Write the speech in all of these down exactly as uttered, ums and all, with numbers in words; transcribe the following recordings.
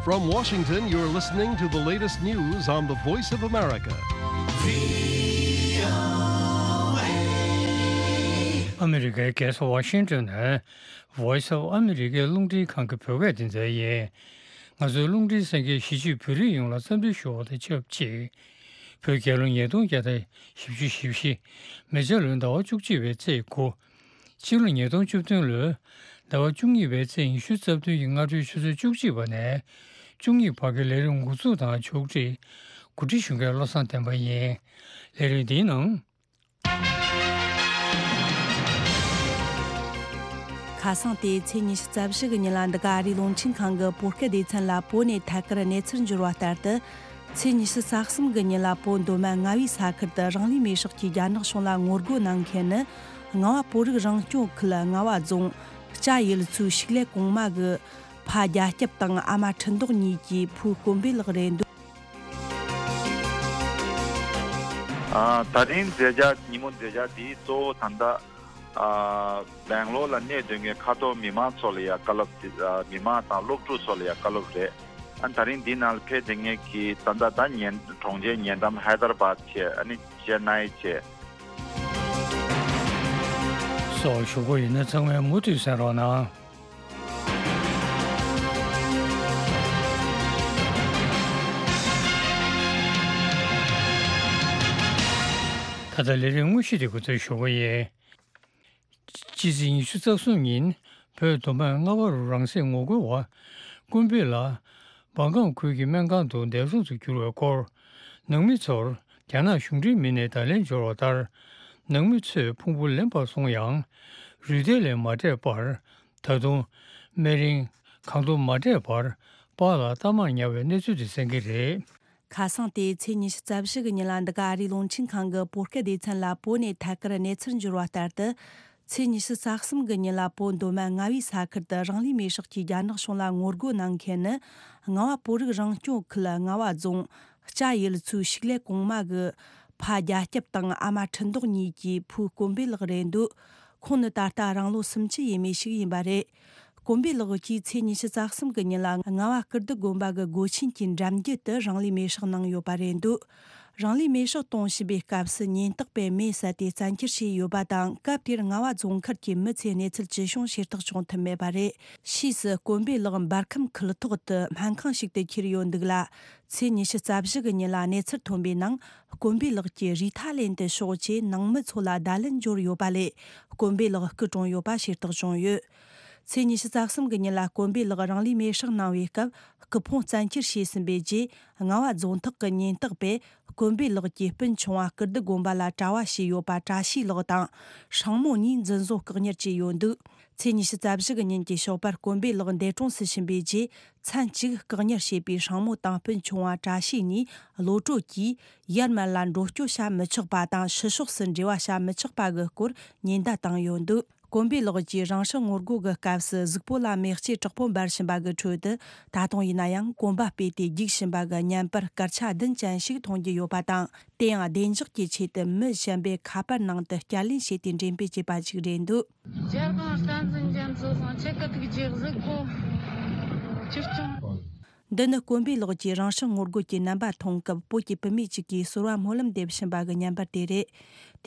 From Washington, you're listening to the latest news on the Voice of America. ཨ་མི་རི་ཀའི་རྒྱལ་ས་ཝ་ཤིང་ཏོན་ནས་Voice of America རླུང་འཕྲིན་ཁང་གི་བོད་སྐད་སྡེ་ཚན་ཡིན། ང་ཚོའི་རླུང་འཕྲིན་གསན་མཁན་གཞིས་བྱེས་བོད་རིགས་ཡོངས་ལ་འཚམས་འདྲི་ཞུ་བ་དང་ཆབས་ཅིག་བོད་རྒྱལ་ལོ་ཉིས་སྟོང་བརྒྱ་དང་བཞི་བཅུ་ཞེ་བཞི། མེ་བྱ་ལོའི་ཟླ་བ་བཅུ་གཅིག་པའི་ཚེས་དགུ། ཕྱི་ལོ་ཉིས་སྟོང་བཅུ་བདུན་ལོའི་ཟླ་བ་བཅུ་གཉིས་པའི་ཚེས་ཉི་ཤུ་རྩ་བདུན་གྱི་སྔ་དྲོའི་ཆུ་ཚོད་བཅུ་གཅིག་པ་ནས་བཅུ་གཉིས་བར་གྱི་ལས་རིམ་འགོ་འཛུགས་དང་ཕྱོགས་སྒྲིག་གོ་སྒྲིག་ཞུ་མཁན་བློ་བཟང་བསྟན་པ་ཡིན། ལས་རིམ་འདིའི་ནང་། ཁ་སང་སྟེ་ཚེས་ཉི་ཤུ་རྩ་བཞི་གི་ཉིན་ལ་འདི་ག་ཨ་རིའི་རླུང་འཕྲིན་ཁང་གི་བོད་སྐད་སྡེ་ཚན་ལ་བོད་ནས་ཐད་ཀར་གནས་ཚུལ་འབྱོར་བ་ལྟར་དུ། ཚེས་ཉི་ཤུ་རྩ་གསུམ་གི་ཉིན་ལ་བོད་མདོ་སྨད་རྔ་བའི་ས་ཁུལ་དུ་རང་ལུས་མེར་སྲེག་གིས་རྒྱ་ནག་གཞུང་ལ་ངོ་རྒོལ་གནང་མཁན་ནི། རྔ་བ་བོད་རིགས་རང་སྐྱོང་ཁུལ་རྔ་བ་རྫོང་། སྐྱ་ཡུལ་ཚོའི་ཕྱུགས་ལས་གོང་མ་གི་ཕ་རྒྱ་སྐྱབས་དང་ཨ་མ་ཁྲི་མདོག་གཉིས་ཀྱི་བུ་དཀོན་པོའི་ལགས་རེད་འདུག་ཨ། ད་རིང་མཛད་འཆར། ཉིན་མོ་མཛད་འཆར་འདི་གཙོ་བོ་ད་ལྟ། ཨ། སྦེང་ལོར་ལ་གནས་སྡོད་མཁན་ཁ་ཐོར་མི་མང་ཚོ་ལ་ཡང་བཀའ་སློབ་དེ། ཨ། མི་མང་དང་སློབ་ཕྲུག་ཚོ་ལ་ཡང་བཀའ་སློབ་རེད། ཨ། ད་རིང་འདི་ནང་ལ་ཕེབས་བསྡད་མཁན་གྱི་ད་ལྟ་ད་ཉེ་གྲོང་ཁྱེར་ཉེ་འགྲམ་ཧའི་དར་བཱད་བྱས། ཨ་ནི་ཅེ་ནའི་བྱས། སོགས་ཞུ་སྒོ་ཡིན་ན་ཚང་མས་མུ་མཐུད་གསན་རོགས་གནང་། ད་ལྟ་ལས་རིམ་དངོས་གཞི་དེ་འགོ་འཛུགས་ཞུ་གི་ཡིན། ཕྱི་ཚེས་ཉི་ཤུ་རྩ་གསུམ་ཉིན་བོད་མདོ་སྨད་རྔ་བ་རུ་རང་སྲེག་ངོ་རྒོལ་བ་དཀོན་པོ་ལགས་བང་ཀང་ཁུལ་གྱི་སྨན་ཁང་དུ་འདས་གྲོངས་སུ་གྱུར་བའི་སྐོར། ནང་མི་ཚོར་རྒྱ་ནག་གཞུང་འབྲེལ་མི་སྣས་བརྡ་ལན་འབྱོར་བ་ལྟར། ནང་མི་ཚོས་ཕུང་པོ་ལེན་པར་སོང་ཡང་རུས་ཐལ་ལས་མ་སྤྲད་པར། ད་དུང་སྨན་རིན་གང་ཐོབ་མ་སྤྲད་པར་པཱ་ལགས་གཏའ་མར་ཉར་བའི་གནས་ཚུལ་དེ་གསན་གྱི་རེད། ཁ་སང་སྟེ་ཚེས་ཉི་ཤུ་རྩ་བཞི་གི་ཉིན་ལ་འདི་ག་ཨ་རིའི་རླུང་འཕྲིན་ཁང་གི་བོད་སྐད་སྡེ་ཚན་ལ་བོད་ནས་ཐད་ཀར་གནས་ཚུལ་འབྱོར་བ་ལྟར་དུ། ཚེས་ཉི་ཤུ་རྩ་གསུམ་གི་ཉིན་ལ་བོད་མདོ་སྨད་རྔ་བའི་ས་ཁུལ་དུ་རང་ལུས་མེར་སྲེག་གིས་རྒྱ་ནག་གཞུང་ལ་ངོ་རྒོལ་གནང་མཁན་ནི། རྔ་བ་བོད་རིགས་རང་སྐྱོང་ཁུལ་རྔ་བ་རྫོང་། སྐྱ་ཡུལ་ཚོའི་ཕྱུགས་ལས་གོང་མ་གི་ཕ་རྒྱ་སྐྱབས་དང་ཨ་མ་ཁྲི་མདོག་གཉིས་ཀྱི་བུ་དཀོན་པོའི་ལགས་རེད་འདུག་ཁོང་ནི་ད་ལྟ་རང་ལོ་སུམ་ཅུ་ཡས་མས་ཤིག་ཡིན་པ་རེད། དཀོན་པོའི་ལགས་ཀྱིས་ཚེས་ཉི་ཤུ་རྩ་གསུམ་གི་ཉིན་ལ་རྔ་བ་ཀིརྟི་དགོན་པ་གི་སྒོ་ཆེན་གྱི་འགྲམ་རྒྱུད་དུ་རང་ལུས་མེར་སྲེག་གནང་ཡོད་པ་རེད་འདུག་རང་ལུས་མེར་སྲེག་གཏོང་བཞིན་པའི་སྐབས་སུ་ཉེན་རྟོག་པས་མེ་བསད་དེ་བཙན་འཁྱེར་བྱས་ཡོད་པ་དང་། སྐབས་དེར་རྔ་བ་རྫོང་ཁུལ་གྱི་མི་ཚོས་གནས་ཚུལ་ཅི་བྱུང་ཤེས་རྟོགས་བྱུང་ཐུབ་མེད་པ་རེད། ཕྱིས་སུ་དཀོན་པོའི་ལགས་འབར་ཁམས་ཁུལ་ཐོག་ཏུ་སྨན་ཁང་ཞིག་ཏུ་ཁྱེར་ཡོད་འདུག་ལ། ཚེས་ཉི་ཤུ་རྩ་བཞི་གི་ཉིན་ལ་གནས་ཚུལ་ཐོན་པའི་ནང་། དཀོན་པོའི་ལགས་ཀྱིས་རུས་ཐལ་ལེན་དུ་ཤོག་ཅེས་ནང་མི་ཚོ་ལ་བརྡ་ལན་འབྱོར་ཡོད་པ་ལས། དཀོན་པོའི་ལགས་སྐུ་གྲོངས་ཡོད་པ་ཤེས་རྟོགས་བྱུང་ཡོད། ཚེས་ཉི་ཤུ་རྩ་གསུམ་གི་ཉིན་ལ་དཀོན་པོའི་ལགས་རང་ལུས་མེར་སྲེག་གནང་བའི་སྐབས། སྐུ་ཕུང་བཙན་འཁྱེར་བྱས་ཟིན་པའི་རྗེས། རྔ་བ་རྫོང་ཐག་གི་ཉེན་རྟོག་པས་དཀོན་པོའི་ལགས་ཀྱི་སྤུན་ཆུང་བ་ཀིརྟི་དགོན་པ་ལ་གྲྭ་བ་བྱས་ཡོད་པ་བཀྲ་ཤིས་ལགས་དང་། སྲིང་མོ་གཉིས་འཛིན་བཟུང་བཀག་ཉར་བྱས་ཡོད་འདུག་ཚེས་ཉི་ཤུ་རྩ་བཞི་གི་ཉིན་གྱི་ཞོགས་པར་དཀོན་པོའི་ལགས་འདས་གྲོངས་སུ་ཕྱིན་པའི་རྗེས། མཚན་གཅིག་བཀག་ཉར་བྱས་པའི་སྲིང་མོ་དང་སྤུན་ཆུང་བ་བཀྲ་ཤིས་གཉིས་གློད་གྲོལ་གྱིས་ཡར་མར་ལ་འགྲོ་སྐྱོད་བྱ་མི་ཆོག་པ་དང་། ཕྱི་ཕྱོགས་སུ་འབྲེལ་བ་བྱ་མི་ཆོག་པ་གི་སྐོར་ཉེན་བརྡ་བཏང་ཡོད་འདུག་དཀོན་པོའི་ལགས་ཀྱིས་རང་སྲོག་ངོ་རྒོལ་གྱི་སྐབས་སུ་གཟུགས་པོ་ལ་མེ་ལྕེ་དྲག་པོ་འབར་བཞིན་པ་གི་ཁྲོད་དུ། ད་དུང་ཡིན་ན་ཡང་གོམ་པ་སྤོས་ཏེ་རྒྱུག་བཞིན་པ་གི་བརྙན་པར་སྐར་ཆ་བདུན་ཅན་ཞིག་མཐོང་རྒྱུ་ཡོད་པ་དང་། དེ་ཡང་བདེ་འཇགས་ཀྱི་ཆེད་དུ་མི་གཞན་པས་ཁ་པར་ནང་དུ་བསྐྱར་ལེན་བྱས་ཏེ་འགྲེམས་སྤེལ་བྱས་པ་ཞིག་རེད་འདུག་རྒྱལ་དབང་བསྟན་འཛིན་རྒྱ་མཚོ་སོང་ཆེ་ཀ་ཐུག་རྗེས་གཟིགས་གོ་ཕྱིར་སྐྱོང་། འདི་ནི་དཀོན་པོའི་ལགས་ཀྱིས་རང་སྲོག་ངོ་རྒོལ་གྱི་རྣམ་པ་མཐོང་སྐབས་བོད་ཀྱི་བུད་མེད་ཅིག་གིས་ཟོར་བ་སྨོན་ལམ་འདེབས་བཞིན་པ་གི་བརྙན་པར་དེ་རེད།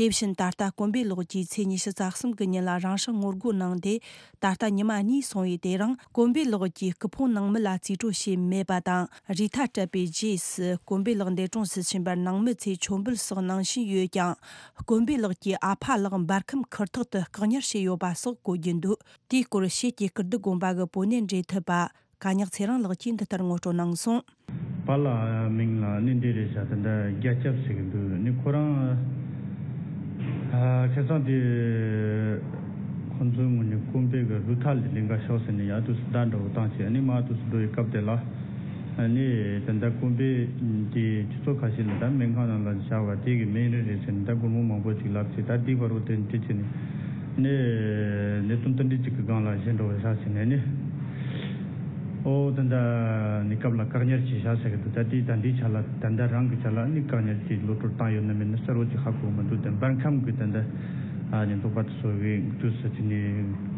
དེ་བཞིན་ད་ལྟ་དཀོན་པོའི་ལགས་ཀྱིས་ཚེས་ཉི་ཤུ་རྩ་གསུམ་གི་ཉིན་ལ་རང་སྲོག་ངོ་རྒོལ་གནང་སྟེ། ད་ལྟ་ཉི་མ་གཉིས་སོང་བའི་དེ་རིང་དཀོན་པོའི་ལགས་ཀྱི་སྐུ་ཕུང་ནང་མི་ལ་རྩིས་སྤྲོད་བྱས་མེད་པ་དང་། རུས་ཐལ་སྤྲད་པའི་རྗེས་སུ་དཀོན་པོའི་ལགས་འདས་གྲོངས་སུ་ཕྱིན་པར་ནང་མི་ཚོས་མཆོད་འབུལ་སོགས་གནང་བཞིན་ཡོད་ཀྱང་། དཀོན་པོའི་ལགས་ཀྱི་ཨ་ཕ་ལགས་འབར་ཁམས་ཁུལ་ཐོག་ཏུ་བཀག་ཉར་བྱས་ཡོད་པ་སོགས་གོ་རྒྱུ་འདུག་དེའི་སྐོར་ཕྱིས་ཀྱི་ཀིརྟི་དགོན་པ་གི་བུད་མེད་འབྲེལ་མཐུད་པ། ཀ་ཉག་ཚེ་རིང་ལགས་ཀྱིས་འདི་ལྟར་ངོ་སྤྲོད་གནང་སོང་། པཱ་ལགས་མིང་ལ་ནི་འདི་རེད་ཤག་དེ་འདྲ་རྒྱ་སྐྱབས་ཟེར་གི་འདུག་ནི་ཁོ་རང་ཨ། ཁ་སང་དེ་ཁོ་ཚོའི་ངོས་ནས་དཀོན་པོའི་གི་རུས་ཐལ་ལེན་ག་ཤོག་ཟེར་ནས་ཡར་དུས་སུ་བརྡ་འདྲ་བོ་བཏང་བྱས། ནི་མར་དུས་སུ་འགྲོ་བའི་སྐབས་དེ་ལ་ནི་དེ་འདྲ་དཀོན་པོའི་དེ་ཆུ་ཚོད་ཁ་ཤས་ལ་ད་སྨན་ཁང་ནང་ལ་བཞག་པ་དེ་གི་སྨན་རིན་རེད་ཟེར་ནས་ད་སྒོར་མོ་མང་པོ་ཅིག་ལབ་བྱས། ད་འདི་བར་དུ་དེ་འདྲ་བྱས་ནས་ནི་ནི་དུམ་དུམ་འདྲ་ཅིག་གི་སྒང་ལ་བཞེས་འགྲོ་བའི་ཤག་ཟེར་ནས་ནི། ཨོ་ད་ལྟ་ནི་སྐབས་ལ་བཀག་ཉར་བྱས་ཤག་ཟེར་གི་འདུག་ད་དེ་ད་འདིའི་ཆ་ལ་ད་ལྟ་རང་གི་ཆ་ལ་ནི་བཀག་ཉར་གྱིས་གློད་གྲོལ་བཏང་ཡོད་ན་མེད་ན་གསལ་བོ་ཅིག་ཧ་གོ་མི་འདུག་དེ་འབར་ཁམས་ཀྱི་ད་ལྟ་ཨ་ནི་འདུག་པ་དེ་ཚོ་གི་དུས་སུ་དེ་ནི་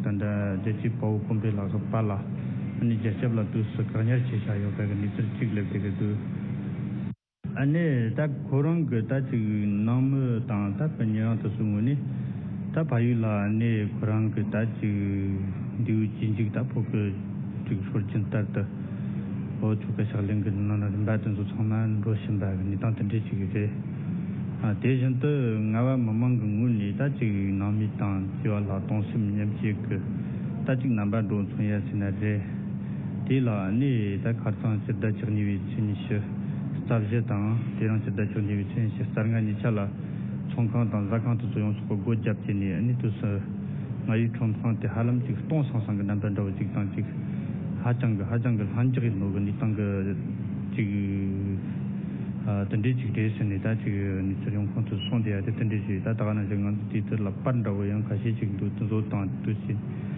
ད་ལྟ་རྒྱལ་གཅེས་དཔའ་བོ་དཀོན་པོའི་ལགས་ཀྱི་པཱ་ལགས་ ཨ་ནི་རྒྱལ་ཁབ་ལ་དུས་སུ་བཀག་ཉར་བྱས་བཞག་ཡོད་པའི་གནས་ཚུལ་གཅིག་སླེབས་བསྡད་ཀྱི་འདུག་ཨ་ནི་ད་ཁོ་རང་གི་ད་ཅིག་ནང་མི་དང་ད་ཕ་ཉེ་རང་དེ་ཚོའི་ངོས་ནས་ད་ཕ་ཡུལ་ལ་ཨ་ནི་ཁོ་རང་གི་ད་ཅིག་འདས་པོ་གཅིག་མཇུག་ད་ཕོ་སྐུ་ཅིག་ཤོར་རྐྱེན་ལྟར་དུ་འོ་ཆོ་ག་ཕྱག་ལེན་གྱི་ནང་ན་རིམ་པ་དེ་ཚོ་ཚང་མ་འགྲོ་བཞིན་པ་གི་གནས་སྟངས་དེ་འདྲ་ཅིག་རེད། ཨ་དེ་བཞིན་དུ་རྔ་བ་མི་མང་གི་ངོས་ནས་ད་ཅིག་ནང་མི་དང་བཅས་པ་ལ་གདུང་སེམས་མཉམ་སྐྱེད་ཀྱི་ད་ཅིག་རྣམ་པ་འགྲོ་མཚོན་ཡ་ཟེར་ན་རེད། དེ་ལ་ནི་ད་ཁ་རྩང་སྤྱི་ཟླ་བཅུ་གཉིས་པའི་ཚེས་ཉི་ཤུ་རྩ་བཞི་དང་དེ་རིང་སྤྱི་ཟླ་བཅུ་གཉིས་པའི་ཚེས་ཉི་ཤུ་རྩ་ལྔ་གཉིས་ཆ་ལ་ཚོང་ཁང་དང་ཟ་ཁང་དེ་ཚོ་ཡོངས་སུ་སྒོ་བརྒྱབ་བྱས་ནས་ནི་དུས་སུ་རྔ་ཡབ་ཁྲོམ་ཁང་དེ་ཧ་ལམ་ཅིག་སྟོང་སང་སང་གི་རྣམ་པ་འདྲ་བོ་ཅིག་དང་ཅིག་ཧ་ཅང་གི་ཧ་ཅང་གི་ལྷིང་འཇགས་ཡིན་ནོ་གི་གནས་སྟངས་གི་ཅིག་ཨ་དེ་འདྲའི་ཅིག་རེད་ཟེར་ནས་ད་ཅིག་གནས་ཚུལ་ཡོང་ཁུངས་དུ་སོང་དེ་ཡ་དེ་དེ་འདྲའི་ཅིག་ད་ད་ག་ནང་བཞིན་ང་ཚོ་དེའི་ཐད་ལ་པར་འདྲ་བོ་ཡང་ཁ་ཤས་ཅིག་འདུག་དེ་ཚོ་དང་དུས་ཕྱིན།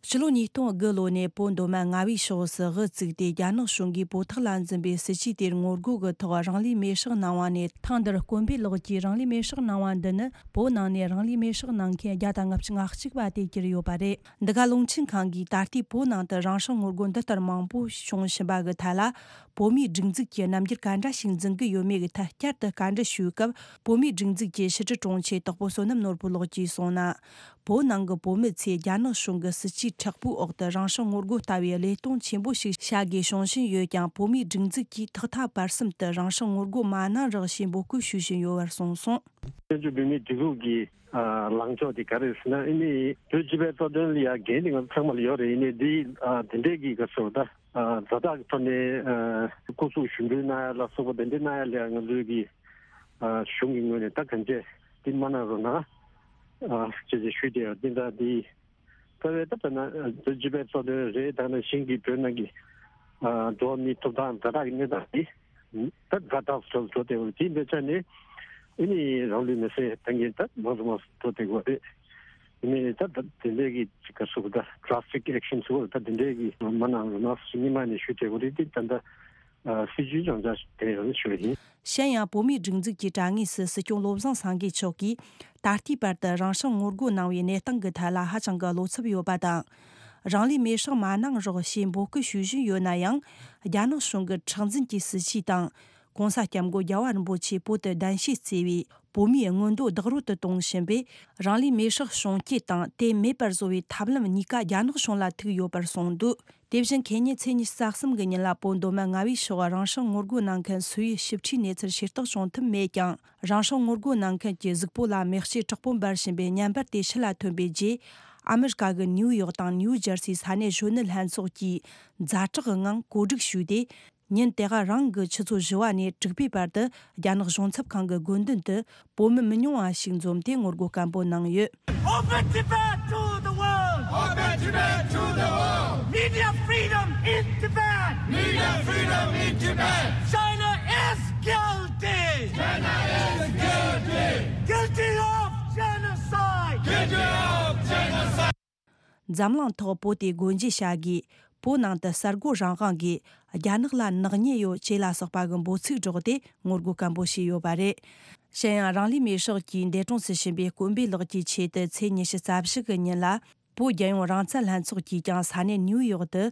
ཕྱི་ལོ་ཉིས་སྟོང་དགུ་ལོ་ནས་བོད་མདོ་སྨད་རྔ་བའི་ཕྱོགས་སུ་དབུ་བཙུགས་ཏེ་རྒྱ་ནག་གཞུང་གིས་བོད་ཐོག་ལ་འཛིན་པའི་སྲིད་བྱུས་དེར་ངོ་རྒོལ་གྱི་ཐོག་རང་ལུས་མེར་སྲེག་གནང་བ་ནས་ཐེངས་འདིར་དཀོན་པོའི་ལགས་ཀྱིས་རང་ལུས་མེར་སྲེག་གནང་བ་འདི་ནི་བོད་ནང་ནས་རང་ལུས་མེར་སྲེག་གནང་མཁན་བརྒྱ་དང་ལྔ་བཅུ་ང་གཅིག་པ་དེ་གྱུར་ཡོད་པ་རེད། འདི་ག་རླུང་འཕྲིན་ཁང་གིས་ད་ལྟའི་བོད་ནང་དུ་རང་སྲོག་ངོ་རྒོལ་འདི་ལྟར་མང་པོ་བྱུང་བཞིན་པ་གི་ཐད་ལ། བོད་མིའི་སྒྲིག་འཛུགས་ཀྱི་རྣམ་འགྱུར་ག་འདྲ་ཞིག་འཛིན་གྱི་ཡོད་མེད་ཀྱི་ཐད་བསྐྱར་དུ་བཀའ་འདྲི་ཞུས་སྐབས། བོད་མིའི་སྒྲིག་འཛུགས་ཀྱི་ཕྱི་དྲིལ་དྲུང་ཆེ་དྭགས་པོ་བསོད་ནམས་ནོར་བུ་ལགས་ཀྱིས་གསུངས་ན། བོད་ནང་གི་བོད་མི་ཚོས་རྒྱ་ནག་གཞུང་གི་སྲིད་བྱུས་མཁྲེགས་པོའི་འོག་ཏུ་རང་སྲོག་ངོ་རྒོལ་ལྟ་བུའི་བློས་གཏོང་ཆེན་པོ་ཞིག་བྱ་དགོས་བྱུང་བཞིན་ཡོད་ཀྱང་། བོད་མིའི་སྒྲིག་འཛུགས་ཀྱིས་ཐོག་མཐའ་བར་གསུམ་དུ་རང་སྲོག་ངོ་རྒོལ་མ་གནང་རོགས་ཞེས་འབོད་སྐུལ་ཞུ་བཞིན་ཡོད་པར་གསུངས་སོང་། བཙན་བྱོལ་བོད་མིའི་སྒྲིག་འཛུགས་ཀྱི་ཨ་ལངས་ཕྱོགས་དེ་ག་རེ་ཟེར་ན། ཨ་ནི་བོད་སྤྱི་པའི་རྩ་དོན་ལ་ཡ་འགན་དེ་ང་ཚོ་ཚང་མ་ལ་ཡོད་རེད། ཨ་ནི་འདི་ཨ་དེ་འདྲས་ཀྱི་ག་ཚོད་ད་ཨ་ཛ་དྲག་གི་ཐོག་ནས་ཨ་སྐུ་གཟུགས་ཞུགས་འབུལ་གནང་ཡ་ལ་སོགས་པ་དེ་འདྲས་གནང་ཡ་ལ་ཡ་ང་ཚོའི་གི་ཨ་གཞུང་གི་ངོས་ནས་ད་གང་བྱས་འདི་མ་གནང་རོགས་གནང་ཨ་ཅེས་ཅེས་ཞུས་ཏེ། འདི་འདྲ་འདི་རྩ་བའི་ད་ད་ན་བོད་སྤྱི་པའི་རྩ་དོན་རེད། ད་ནང་བཞིན་གྱི་བོད་ནང་གི་ཨ་འགྲོ་བ་མིའི་ཐོབ་ཐང་ཛ་དྲག་གི་གནས་སྟངས་འདི། ད་ཛ་དྲག་ཏུ་འགྲོ་བསྡད་ཡོད་རེད། དེ་འདྲ་ཆ་ནས་ཨ་ནི་རང་ལུས་མེར་སྲེག་གཏང་མཁན་ད་མང་དུ་མང་དུ་འགྲོ་བསྡད་ཡོད་རེད། ཨ་ནི་ད་ད་དེ་འདྲའི་གི་ཅིག་ག་ཟེར་དགོས། ད་ཌ་ར་སི་ཊིག་ཨེག་ཤན་ཟེར་དགོས། ད་དེ་འདྲའི་གི་མ་གནང་རོགས་གནང་ཟེར་སྔོན་མ་ནས་ཞུ་བསྡད་ཡོད་རེད། དེ་ད་ལྟ་སྲིད་བྱུས་སྦྱོང་བྱ་དེ་ཡང་ཞུ་བ་ཡིན། གཞན་ཡང་། བོད་མིའི་སྒྲིག་འཛུགས་ཀྱི་དྲ་ངོས་སུ་སྲིད་སྐྱོང་བློ་བཟང་སེང་གེ་མཆོག་གིས་ད་ལྟའི་བར་དུ་རང་སྲོག་ངོ་རྒོལ་གནང་བའི་གནས་སྟངས་ཀྱི་ཐད་ལ་ཧ་ཅང་གི་བློ་འཚབ་ཡོད་པ་དང་། རང་ལུས་མེར་སྲེག་མ་གནང་རོགས་ཞེས་འབོད་སྐུལ་ཞུ་བཞིན་ཡོད་ན་ཡང་། རྒྱ་ནག་གཞུང་གི་མཁྲེགས་འཛིན་གྱི་སྲིད་བྱུས་དང་། ྋགོང་ས་ྋསྐྱབས་མགོན་རྒྱལ་བ་རིན་པོ་ཆེས་བོད་དུ་གདན་ཞུས་བརྩིས་པའི་བོད་མིའི་མངོན་འདོད་བདག་རོལ་དུ་གཏོང་བཞིན་པས། རང་ལུས་མེར་སྲེག་བྱུང་རྐྱེན་དང་དེ་མེད་པར་བཟོ་བའི་ཐབས་ལམ་གཉིས་ཀ་རྒྱ་ནག་གཞུང་ལ་ཐུག་ཡོད་པར་གསུངས་འདུག་དེ་བཞིན་ཁེ་ཉིན་ཚེས་ཉི་ཤུ་རྩ་གསུམ་གྱི་ཉིན་ལ་བོད་མདོ་སྨད་རྔ་བའི་ཕྱོགས་རང་སྲོག་ངོ་རྒོལ་གནང་མཁན་སུ་ཡི་ཞིབ་ཕྲའི་གནས་ཚུལ་ཤེས་རྟོགས་བྱུང་ཐུབ་མེད་ཀྱང་། རང་སྲོག་ངོ་རྒོལ་གནང་མཁན་གྱི་གཟུགས་པོ་ལ་མེ་ལྕེ་དྲག་པོ་འབར་བཞིན་པའི་བརྙན་པར་དེ་ཕྱི་ལ་ཐོན་པའི་རྗེས། ཨ་མི་རི་ཀ་གི་ནིའུ་ཡོག་དང་ནིའུ་ཇར་སིའི་ས་གནས་གཞོན་ནུ་ལྷན་ཚོགས་ཀྱིས་ཛ་དྲག་གི་ངང་གོ་སྒྲིག་ཞུས་ཏེ། ཉིན་དེ་ག་རང་གི་ཆུ་ཚོད་བཞི་པ་ནས་དྲུག་པའི་བར་དུ་རྒྱ་ནག་གཞུང་ཚབ་ཁང་གི་དགོན་མདུན་དུ་བོད་མི་མི་ཉུང་བ་ཞིག་འཛོམས་ཏེ་ངོ་རྒོལ་སྐམ་པོ་གནང་ཡོད། Open Tibet to the world! Open Tibet to the world! Media freedom in Tibet! Media freedom in Tibet! China is guilty! China is guilty! Guilty of genocide! Guilty of genocide! འཛམ་གླིང་ཐོག་བོད་དེ་སྒོ་འབྱེད་བྱ་དགོས། བོད་ནང་དུ་གསར་འགོད་རང་དབང་དགོས། རྒྱ་ནག་ལ་ནག་ཉེས་ཡོད་ཅེས་ལ་སོགས་པ་གི་འབོད་ཚིག་སྒྲོག་སྟེ་ངོ་རྒོལ་སྐམ་པོ་བྱས་ཡོད་པ་རེད། གཞན་ཡང་། རང་ལུས་མེར་སྲེག་གིས་འདས་གྲོངས་སུ་ཕྱིན་པའི་དཀོན་པོའི་ལགས་ཀྱི་ཆེད་དུ་ཚེས་ཉི་ཤུ་རྩ་བཞི་གི་ཉིན་ལ། བོད་རྒྱལ་ཡོངས་རང་བཙན་ལྷན་ཚོགས་ཀྱིས་ཀྱང་ས་གནས་ནིའུ་ཡོག་ཏུ་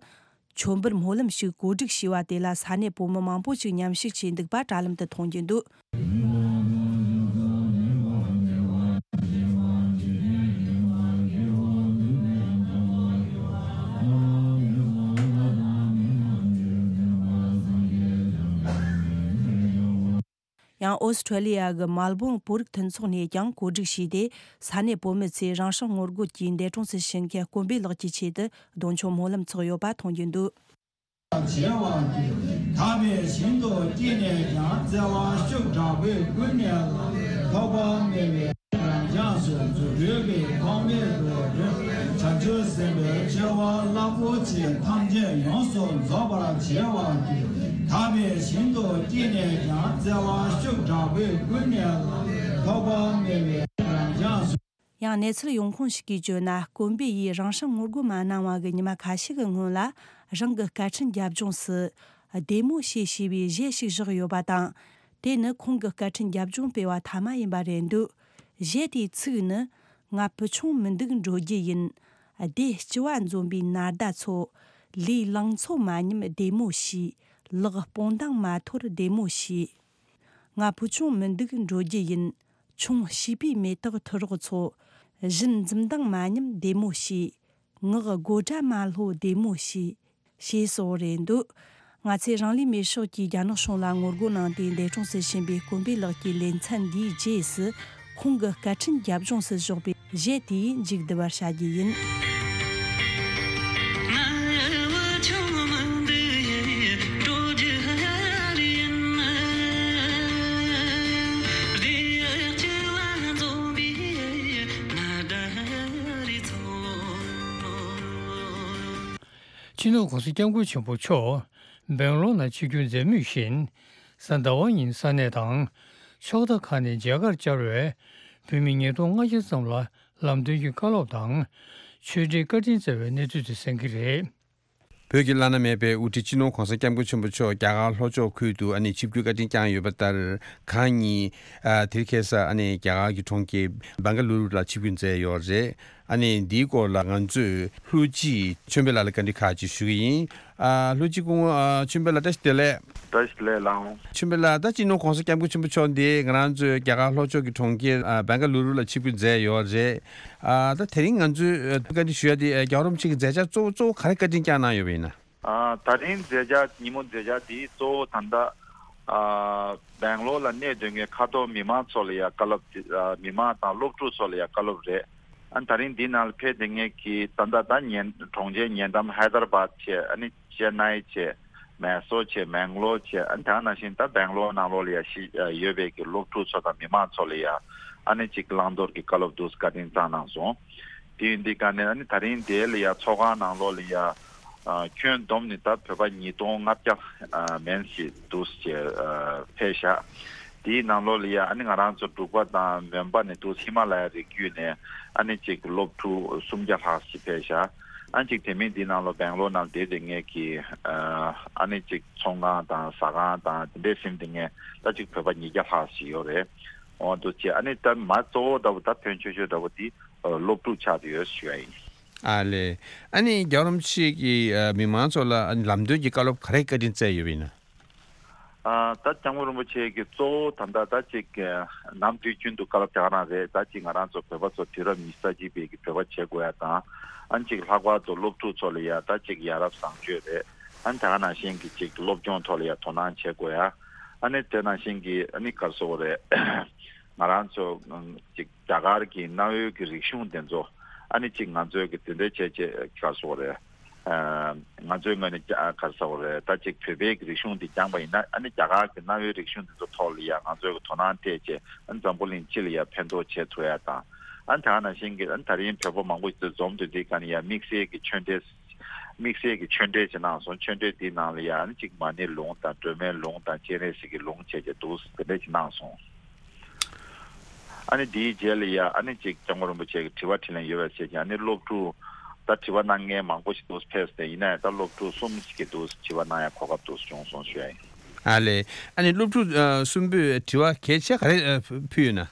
མཆོད་འབུལ་སྨོན་ལམ་ཞིག་གོ་སྒྲིག་བྱས་པ་དེ་ལ་ས་གནས་བོད་མི་མང་པོ་ཞིག་མཉམ་ཞུགས་བྱས་འདུག་པ་དྲ་ལམ་དུ་མཐོང་རྒྱུ་འདུག་ཡང་། ཨོ་སི་ཁྲུ་ལི་ཡ་གི་མལ་བོན་བོད་རིགས་མཐུན་ཚོགས་ནས་ཀྱང་གོ་སྒྲིག་བྱས་ཏེ། ས་གནས་བོད་མི་ཚོས་རང་སྲོག་ངོ་རྒོལ་གྱིས་འདས་གྲོངས་སུ་ཕྱིན་མཁན་དཀོན་པོའི་ལགས་ཀྱི་ཆེད་དུ་གདུང་མཆོད་སྨོན་ལམ་འཚོགས་ཡོད་པ་མཐོང་རྒྱུ་འདུག་བྱེད་པ་དེ། དག་པའི་ཞིང་དུ་སྐྱེས་ནས་ཀྱང་། བརྩེ་བ་ཤུགས་དྲག་པོས་ཀུན་ནས་བསླངས། ཐོགས་པ་མེད་པའི་རང་བྱམས་སུ། རྫུ་འཕྲུལ་གྱིས་ཐོགས་མེད་དུ་སྒྲོལ། བྱང་ཆུབ་སེམས་དཔའི་ཆེ་བ་རླབས་པོ་ཆེ། ཐམས་ཅད་ཡོངས་སུ་རྫོགས་པར་བྱེད་པ་དེ། དག་པའི་ཞིང་དུ་སྐྱེས་ནས་ཀྱང་། བརྩེ་བ་ཤུགས་དྲག་པོས་ཀུན་ནས་བསླངས། ཐོགས་པ་མེད་པའི་རང་བྱམས་སུ། ཡང་། གནས་ཚུལ་ཡོང་ཁུངས་ཤིག་གིས་བརྗོད་ན། དཀོན་པོ་ཡིས་རང་སྲོག་ངོ་རྒོལ་མ་གནང་བ་གི་ཉི་མ་ཁ་ཤས་ཀྱི་སྔོན་ལ། རང་གི་སྐད་འཕྲིན་རྒྱབ་ལྗོངས་སུ། བདེ་མོ་བྱོས་ཞེས་པའི་གཞས་ཤིག་བཞག་ཡོད་པ་དང་། དེ་ནི་ཁོང་གི་སྐད་འཕྲིན་རྒྱབ་ལྗོངས་སྤེལ་བ་མཐའ་མ་ཡིན་པ་རེད་འདུག་གཞས་དེའི་ཚིག་ནི། ང་བུ་ཆུང་མི་འདུག་འགྲོ་རྒྱུ་ཡིན། སྡེ་སྤྱི་བ་འཛོམས་པའི་ནཱ་ཟླ་ཚོ། ལུས་ལང་ཚོ་མ་ཉམས་བདེ་མོ་བྱོས། ལག་སྤོང་ལྡང་མ་འཐོར་བདེ་མོ་བྱོས། ང་བུ་ཆུང་མི་འདུག་འགྲོ་རྒྱུ་ཡིན། ཆུང་བྱིས་པའི་མེ་སྟག་ཐུ་རོག་ཚོ། བཞིན་འཛུམ་མདངས་མ་ཉམས་བདེ་མོ་བྱོས། ངག་དགོད་སྒྲ་མ་ལྷོད་བདེ་མོ་བྱོས། ཞེས་སོགས་རེད་འདུག་ང་ཚོས་རང་ལུས་མེར་སྲེག་གིས་རྒྱ་ནག་གཞུང་ལ་ངོ་རྒོལ་གནང་སྟེ་འདས་གྲོངས་སུ་ཕྱིན་པའི་དཀོན་པའི་ལགས་ཀྱི་ལེ་ཚན་འདིའི་རྗེས་སུ། ཁོང་གི་བསྐལ་འཕྲིན་རྒྱབ་ལྗོངས་སུ་བཞག་པའི་གཞས་དེ་མཇུག་བསྡུ་བར་བྱ་རྒྱུ་ཡིན། སྤྱི་ནོར་༸གོང་ས་༸སྐྱབས་མགོན་ཆེན་པོ་མཆོག་སྦེང་ལོར་ནང་ཆིབས་བསྒྱུར་མཛད་མུས་བཞིན། གཟའ་ཟླ་བ་ཉིན་ས་གནས་དང་། ཕྱོགས་མཐའ་ཁག་ནས་མཇལ་ཁར་བཅར་བའི་བོད་མི་ཉིས་སྟོང་ལྔ་བརྒྱ་ཙམ་ལ་ལམ་སྟོན་གྱི་བཀའ་སློབ་དང་། ཆོས་འབྲེལ་བཀའ་དྲིན་སྩལ་བའི་གནས་ཚུལ་དེ་གསན་གྱི་རེད། བོད་ཀྱི་བླ་ན་མེད་པའི་དབུ་ཁྲིད་སྤྱི་ནོར་༸གོང་ས་༸སྐྱབས་མགོན་ཆེན་པོ་མཆོག་རྒྱ་གར་ལྷོ་ཕྱོགས་ཁུལ་དུ་ཨ་ནི་ཆིབས་བསྒྱུར་བཀའ་དྲིན་བསྐྱངས་ཡོད་པ་ལྟར། གང་ཉིད་ཨ་དེ་རིང་ཁ་སང་ཨ་ནི་རྒྱ་གར་གྱི་གྲོང་ཁྱེར་བེང་ག་ལུ་རུ་ལ་ཆིབས་བསྒྱུར་མཛད་ཡོད་རེད། ཨ་ནི་འདིའི་སྐོར་ལ་ང་ཚོས་ལྷུ་སྤྱི་ཆོས་འཕེལ་ལགས་ལ་བཀའ་འདྲི་ཁག་ཅིག་ཞུ་གི་ཡིན། ཨ་ལྷུ་སྤྱི་སྐུ་ངོ་ཨ་ཆོས་འཕེལ་ལགས་བཀྲ་ཤིས་བདེ་ལེགས། བཀྲ་ཤིས་བདེ་ལེགས་ལགས། ཆོས་འཕེལ་ལགས། ད་སྤྱི་ནོར་༸གོང་ས་༸སྐྱབས་མགོན་ཆེན་པོ་མཆོག་འདི་ང་རང་ཚོའི་རྒྱ་གར་ལྷོ་ཕྱོགས་ཀྱི་གྲོང་ཁྱེར་ཨ་བེང་ག་ལུ་རུ་ལ་ཆིབས་བསྒྱུར་མཛད་ཡོད་རེད། ཨ་ད་དེ་རིང་ང་ཚོས་ཨ་བཀའ་འདྲི་ཞུ་ཡ་དེ་ཨ་རྒྱལ་བ་རིན་པོ་ཆེ་གི་མཛད་འཆར་གཙོ་བོ་གཙོ་བོ་ག་རེ་བཀའ་དྲིན་བསྐྱངས་གནང་ཡོད་པ་ཡིན་ན། ཨ་ད་རིང་མཛད་འཆར་ཉིན་མོ་མཛད་འཆར་དེ་གཙོ་བོ་ད་ལྟ་ཨ་བེང་ལོར་ལ་གནས་སྡོད་མཁན་ཁ་ཐོར་མི་མང་ཚོ་ལ་ཡ་བཀའ་སློབ་དེ་ཨ་མི་མང་དང་སློབ་ཕྲུག་ཚོ་ལ་ཡ་བཀའ་སློབ་རེད། ཨ་ད་རིང་འདི་ནང་ལ་ཕེབས་བསྡད་མཁན་གྱི་ད་ལྟ་ད་ཉེ་གྲོང་ཁྱེར་ཉེ་འགྲམ་ཧའི་དར་བཱད་བྱས། ཨ་ནི་ཅེ་ནའི་བྱས། མེ་སོར་བྱས། མེང་ལོར་བྱས། ཨ་ནི་དེ་ནང་བཞིན་ད་བེང་ལོར་ནང་ལོགས་ལ་ཡ་ཤི་ཡོད་པའི་གི་སློབ་ཕྲུག་ཚོ་དང་མི་མང་ཚོ་ལ་ཡ་ཨ་ནི་ཅིག་བླང་དོར་གྱི་བཀའ་སློབ་འདུག་སེ་བཀའ་དྲིན་བསྐྱངས་གནང་སོང་། དེ་ཡིན་དུས་ཀ་ནས་ཨ་ནི་ད་རིང་དེ་ལ་ཡ་ཚོགས་ཁང་ནང་ལོགས་ལ་ཡ་ཨ་ཁྱོན་བསྡོམས་ནས་ད་བོད་པ་ཉིས་སྟོང་ལྔ་བརྒྱ་ཨ་མན་ཞིག་འདུག་སེ་ཨ་ཕེབས་ཤག་དེའི་ནང་ལོགས་ལ་ཡ་ཨ་ནི་ང་རང་ཚོ་འབྲུག་པ་དང་མོན་པ་ནས་འདུག་སེ་ཧི་མ་ལ་ཡ་རི་རྒྱུད་ནས་ཨ་ནི་ཅིག་སློབ་ཕྲུག་སུམ་བརྒྱ་ལྷག་ཞིག་ཕེབས་ཤག་ཨ་ནི་ཅིག་དེ་མིན་འདི་ནང་ལོགས་བེང་ལོར་ནང་བསྡད་བསྡད་མཁན་གྱི་ཨ་ནི་ཅིག་ཚོང་ཁང་དང་ཟ་ཁང་དང་དེ་འདྲས་ཟིན་བསྡད་མཁན་ད་ཅིག་བོད་པ་ཉིས་བརྒྱ་ལྷག་ཞིག་ཡོད་རེད། འོ་འདུག་སེ་ཨ་ནི་ད་མ་གཙོ་བོ་འདྲ་བོ་ད་ཕོན་ཆེ་ཤོས་འདྲ་བོ་འདི་ཨ་སློབ་ཕྲུག་ཆགས་བསྡད་ཡོད་ཞུ་ཡ་ཡིན། ཨ་ལས། ཨ་ནི་རྒྱལ་བ་རིན་པོ་ཆེ་གིས་ཨ་མི་མང་ཚོ་ལ་ཨ་ནི་ལམ་སྟོན་གྱི་བཀའ་སློབ་ག་རེ་བཀའ་དྲིན་སྩལ་ཡོད་པ་ཡིན་ན། ཨ་ད་སྐྱབས་མགོན་རིན་པོ་ཆེ་གིས་གཙོ་བོ་ད་ལྟ་ད་ཅིག་ཨ་ནམ་དུས་རྒྱུན་དུ་བཀའ་སློབ་རྒྱག་རང་རེད། ད་ཅིག་ང་རང་ཚོ་བོད་པ་ཚོ་དུས་རབས་ཉི་ཤུ་རྩ་གཅིག་པའི་གི་བོད་པ་བྱེད་དགོས་ཡ་དང་། ཨ་ནི་ཅིག་ལྷག་པར་དུ་སློབ་ཕྲུག་ཚོ་ལ་ཡ་ད་ཅིག་ཡ་རབས་བཟང་སྤྱོད་རེད། ཨ་ནི་ད་ག་ནང་བཞིན་གྱི་ཅིག་སློབ་སྦྱོང་ཐོག་ལ་ཡ་དོ་སྣང་བྱེད་དགོས་ཡ། ཨ་ནི་དེ་ནང་བཞིན་གྱི་ཨ་ནི་ག་རེ་ཟེར་དགོས་རེད། ང་རང་ཚོ་ཨ་ཅིག་རྒྱ་གར་གྱི་གནའ་བོའི་གི་རིག་གཞུང་དེ་ཚོ་ཨ་ནི་ཅིག་ང་ཚོའི་གི་དེ་འདྲ་བྱས་བྱས་ག་རེ་ཟེར་དགོས་རེད། ཨ་ང་ཚོའི་ངོས་ནས་ཀྱ་ག་རེ་ཟེར་དགོས་རེད། ད་ཅིག་བོད་པའི་གི་རིག་གཞུང་འདི་སྦྱངས་པ་ཡིན་ན་ཨ་ནི་རྒྱ་གར་གྱི་གནའ་བོའི་རིག་གཞུང་འདི་ཚོ་ཐོག་ལ་ཡ་ང་ཚོའི་གི་དོ་སྣང་སྤྲད་བྱས་ཨ་ནི་འཛམ་བུ་གླིང་སྤྱི་ལ་ཡ་ཕན་ཐོགས་བྱེད་ཐུབ་ཡ་དང་། ཨ་ནི་ད་ག་ནང་བཞིན་གྱི་ཨ་ནི་ད་རིང་བོད་པ་མང་པོ་ཞིག་འཛོམས་དུས་འདི་ག་ནས་ཡ་དམིགས་བསལ་གྱི་ཆོས་འབྲེལ་དམིགས་བསལ་གྱི་ཆོས་འབྲེལ་ཅིག་གནང་སོང་། ཆོས་འབྲེལ་འདིའི་ནང་ལ་ཡ་ཨ་ནི་ཅིག་མ་ཎི་ལུང་དང་སྒྲོལ་མའི་ལུང་དང་སྤྱན་རས་གཟིགས་ཀྱི་ལུང་བྱས་བྱས་འདུག་དེ་འདྲ་ཅིག་གནང་སོང་། ཨ་ནི་དེའི་རྗེས་ལ་ཡ་ཨ་ནི་ཅིག་སྐྱབས་མགོན་རིན་པོ་ཆེ་གི་དྲི་བ་དྲིས་ལན་ཡོད་པ་བྱས་ཀྱང་ཨ་ནི་སློབ་ཕྲུག་ད་དྲི་བ་གནང་མཁན་མང་པོ་ཞིག་འདུག་ཕེབས་ཏེ། ཡིན་ན་ཡང་ད་སློབ་ཕྲུག་གསུམ་ཞིག་གིས་འདུག་དྲི་བ་གནང་ཡ་གོ་སྐབས་འདུག་བྱུང་སོང་ཞུ་ཡ་ཡིན། ཨ་ལས། ཨ་ནི་སློབ་ཕྲུག་ཨ་གསུམ་པོས་དྲི་བ་གལ་ཆེ་ག་རེ་ཨ་ཕུལ་ཡོད་ན།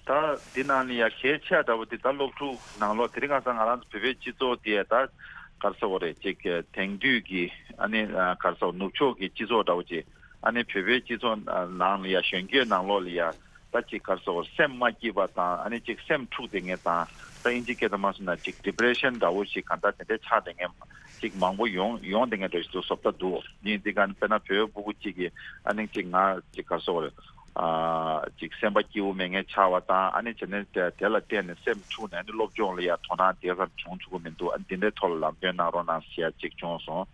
ད་འདི་ནང་ནས་ཡ་གལ་ཆེ་འདྲ་བོ་དེ་ད་སློབ་ཕྲུག་ནང་ལོགས་དེ་རིང་ཁ་སང་ང་རང་ཚོ་བོད་པའི་སྤྱི་ཚོགས་དེ་ད་ག་རེ་ཟེར་དགོས་རེད། ཅིག་དེང་དུས་ཀྱི་ཨ་ནི་ཨ་ག་རེ་ཟེར་ནུབ་ཕྱོགས་ཀྱི་སྤྱི་ཚོགས་འདྲ་བོ་ཅིག་ཨ་ནི་བོད་པའི་སྤྱི་ཚོགས་ནང་ལ་ཡ་གཞོན་སྐྱེས་ནང་ལོགས་ལ་ཡ་ད་ཅིག་ག་རེ་ཟེར་དགོས་རེད། སེམས་མ་སྐྱིད་པ་དང་ཨ་ནི་ཅིག་སེམས་འཁྲུགས་བསྡད་མཁན་དང་། ད་ཨིན་ཇི་སྐད་དུ་མ་སོང་ན་ཅིག་ཌི་པི་རེ་ཤན་འདྲ་བོ་ཞིག་གང་ལྟར་དེ་འདྲའི་ཆགས་བསྡད་མཁན་ཅིག་མང་པོ་ཡོང་ཡོང་བསྡད་མཁན་འདྲ་ཞིག་ཏུ་བཟོ་ལྟ་འདུག་ཡིན་དེ་ག་ནི་དཔེར་ན་བོད་ཕྲུ་གུ་གཅིག་གིས་ཨ་ནི་ཅིག་ང་ཅིག་ག་རེ་ཟེར་དགོས་རེད། ཨ་ཅིག་སེམས་པ་སྐྱིད་པོ་མེད་མཁན་ཆགས་པ་དང་། ཨ་ནི་བྱས་ནས་དེ་དེ་ལ་བརྟེན་ནས་སེམས་འཁྲུགས་ནས་ཨ་ནི་སློབ་སྦྱོང་ལ་ཡ་དོ་སྣང་དེ་ཙམ་བྱུང་ཐུབ་ཀྱི་མི་འདུག་ཨ་ནི་འདི་འདྲའི་ཐོག་ལ་ལམ་སྟོན་གནང་རོགས་གནང་ཟེར་ཡ་ཅིག་བྱུང་སོང་།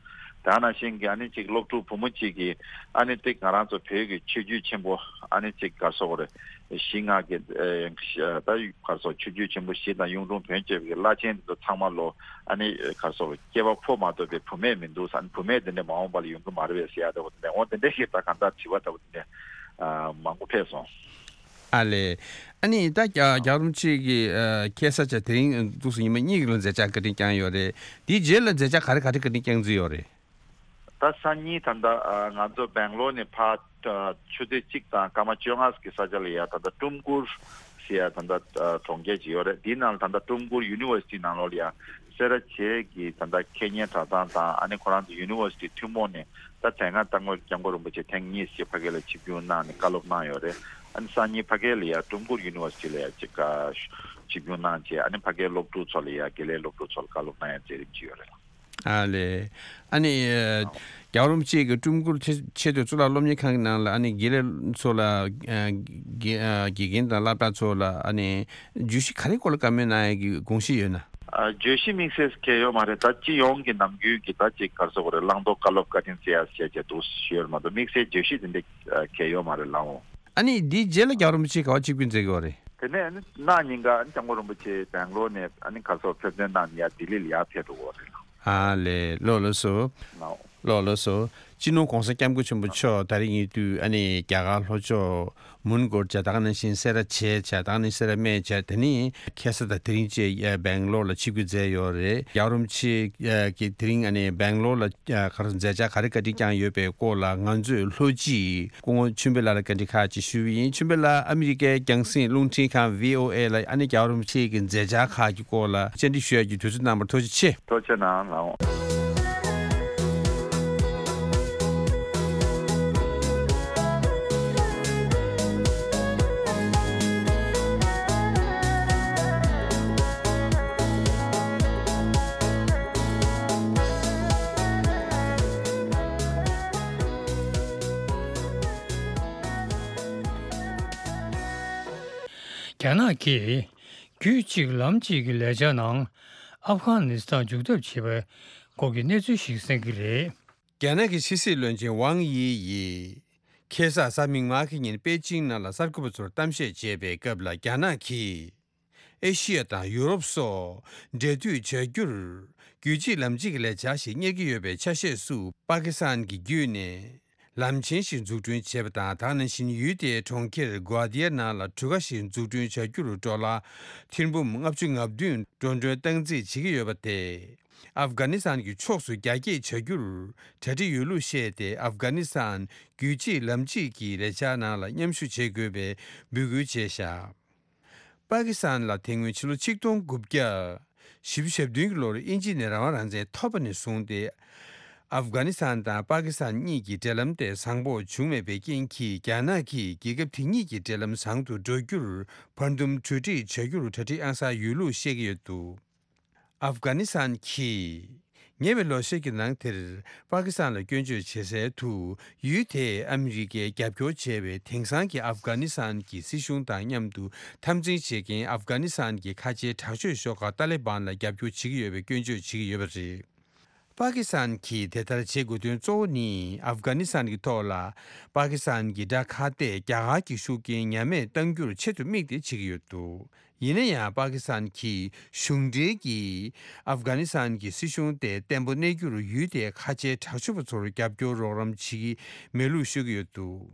དེ་ནང་བཞིན་གྱི་ཨ་ནི་ཅིག་སློབ་ཕྲུག་བུ་མོ་གཅིག་གིས་ཨ་ནི་ཏིག་ང་རང་ཚོ་བོད་ཀྱི་ཆོས་བརྒྱུད་ཆེན་པོ་ཨ་ནི་ཅིག་ག་རེ་ཟེར་དགོས་རེད། གཞི་ལྔ་གི་ཨེ་ད་ག་རེ་ཟེར་ཆོས་བརྒྱུད་ཆེན་པོ་བཞི་དང་གཡུང་དྲུང་བོན་བཅས་ཀྱི་བླ་ཆེན་འདི་ཚོ་ཚང་མ་ལོ་ཨ་ནི་ག་རེ་ཟེར་སྐྱེས་པ་ཕོ་མ་གཏོགས་པའི་བུད་མེད་མི་འདུག་ཨ་ནི་བུད་མེད་འདི་འདྲ་མ་འོངས་པ་ལ་ཡོང་གི་མ་རེད་པས་ཟེར་ཡ་འདྲ་བོ་དེ་འདྲ། འོ་དེ་འདྲ་ཞིག་ད་གང་ལྟར་དྲི་བ་འདྲ་བོ་དེ་འདྲ་མང་པོ་ཕེབས་སོང་། ཨ་ལས། ཨ་ནི་ད་རྒྱ་རྒྱལ་བ་རིན་པོ་ཆེ་གི་ཨ་ཁ་སང་ཆ་དེ་རིང་འདུག་སེ་ཉི་མ་གཉིས་ཀྱི་ལ་མཛད་འཆར་བཀའ་དྲིན་བསྐྱངས་ཡོད་རེད། དེའི་རྗེས་ལ་མཛད་འཆར་ག་རེ་ག་རེ་བཀའ་དྲིན་བསྐྱངས་རྩིས་ཡོད་རེད། ད་སང་ཉིན་ད་ལྟ་ཨ་ང་ཚོ་སྦེང་ལོར་ནས་ཕར་ཨ་ཆུ་ཚོད་གཅིག་དང་སྐར་མ་བཅོ་ལྔ་གི་ས་ཆ་ལ་ཡ་ད་ལྟ་ཀྲུམ་གུར་ ཅེས་ཡ་ད་ལྟ་གྲོང་ཁྱེར་ཅིག་ཡོད་རེད། དེའི་ནང་ལ་ད་ལྟ་ཀྲུང་གུར་ཡུ་ནི་ཝར་སི་ཊི་ནང་ལོགས་ལ་ཡ་སེ་ར་བྱེས་ཀྱི་ད་ལྟ་ཁེ་ཉེན་གྲྭ་ཚང་དང་ཨ་ནི་ཁོ་རང་ཚོ་ཡུ་ནི་ཝར་སི་ཊི་ཐུན་མོང་ནས་ད་དེ་སྔ་རྟ་དངོས་སྐྱབས་མགོན་རིན་པོ་ཆེ་ཐེངས་གཉིས་ཤིག་ཕ་གི་ལ་ཆིབས་བསྒྱུར་གནང་ནས་བཀའ་སློབ་གནང་ཡོད་རེད། ཨ་ནི་སང་ཉིན་ཕ་གི་ལ་ཡ་ཀྲུང་གུར་ཡུ་ནི་ཝར་སི་ཊི་ལ་ཡ་ཅིག་ཆིབས་བསྒྱུར་གནང་བྱས་ཨ་ནི་ཕ་གིའི་སློབ་ཕྲུག་ཚོ་ལ་ཡ་དགེ་ལས་སློབ་ཕྲུག་ཚོ་ལ་བཀའ་སློབ་གནང་ཡ་མཛད་རིམ་ཅིག་ཡོད་རེད། ཨ་ལས། ཨ་ནི་ཨ། རྒྱལ་བ་རིན་པོ་ཆེ་གི་ཀྲུང་གུར་ཆེ་ཆེས་མཐོའི་གཙུག་ལག་སློབ་གཉེར་ཁང་གི་ནང་ལ་ཨ་ནི་དགེ་ལས་ཚོ་ལ་ཨ། དགེ་ཨ། དགེ་རྒན་དང་སློབ་གྲྭ་ཚོ་ལ་ཨ་ནི་བརྗོད་གཞི་ག་རེ་སྐོར་ལ་བཀའ་མོལ་གནང་ཡ་གི་དགོངས་གཞི་ཡོད་ན། ཨ། བརྗོད་གཞི་དམིགས་བསལ་གང་ཡང་ཡོད་མ་རེད། ད་སྤྱི་ཡོངས་ཀྱི་ནམ་རྒྱུན་གྱི་ད་ཅིག་ག་རེ་ཟེར་དགོས་རེད། བླང་དོར་བཀའ་སློབ་བཀའ་དྲིན་བསྩལ་ཡ་ཟེར་ཡ་ཅིག་འདུག་ཞུ་ཡ་མ་གཏོགས་དམིགས་བསལ་བརྗོད་གཞི་དེ་འདྲ་གང་ཡང་ཡོད་མ་རེད་ལགས་འོང་། ཨ་ནི་འདིའི་རྗེས་ལ་རྒྱལ་བ་རིན་པོ་ཆེ་ག་པར་ཆིབས་བསྒྱུར་མཛད་ཀྱི་ཡོད་རེད། དེ་ནས་ཨ་ནི་གནངས་ཉིན་ཀ་ཨ་ནི་སྐྱབས་མགོན་རིན་པོ་ཆེ་སྦེང་ལོར་ནས་ཨ་ནི་ག་རེ་ཟེར་ཕེབས་ཐོན་གནང་ནས་ཡར་ལྡི་ལི་ལ་ཡར་ཕེབས་འགྲོ་གི་ཡོད་རེད་ལགས། ཨ་ལས། ལགས་ལགས་སོ། ལགས། ལགས་ལགས་སོ། སྤྱི་ནོར་༸གོང་ས་༸སྐྱབས་མགོན་ཆེན་པོ་མཆོག་ད་རེས་ཉིན་དུས་ཨ་ནི་རྒྱ་གར་ལྷོ་ཕྱོགས་མོན་གྷོར་བྱས། ད་ག་ནང་བཞིན་སེ་ར་བྱེས་བྱས། ད་ག་ནང་བཞིན་སེ་ར་སྨད་བྱས། དེ་ནས་ཁ་སང་དང་དེ་རིང་བཅས་སྦེང་ལོར་ལ་ཆིབས་བསྒྱུར་མཛད་ཡོད་རེད། རྒྱལ་བ་རིན་པོ་ཆེ་གིས་དེ་རིང་ཨ་ནི་སྦེང་ལོར་ལ་ག་རེ་མཛད་འཆར་ག་རེ་བཀའ་དྲིན་བསྐྱངས་ཡོད་པའི་སྐོར་ལ་ང་ཚོས་ལྷོ་སྤྱི་སྐུ་ངོ་ཆོས་འཕེལ་ལགས་ལ་བཀའ་འདྲི་ཁག་ཅིག་ཞུས་པ་ཡིན། ཆོས་འཕེལ་ལགས་ཨ་མི་རི་ཀའི་རྒྱང་སྲིང་རླུང་འཕྲིན་ཁང་བྷི་ཨོ་ཨེ་ལ་ཨ་ནི་རྒྱལ་བ་རིན་པོ་ཆེ་གི་མཛད་འཆར་ཁག་གི་སྐོར་ལ་བཅར་འདྲི་ཞུ་ཡ་གི་དུས་ཚོད་གནང་བར་ཐུགས་རྗེ་ཆེ། ཐུགས་རྗེ་གནང་། ལགས་འོང་། རྒྱ་ནག་གིས་རྒྱུད་གཅིག་ལམ་གཅིག་གི་ལས་འཆར་ནང་ཨབ་གྷ་ནི་སི་ཐན་འཇུག་ཐབས་བྱེད་པའི་སྐོར་གྱི་གནས་ཚུལ་ཞིག་གསན་གྱི་རེད། རྒྱ་ནག་གི་ཕྱི་སྲིད་བློན་ཆེན་ཝང་དབྱི་ཡིས་ཁ་སང་གཟའ་མིག་དམར་གྱི་ཉིན་པེ་ཅིང་ནང་ལ་གསར་འགོད་པ་ཚོར་གཏམ་བཤད་བྱེད་པའི་སྐབས་ལ། རྒྱ་ནག་གིས་ཨེ་ཤི་ཡ་དང་ཡུ་རོབ་སོགས་འབྲེལ་མཐུད་བྱ་རྒྱུར་རྒྱུད་གཅིག་ལམ་གཅིག་གི་ལས་འཆར་ཞིག་གཉེར་གྱི་ཡོད་པའི་ཆ་ཤས་སུ། པ་ཀི་སི་ཐན་གྱི་བརྒྱུད་ནས་ལམ་ཆེན་ཞིག་འཛུགས་སྐྲུན་བྱས་པ་དང་། ད་ག་ནང་བཞིན་ཡུལ་དེའི་གྲོང་ཁྱེར་གོ་ཏི་ཡར་ནང་ལ་གྲུ་ཁ་ཞིག་འཛུགས་སྐྲུན་བྱ་རྒྱུར་ཌོ་ལར་ཐེར་འབུམ་ལྔ་བཅུ་ང་བདུན་འགྲོ་གྲོན་སྟངས་འཛིན་བྱེད་ཀྱི་ཡོད་པ་དེས། ཨབ་གྷ་ནི་སི་ཐན་གྱི་ཕྱོགས་སུ་རྒྱ་སྐྱེད་བྱ་རྒྱུར་གྲ་སྒྲིག་ཡོད་ལུགས་བཤད་དེ། ཨབ་གྷ་ནི་སི་ཐན་རྒྱུད་གཅིག་ལམ་གཅིག་གི་ལས་འཆར་ནང་ལ་མཉམ་ཞུགས་བྱེད་དགོས་པའི་འབོད་སྐུལ་བྱས་བཞག་པ་ཀི་སི་ཐན་ལ་དེ་སྔོན་ཕྱི་ལོ་ཆིག་སྟོང་དགུ་བརྒྱ་བཞི་བཅུ་ཞེ་བདུན་གྱི་ལོར་དབྱིན་ཇི་ནས་རང་དབང་རང་བཙན་ཐོབ་པ་ནས་བཟུང་སྟེ། ཨབ་གྷ་ནི་སི་ཐན་དང་པ་ཀི་སི་ཐན་གཉིས་ཀྱི་འབྲེལ་ལམ་དེ་བཟང་པོ་བྱུང་མེད་པའི་རྐྱེན་གྱིས། རྒྱ་ནག་གིས་རྒྱལ་ཁབ་དེ་གཉིས་ཀྱི་འབྲེལ་ལམ་བཟང་དུ་འགྲོ་རྒྱུར་བར་འདུམ་གྲོས་འགྲིག་བྱ་རྒྱུར་གྲ་སྒྲིག་ཨང་གསར་ཡོད་ལུགས་བཤད་ཀྱི་ཡོད་འདུག་ཨབ་གྷ་ནི་སི་ཐན་གྱིས་ཉེ་བའི་ལོ་ཤས་ཀྱི་ནང་དེར་པ་ཀི་སི་ཐན་ལ་སྐྱོན་བརྗོད་བྱེད་སའི་དུ། ཡུལ་དེས་ཨ་མི་རི་ཀའི་རྒྱབ་སྐྱོར་བྱས་པའི་དེང་སང་གི་ཨབ་གྷ་ནི་སི་ཐན་གྱི་སྲིད་གཞུང་དང་མཉམ་དུ་འཐབ་འཛིང་བྱེད་མཁན་ཨབ་གྷ་ནི་སི་ཐན་གྱི་ཁ་ཆེའི་དྲག་སྤྱོད་ཤོག་ཁག་ཏཱ་ལི་བན་ལ་རྒྱབ་སྐྱོར་བྱེད་ཀྱི་ཡོད་པའི་སྐྱོན་བརྗོད་བྱེད་ཀྱི་ཡོད་པ་རེད། པ་ཀི་སི་ཐན་གྱིས་དེ་ལྟར་བྱེད་དགོས་དོན་གཙོ་བོ་ནི། ཨབ་གྷ་ནི་སི་ཐན་གྱི་ཐོག་ལ་པ་ཀི་སི་ཐན་གྱི་དགྲ་ཁ་གཏད་རྒྱ་གར་གྱི་ཤུགས་རྐྱེན་ཉམས་དམས་གཏང་རྒྱུར་ཆེད་དུ་དམིགས་ཏེ་བྱེད་ཀྱི་ཡོད་འདུག་ཡིན་ན་ཡང་། པ་ཀི་སི་ཐན་གྱི་གཞུང་འབྲེལ་གྱིས་ཨབ་གྷ་ནི་སི་ཐན་གྱི་སྲིད་གཞུང་དེ་བརྟན་པོ་གནས་རྒྱུར་ཡུལ་དེའི་ཁ་ཆེའི་དྲག་སྤྱོད་པ་ཚོར་རྒྱབ་སྐྱོར་རོགས་རམ་བྱེད་ཀྱི་མེད་ལུགས་ཤོད་ཀྱི་ཡོད་འདུག་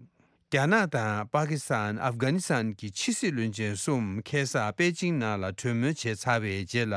རྒྱ་ནག་དང་པ་ཀི་སི་ཐན། ཨབ་གྷ་ནི་སི་ཐན་གྱི་ཕྱི་སྲིད་བློན་ཆེན་གསུམ་ཁ་སང་པེ་ཅིང་ནང་ལ་གྲོས་མོལ་བྱས་ཚར་བའི་རྗེས་ལ།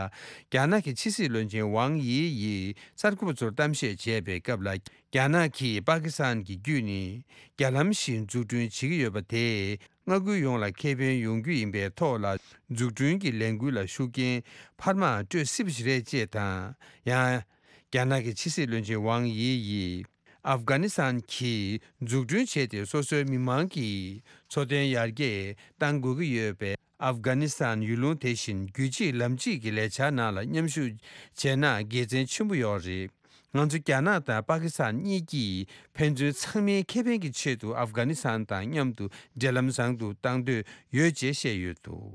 རྒྱ་ནག་གི་ཕྱི་སྲིད་བློན་ཆེན་ཝང་དབྱི་ཡིས་གསར་འགོད་པ་ཚོར་གཏམ་བཤད་བྱས་པའི་སྐབས་ལ། རྒྱ་ནག་གིས་པ་ཀི་སི་ཐན་གྱི་བརྒྱུད་ནས་རྒྱ་ལམ་ཞིག་འཛུགས་སྐྲུན་བྱེད་ཀྱི་ཡོད་པ་དེས། མངའ་ཁུལ་ཡོངས་ལ་ཁེ་ཕན་ཡོང་རྒྱུ་ཡིན་པའི་ཐོག་ལ། འཛུགས་སྐྲུན་གྱི་ལས་འགུལ་ལ་ཤུགས་རྐྱེན་འཕར་མ་སྤྲོད་སྲིད་པ་ཞིག་རེད་ཅེས་དང་། ཡང་། རྒྱ་ནག་གི་ཕྱི་སྲིད་བློན་ཆེན་ཝང་དབྱི་ཡིས། ཨབ་གྷ་ནི་སི་ཐན་གྱིས་འཛུགས་སྐྲུན་བྱས་ཏེ། སོ་སོའི་མི་མང་གི་འཚོ་རྟེན་ཡར་རྒྱས་གཏང་དགོས་ཀྱི་ཡོད་པས། ཨབ་གྷ་ནི་སི་ཐན་ཡུལ་ལུང་དེ་བཞིན་རྒྱུད་གཅིག་ལམ་གཅིག་གི་ལས་འཆར་ནང་ལ་མཉམ་ཞུགས་བྱས་ན་དགེ་མཚན་ཆེན་པོ་ཡོད་རེད། ང་ཚོ་རྒྱ་ནག་དང་པ་ཀི་སི་ཐན་གཉིས་ཀྱིས་ཕན་ཚུན་ཚང་མའི་ཁེ་ཕན་གྱི་ཆེད་དུ་ཨབ་གྷ་ནི་སི་ཐན་དང་མཉམ་དུ་འབྲེལ་ལམ་བཟང་དུ་གཏང་འདོད་ཡོད་ཅེས་བཤད་ཡོད་འདུག་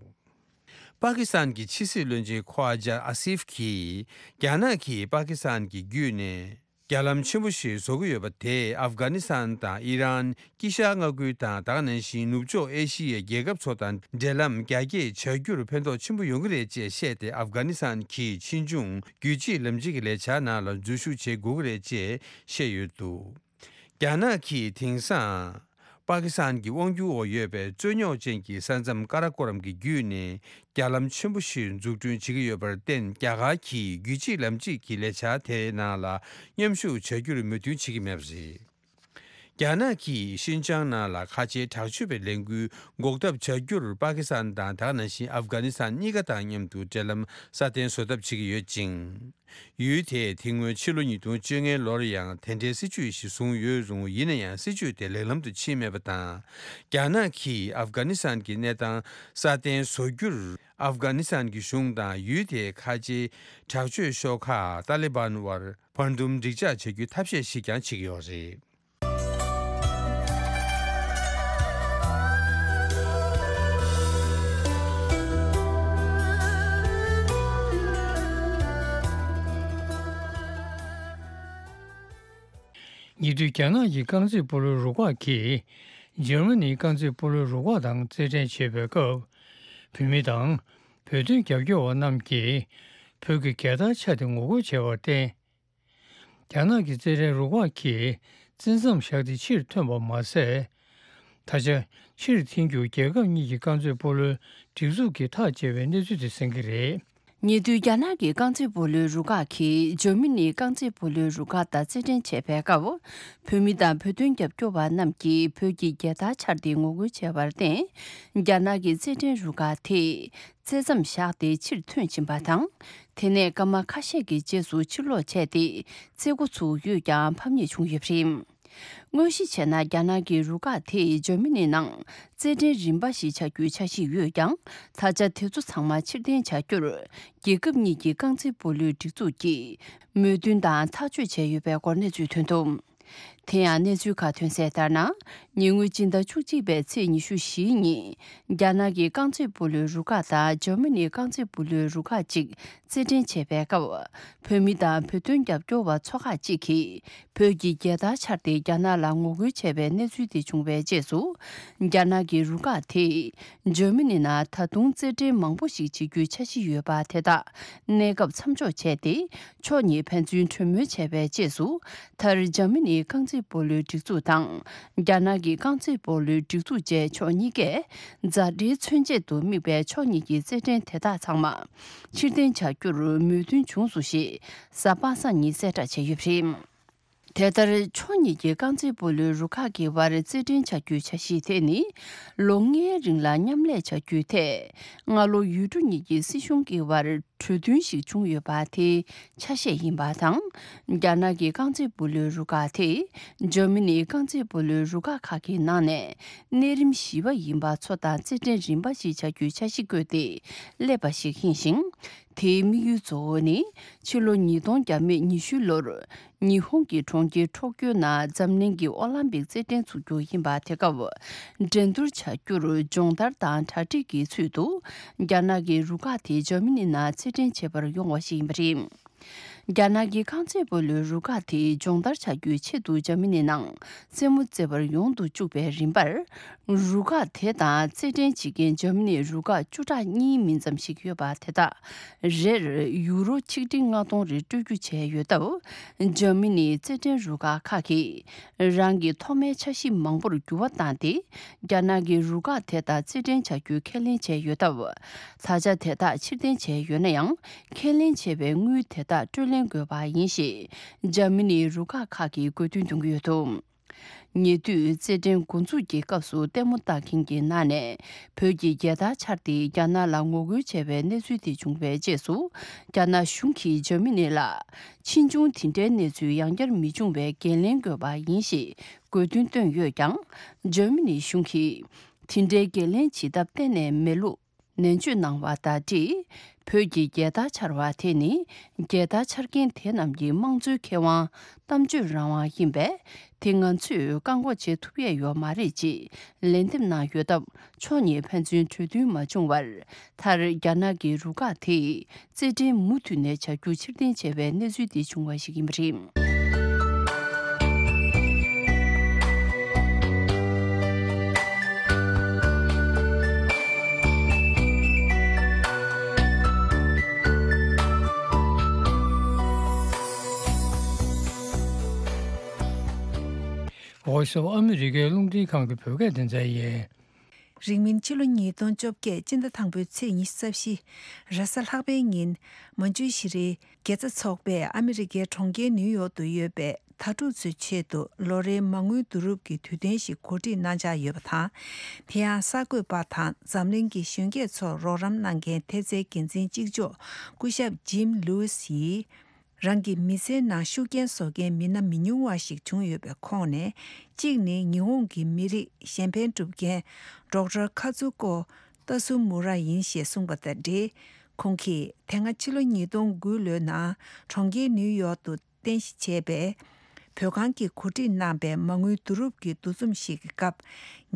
པ་ཀི་སི་ཐན་གྱི་ཕྱི་སྲིད་བློན་ཆེན་ཁོ་ཝ་ཇཱ་ཨ་སིབ་ཀྱིས། རྒྱ་ནག་གིས་པ་ཀི་སི་ཐན་གྱི་བརྒྱུད་ནས་རྒྱ་ལམ་ཆེན་པོ་ཞིག་བཟོ་གི་ཡོད་པ་དེས། ཨབ་གྷ་ནི་སི་ཐན་དང་ཨི་རན། དཀྱིལ་ཤར་མངའ་ཁུལ་དང་། ད་ག་ནང་བཞིན་ནུབ་ཕྱོགས་ཨེ་ཤི་ཡའི་རྒྱལ་ཁབ་ཚོ་དང་འབྲེལ་ལམ་རྒྱ་སྐྱེད་བྱ་རྒྱུར་ཕན་ཐོགས་ཆེན་པོ་ཡོང་གི་རེད་ཅེས་བཤད་དེ། ཨབ་གྷ་ནི་སི་ཐན་གྱིས་ཕྱིས་འབྱུང་རྒྱུད་གཅིག་ལམ་གཅིག་གི་ལས་འཆར་ནང་ལ་འཛུལ་ཞུགས་བྱེད་དགོས་ཀྱི་རེད་ཅེས་བཤད་ཡོད་འདུག་རྒྱ་ནག་གིས་དེང་སང་། པ་ཀི་སི་ཐན་གྱི་དབང་སྒྱུར་འོག་ཡོད་པའི་རྩོད་རྙོག་ཅན་གྱི་ས་མཚམས་ཀ་ར་ཀོ་རམ་གྱི་བརྒྱུད་ནས་རྒྱ་ལམ་ཆེན་པོ་ཞིག་འཛུགས་སྐྲུན་བྱེད་ཀྱི་ཡོད་པར་བརྟེན། རྒྱ་གར་གྱིས་རྒྱུད་གཅིག་ལམ་གཅིག་གི་ལས་འཆར་དེའི་ནང་ལ་མཉམ་ཞུགས་བྱ་རྒྱུར་མོས་མཐུན་བྱེད་ཀྱི་མེད་པ་རེད། རྒྱ་ནག་གིས་ཤིན་ཅང་ནང་ལ་ཁ་ཆེའི་དྲག་སྤྱོད་པའི་ལས་འགུལ་འགོག་ཐབས་བྱ་རྒྱུར་པ་ཀི་སི་ཐན་དང་ད་ག་ནང་བཞིན་ཨབ་གྷ་ནི་སི་ཐན་གཉིས་ཀ་དང་མཉམ་དུ་འབྲེལ་ལམ་སྲ་བརྟན་བཟོ་ཐབས་བྱེད་ཀྱི་ཡོད་ཅིང་། ཡུལ་དེས་དེ་སྔོན་ཕྱི་ལོ་ཉིས་སྟོང་བཅོ་ལྔའི་ལོར་ཡང་དེ་འདྲའི་སྲིད་ཇུས་ཤིག་བཟུང་ཡོད་རུང་། ཡིན་ན་ཡང་སྲིད་ཇུས་དེ་ལེགས་ལམ་དུ་ཕྱིན་མེད་པ་དང་། རྒྱ་ནག་གིས་ཨབ་གྷ་ནི་སི་ཐན་གྱི་གནས་སྟངས་སྲ་བརྟན་བཟོ་རྒྱུར་ཨབ་གྷ་ནི་སི་ཐན་གྱི་གཞུང་དང་ཡུལ་དེའི་ཁ་ཆེའི་དྲག་སྤྱོད་ཤོག་ཁག་ཏཱ་ལི་བན་དབར་བར་འདུམ་འགྲིག་འཇགས་བྱ་རྒྱུའི་ཐབས་ཤེས་ཤིག་ཀྱང་བྱེད་ཀྱི་ཡོད་རེད། ཉེ་དུས་རྒྱ་ནག་གི་རྐང་རྩེད་སྤོ་ལོའི་རུ་ཁག་གིས་འཇར་མ་ནིའི་རྐང་རྩེད་སྤོ་ལོའི་རུ་ཁག་དང་རྩེད་འགྲན་བྱེད་པའི་སྐབས། བོད་མི་དང་བོད་དོན་རྒྱབ་སྐྱོར་བ་རྣམས་ཀྱིས་བོད་ཀྱི་རྒྱལ་དར་འཕྱར་ཏེ་ངོ་རྒོལ་བྱས་པར་བརྟེན། རྒྱ་ནག་གི་རྩེད་འགྲན་རུ་ཁག་གིས་བཙན་མཚམས་བཞག་སྟེ་ཕྱིར་ཐོན་པ་མ་ཟད། ད་ཆ་ཕྱིར་འཐེན་རྒྱུར་རྒྱལ་ཁབ་གཉིས་ཀྱི་རྐང་རྩེད་སྤོ་ལོའི་སྒྲིག་འཛུགས་ཀྱིས་ཐག་བཅད་པའི་གནས་ཚུལ་དེ་གསན་གྱི་རེད། ཉེ་དུས་རྒྱ་ནག་གི་རྐང་རྩེད་སྤོ་ལོའི་རུ་ཁག་གིས་འཇར་མ་ནིའི་རྐང་རྩེད་སྤོ་ལོའི་རུ་ཁག་དང་རྩེད་འགྲན་བྱེད་པའི་སྐབས། བོད་མི་དང་བོད་དོན་རྒྱབ་སྐྱོར་བ་རྣམས་ཀྱིས་བོད་ཀྱི་རྒྱལ་དར་འཕྱར་ཏེ་ངོ་རྒོལ་བྱས་པར་བརྟེན། རྒྱ་ནག་གི་རྩེད་འགྲན་རུ་ཁག་དེས་རྩེ་མཚམས་བཞག་སྟེ་ཕྱིར་ཐོན་ཕྱིན་པ་དང་། དེ་ནས་སྐར་མ་ཁ་ཤས་ཀྱི་རྗེས་སུ་ཕྱིར་ལོག་བྱས་ཏེ། རྩེད་འགོ་ཚུགས་ཡོད་ཀྱང་ཕམ་ཉེས་བྱུང་ཡོད་པ་རེད། དངོས་གཞི་བྱས་ན། རྒྱ་ནག་གི་རུ་ཁག་དེས་འཇར་མ་ནི་ནང་རྩེད་འགྲན་རིམ་པ་ཞིག་བྱ་རྒྱུའི་འཆར་གཞི་ཡོད་ཀྱང་། ད་ཆ་དེ་ཚོ་ཚང་མ་ཕྱིར་འཐེན་བྱ་རྒྱུར། རྒྱལ་ཁབ་གཉིས་ཀྱི་རྐང་རྩེད་སྤོ་ལོའི་སྒྲིག་འཛུགས་ཀྱིས་མོས་མཐུན་དང་ཐག་གཅོད་བྱས་ཡོད་པའི་སྐོར་གནས་ཚུལ་ཐོན་འདུག་དེ་ཡང་གནས་ཚུལ་ཁག་ཐོན་གསལ་ལྟར་ན། ཉེ་སྔོན་སྤྱི་ཟླ་བཅུ་གཅིག་པའི་ཚེས་ཉི་ཤུ་བཞིའི་ཉིན། རྒྱ་ནག་གི་རྐང་རྩེད་སྤོ་ལོའི་རུ་ཁག་དང་འཇར་མ་ནིའི་རྐང་རྩེད་སྤོ་ལོའི་རུ་ཁག་ཅིག་རྩེད་འགྲན་བྱེད་པའི་སྐབས། བོད་མི་དང་བོད་དོན་རྒྱབ་སྐྱོར་བ་ཚོ་ཁག་ཅིག་གིས་བོད་ཀྱི་རྒྱལ་དར་འཕྱར་ཏེ་རྒྱ་ནག་ལ་ངོ་རྒོལ་བྱས་པའི་གནས་ཚུལ་དེ་བྱུང་བའི་རྗེས་སུ། རྒྱ་ནག་གི་རུ་ཁག་དེས་འཇར་མ་ནི་ནང་ད་དུང་རྩེད་འགྲན་མང་པོ་ཞིག་བྱེད་རྒྱུའི་འཆར་གཞི་ཡོད་པ་དེ་དག་གནས་སྐབས་མཚམས་འཇོག་བྱས་ཏེ། ཕྱོགས་གཉིས་ཕན་ཚུན་གྲོས་མོལ་བྱས་པའི་རྗེས་སུ། མཐར་འཇར་མ་ནིའི་རྐང་རྩེད་སྤོ་ལོའི་སྒྲིག་འཛུགས་དང་། རྒྱ་ནག་གི་རྐང་རྩེད་སྤོ་ལོའི་སྒྲིག་འཛུགས་བཅས་ཕྱོགས་གཉིས་ཀས་མཛའ་འབྲེལ་མཚོན་ཆེད་དུ་དམིགས་པའི་ཕྱོགས་གཉིས་ཀྱི་རྩེད་འགྲན་དེ་དག་ཚང་མ་ཕྱིར་འཐེན་བྱ་རྒྱུར་མོས་མཐུན་བྱུང་སོང་ཞེས་གཟའ་པ་སངས་ཉིན་གསལ་བསྒྲགས་བྱས་ཡོད་པ་རེད། དེ་ལྟར་ཕྱོགས་གཉིས་ཀྱི་རྐང་རྩེད་སྤོ་ལོའི་རུ་ཁག་གི་བར་རྩེད་འགྲན་བྱ་རྒྱུའི་འཆར་གཞི་དེ་ནི། ལོ་ལྔའི་རིང་ལ་མཉམ་ལས་བྱ་རྒྱུའི་ཐད། སྔ་ལོ་ཡུལ་གྲུ་གཉིས་ཀྱི་སྲིད་གཞུང་གི་བར་གྲོས་མཐུན་ཞིག་བྱུང་ཡོད་པ་དེའི་ཆ་ཤས་ཡིན་པ་དང་། རྒྱ་ནག་གི་རྐང་རྩེད་སྤོ་ལོའི་རུ་ཁག་དེས་འཇར་མ་ནིའི་རྐང་རྩེད་སྤོ་ལོའི་རུ་ཁག་ཁག་གི་ནང་ནས་གནས་རིམ་བཞི་པ་ཡིན་པ་ཚོ་དང་རྩེད་འགྲན་རིམ་པ་ཞིག་བྱ་རྒྱུའི་འཆར་གཞི་བཀོད་དེ་སླེབས་པ་ཞིག་ཡིན་ཞིང་། དེའི་དམིགས་ཡུལ་གཙོ་བོ་ནི། ཕྱི་ལོ་ཉིས་སྟོང་བརྒྱ་མེད་ཉི་ཤུ་ལོར། ཉི་ཧོང་གི་གྲོང་ཁྱེར་ཊོ་ཀྱོ་ནང་འཛམ་གླིང་གི་ཨོ་ལམ་པིག་རྩེད་འགྲན་ཚུགས་རྒྱུ་ཡིན་པ། དེ་སྐབས་འགྲན་བསྡུར་བྱ་རྒྱུར་སྦྱོང་བརྡར་དང་གྲ་སྒྲིག་གི་ཚུལ་དུ། རྒྱ་ནག་གི་རུ་ཁག་དེ་འཇར་མ་ནི་ནང་རྩེད་འགྲན་བྱེད་པར་ཡོང་བ་ཞིག་ཡིན་པ་རེད། རྒྱ་ནག་གི་རྐང་རྩེད་སྤོ་ལོའི་རུ་ཁག་དེ་སྦྱོང་བརྡར་བྱ་རྒྱུའི་ཆེད་དུ་འཇར་མ་ནི་ནང་རྩེད་མོ་རྩེ་བར་ཡོང་དུ་བཅུག་པའི་རིམ་པར། རུ་ཁག་དེ་དང་རྩེད་འགྲན་བྱེད་མཁན་འཇར་མ་ནིའི་རུ་ཁག་བཅུ་ཕྲག་གཉིས་མིན་ཙམ་ཞིག་ཡོད་པ་དེ་དག་རེར་ཡུ་རོ་ཆིག་ཁྲི་ལྔ་སྟོང་རེ་སྤྲོད་རྒྱུ་བྱས་ཡོད་སྟབས། འཇར་མ་ནིའི་རྩེད་འགྲན་རུ་ཁག་ཁག་གིས་རང་གི་ཐོག་མའི་འཆར་གཞི་མང་པོར་འགྱུར་བ་བཏང་སྟེ། རྒྱ་ནག་གི་རུ་ཁག་དེ་དག་རྩེད་འགྲན་བྱ་རྒྱུའི་ཁས་ལེན་བྱས་ཡོད་སྟབས། ད་ཆ་དེ་དག་ཕྱིར་འཐེན་བྱས་ཡོད་ན་ཡང་། ཁས་ལེན་བྱས་པའི་དངུལ་དེ་དག་སྤྲོད་ལེན་དགོས་པ་ཡིན་ཞེས། འཇར་མ་ནིའི་རུ་ཁག་ཁག་གིས་དགོས་འདུན་འདོན་གྱི་ཡོད་འདུག་ཉེ་དུས་རྩེད་འགྲན་འགོ་འཛུགས་ཀྱི་སྐབས་སུ་ལྟད་མོ་ལྟ་མཁན་གྱི་ནང་ནས་བོད་ཀྱི་རྒྱལ་དར་འཕྱར་ཏེ་རྒྱ་ནག་ལ་ངོ་རྒོལ་བྱས་པའི་གནས་ཚུལ་དེ་བྱུང་བའི་རྗེས་སུ། རྒྱ་ནག་གཞུང་གིས་འཇར་མ་ནི་ལ་ཕྱིས་འབྱུང་དེ་འདྲའི་གནས་ཚུལ་ཡང་བསྐྱར་མི་འབྱུང་བའི་འགན་ལེན་དགོས་པ་ཡིན་ཞེས་དགོས་འདུན་བཏོན་ཡོད་ཀྱང་། འཇར་མ་ནི་གཞུང་གིས་དེ་འདྲའི་འགན་ལེན་བྱེད་ཐབས་གཏན་ནས་མེད་ལུགས། ནན་བརྗོད་གནང་བ་དང་འབྲེལ། བོད་ཀྱི་རྒྱལ་དར་འཕྱར་བ་དེ་ནི། རྒྱལ་དར་འཕྱར་མཁན་དེ་རྣམས་ཀྱི་དམངས་གཙོའི་ཁེ་དབང་། གཏམ་བརྗོད་རང་དབང་ཡིན་པས། དེ་ང་ཚོས་བཀག་འགོག་བྱེད་ཐུབ་ཡས་ཡོད་མ་རེད་ཅེས་ལན་འདེབས་གནང་ཡོད་སྟབས། ཕྱོགས་གཉིས་ཕན་ཚུན་གྲོས་མཐུན་མ་བྱུང་བར། མཐར་རྒྱ་ནག་གི་རུ་ཁག་དེས་རྩེད་འགྲན་མུ་མཐུད་ནས་བྱ་རྒྱུ་ཕྱིར་འཐེན་བྱས་པའི་གནས་ཚུལ་དེ་བྱུང་བ་ཞིག་ཡིན་པ་རེད། Voice of America རླུང་འཕྲིན་ཁང་གི་བོད་སྐད་སྡེ་ཚན་ཡིན། རིང་མིན་ཕྱི་ལོ་ཉིས་སྟོང་བཅོ་བརྒྱད་སྤྱི་ཟླ་དང་པོའི་ཚེས་ཉི་ཤུ་རྩ་བཞི། རེས་གཟའ་ལྷག་པའི་ཉིན། མན་ཇུ་ཤི་རིའི་དགེ་རྩ་ཚོགས་པས་ཨ་མི་རི་ཀའི་གྲོང་ཁྱེར་ནིའུ་ཡོག་ཏུ་ཡོད་པའི་ དྭ་ཕྲུག་ཚོའི་ཆེད་དུ་ལོ་རེའི་མ་དངུལ་བསྡུ་རུབ་ཀྱི་དུས་སྟོན་ཞིག་གོ་སྒྲིག་གནང་འཆར་ཡོད་པ་དང་། དེ་ཡང་གསར་འགོད་པ་དང་འཛམ་གླིང་གི་གཞོན་སྐྱེས་ཚོར་རོགས་རམ་གནང་མཁན་ཐེབས་རྩའི་འགན་འཛིན་གཅིག་ལྕོགས་སྐུ་ཞབས་ཇིམ་ལུའུ་སི་ཡིས། རང་གི་མི་ཚེའི་ནང་ཤུགས་རྐྱེན་བཟོ་མཁན་མི་སྣ་མི་ཉུང་བ་ཞིག་བྱུང་ཡོད་པའི་ཁོངས་ནས། གཅིག་ནི་ཉི་ཧོང་གི་མི་རིགས་གཞན་ཕན་སྒྲུབ་མཁན་ཌོག་ཊར་ཁ་ཙུ་ཀོ་ཏ་སུ་མུ་ར་ཡིན་ཞེས་གསུངས་པ་དང་འབྲེལ། ཁོང་གིས་དེ་སྔ་ཕྱི་ལོ་ཉིས་སྟོང་དགུ་ལོའི་ནང་གྲོང་ཁྱེར་ནིའུ་ཡོག་ཏུ་རྟེན་གཞི་བྱས་པའི་བོད་ཁང་གིས་གོ་སྒྲིག་གནང་པའི་མ་དངུལ་བསྡུ་རུབ་ཀྱི་འདུ་འཛོམས་ཤིག་གི་སྐབས།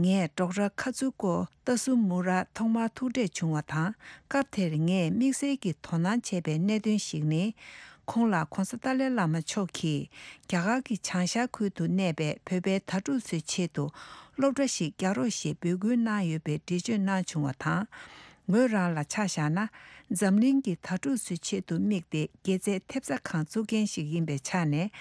ངས་ཌོག་ཊར་ཁ་ཙུ་ཀོ་ཏ་སུ་མུ་ར་ཐོག་མར་ཐུག་འཕྲད་བྱུང་བ་དང་། སྐབས་དེར་ངས་དམིགས་བསལ་གྱིས་དོ་སྣང་བྱས་པའི་གནད་དོན་ཞིག་ནི། ཁོང་ལ་༧གོང་ས་ཏཱ་ལའི་བླ་མ་མཆོག་གིས་རྒྱ་གར་གྱི་བྱང་ཤར་ཁུལ་དུ་གནས་པའི་བོད་པའི་དྭ་ཕྲུག་ཚོའི་ཆེད་དུ་སློབ་གྲྭ་ཞིག་རྒྱག་རོགས་ཞེས་འབོད་སྐུལ་གནང་ཡོད་པའི་འགྲེལ་བརྗོད་གནང་བྱུང་བ་དང་། ངོས་རང་ལ་ཆ་བཞག་ན། འཛམ་གླིང་གི་དྭ་ཕྲུག་ཚོའི་ཆེད་དུ་དམིགས་ཏེ་དགེ་རྩའི་ཐེབས་རྩ་ཁང་བཙུགས་མཁན་ཞིག་ཡིན་པའི་ཆ་ནས།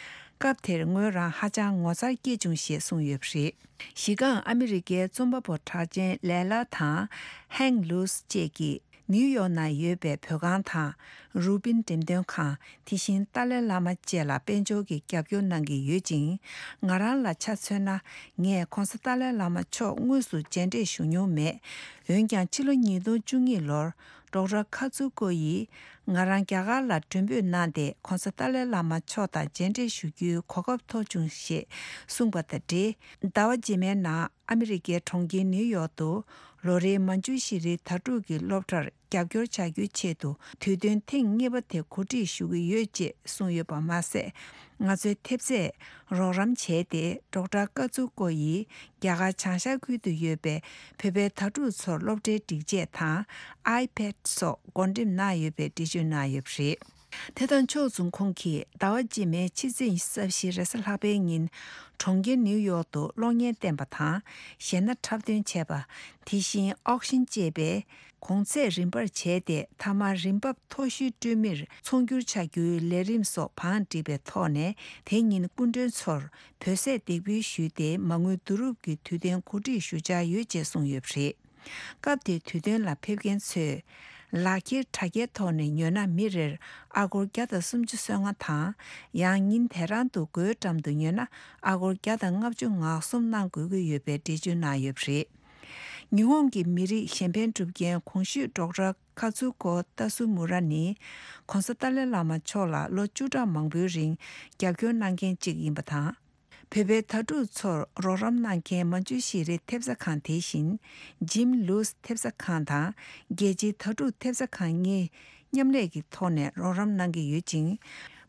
སྐབས་དེར་ངོས་རང་ཧ་ཅང་ངོ་མཚར་སྐྱེས་བྱུང་ཞེས་གསུངས་ཡོད་པ་རེད། གཞི་རྐང་ཨ་མི་རི་ཀའི་རྩོམ་པ་པོ་གྲགས་ཅན་ལེ་ལ་དང་ཧེང་ལུས་བཅས་ཀྱིས་ནིའུ་ཡོག་ནང་ཡོད་པའི་བོད་ཁང་དང་། རུ་པིན་འགྲེམས་སྟོན་ཁང་། དེ་བཞིན་ཏཱ་ལའི་བླ་མ་བཅས་ལ་དཔལ་འབྱོར་གྱི་རྒྱབ་སྐྱོར་གནང་གི་ཡོད་ཅིང་། ང་རང་ལ་ཆ་མཚོན་ན། ངས་༧གོང་ས་ཏཱ་ལའི་བླ་མ་མཆོག་དངོས་སུ་མཇལ་འཕྲད་ཞུ་མྱོང་མེད། འོན་ཀྱང་ཕྱི་ལོ་ཉིས་སྟོང་བཅུ་གཉིས་ལོར་ཌོག་ཊར་ཁ་ཙུ་ཀོ་ཡིས་ང་རང་རྒྱ་གར་ལ་མགྲོན་འབོད་གནང་སྟེ། ༧གོང་ས་ཏཱ་ལའི་བླ་མ་མཆོག་དང་མཇལ་འཕྲད་ཞུ་རྒྱུའི་གོ་སྐབས་ཐོབ་བྱུང་ཞེས་གསུངས་པ་དང་འབྲེལ། ཟླ་བ་རྗེས་མའི་ནང་ཨ་མི་རི་ཀའི་གྲོང་ཁྱེར་ནིའུ་ཡོག་ཏུ་ལོ་རེའི་མན་ཇུ་ཤི་རི་དྭ་ཕྲུག་གི་སློབ་གྲྭར་རྒྱབ་སྐྱོར་བྱ་རྒྱུའི་ཆེད་དུ་དུས་སྟོན་ཐེངས་གཉིས་པ་དེ་གོ་སྒྲིག་ཞུ་གི་ཡོད་ཅེས་གསུངས་ཡོད་པ་མ་ཟད། ང་ཚོའི་ཐེབས་རྩས་རོགས་རམ་བྱས་ཏེ། ཌོག་ཊར་ཀ་ཙུ་ཀོ་ཡིས་རྒྱ་གར་བྱང་ཤར་ཁུལ་དུ་ཡོད་པའི་བོད་པའི་དྭ་ཕྲུག་ཚོར་སློབ་གྲྭའི་སྒྲིག་ཆས་དང་ཨའི་པེཌ་སོགས་བགོ་འགྲེམས་གནང་ཡོད་པའི་འགྲེལ་བརྗོད་གནང་ཡོད་པ་རེད། དེ་དང་ཕྱོགས་མཚུངས། ཁོང་གིས་ཟླ་བ་རྗེས་མའི་ཕྱི་ཚེས་ཉི་ཤུ་རྩ་བཞི་རེས་གཟའ་ལྷག་པའི་ཉིན་གྲོང་ཁྱེར་ནིའུ་ཡོག་ཏུ་གློག་བརྙན་བསྟན་པ་དང་། གཞས་སྣ་འཁྲབ་སྟོན་བྱས་པ། དེ་བཞིན་ཨོག་ཤིན་ཅེས་པའི་གོང་ཚད་རིན་པར་བྱས་ཏེ། མཐའ་མར་རིན་འབབ་མཐོ་ཤོས་སྤྲོད་མིར་ཚོང་སྒྱུར་བྱ་རྒྱུའི་ལས་རིམ་སོགས་བང་བསྒྲིགས་པའི་ཐོག་ནས། དེ་ཉིན་སྐུ་མགྲོན་ཚོར་བོད་ཟས་འདེགས་འབུལ་ཞུས་ཏེ། མ་དངུལ་བསྡུ་རུབ་ཀྱི་དུས་སྟོན་གོ་སྒྲིག་ཞུ་འཆར་ཡོད་ཅེས་གསུངས་ཡོད་པ་རེད། སྐབས་དེའི་དུས་སྟོན་ལ་ཕེབས་མཁན་ཚོས་ལག་འཁྱེར་དྲ་རྒྱའི་ཐོག་ནས་ཉོས་ན་མི་རེར་ཨ་སྒོར་བརྒྱ་དང་སུམ་ཅུ་སོ་ལྔ་དང་། ཡང་ཉིན་དེ་རང་དུ་སྒོའི་འགྲམ་དུ་ཉོས་ན་ཨ་སྒོར་བརྒྱ་དང་ལྔ་བཅུ་ང་གསུམ་གནང་དགོས་ཀྱི་ཡོད་པའི་འགྲེལ་བརྗོད་གནང་ཡོད་པ་རེད། ཉི་ཧོང་གི་མི་རིགས་གཞན་ཕན་སྒྲུབ་མཁན་གོང་ཞུས་ཌོག་ཊར་ཁ་ཙུ་ཀོ་ཏ་སུ་མུ་ར་ནི་༧གོང་ས་ཏཱ་ལའི་བླ་མ་མཆོག་ལ་ལོ་བཅུ་ཕྲག་མང་པོའི་རིང་རྒྱབ་སྐྱོར་གནང་མཁན་གཅིག་ཡིན་པ་དང་། བོད་པའི་དྭ་ཕྲུག་ཚོར་རོགས་རམ་གནང་མཁན་མན་ཇུ་ཤེས་རིག་ཐེབས་རྩ་ཁང་དེ་བཞིན། ཇིམ་ལུས་ཐེབས་རྩ་ཁང་དང་རྒྱལ་སྤྱིའི་དྭ་ཕྲུག་ཐེབས་རྩ་ཁང་གཉིས་མཉམ་ལས་ཀྱི་ཐོག་ནས་རོགས་རམ་གནང་གི་ཡོད་ཅིང་།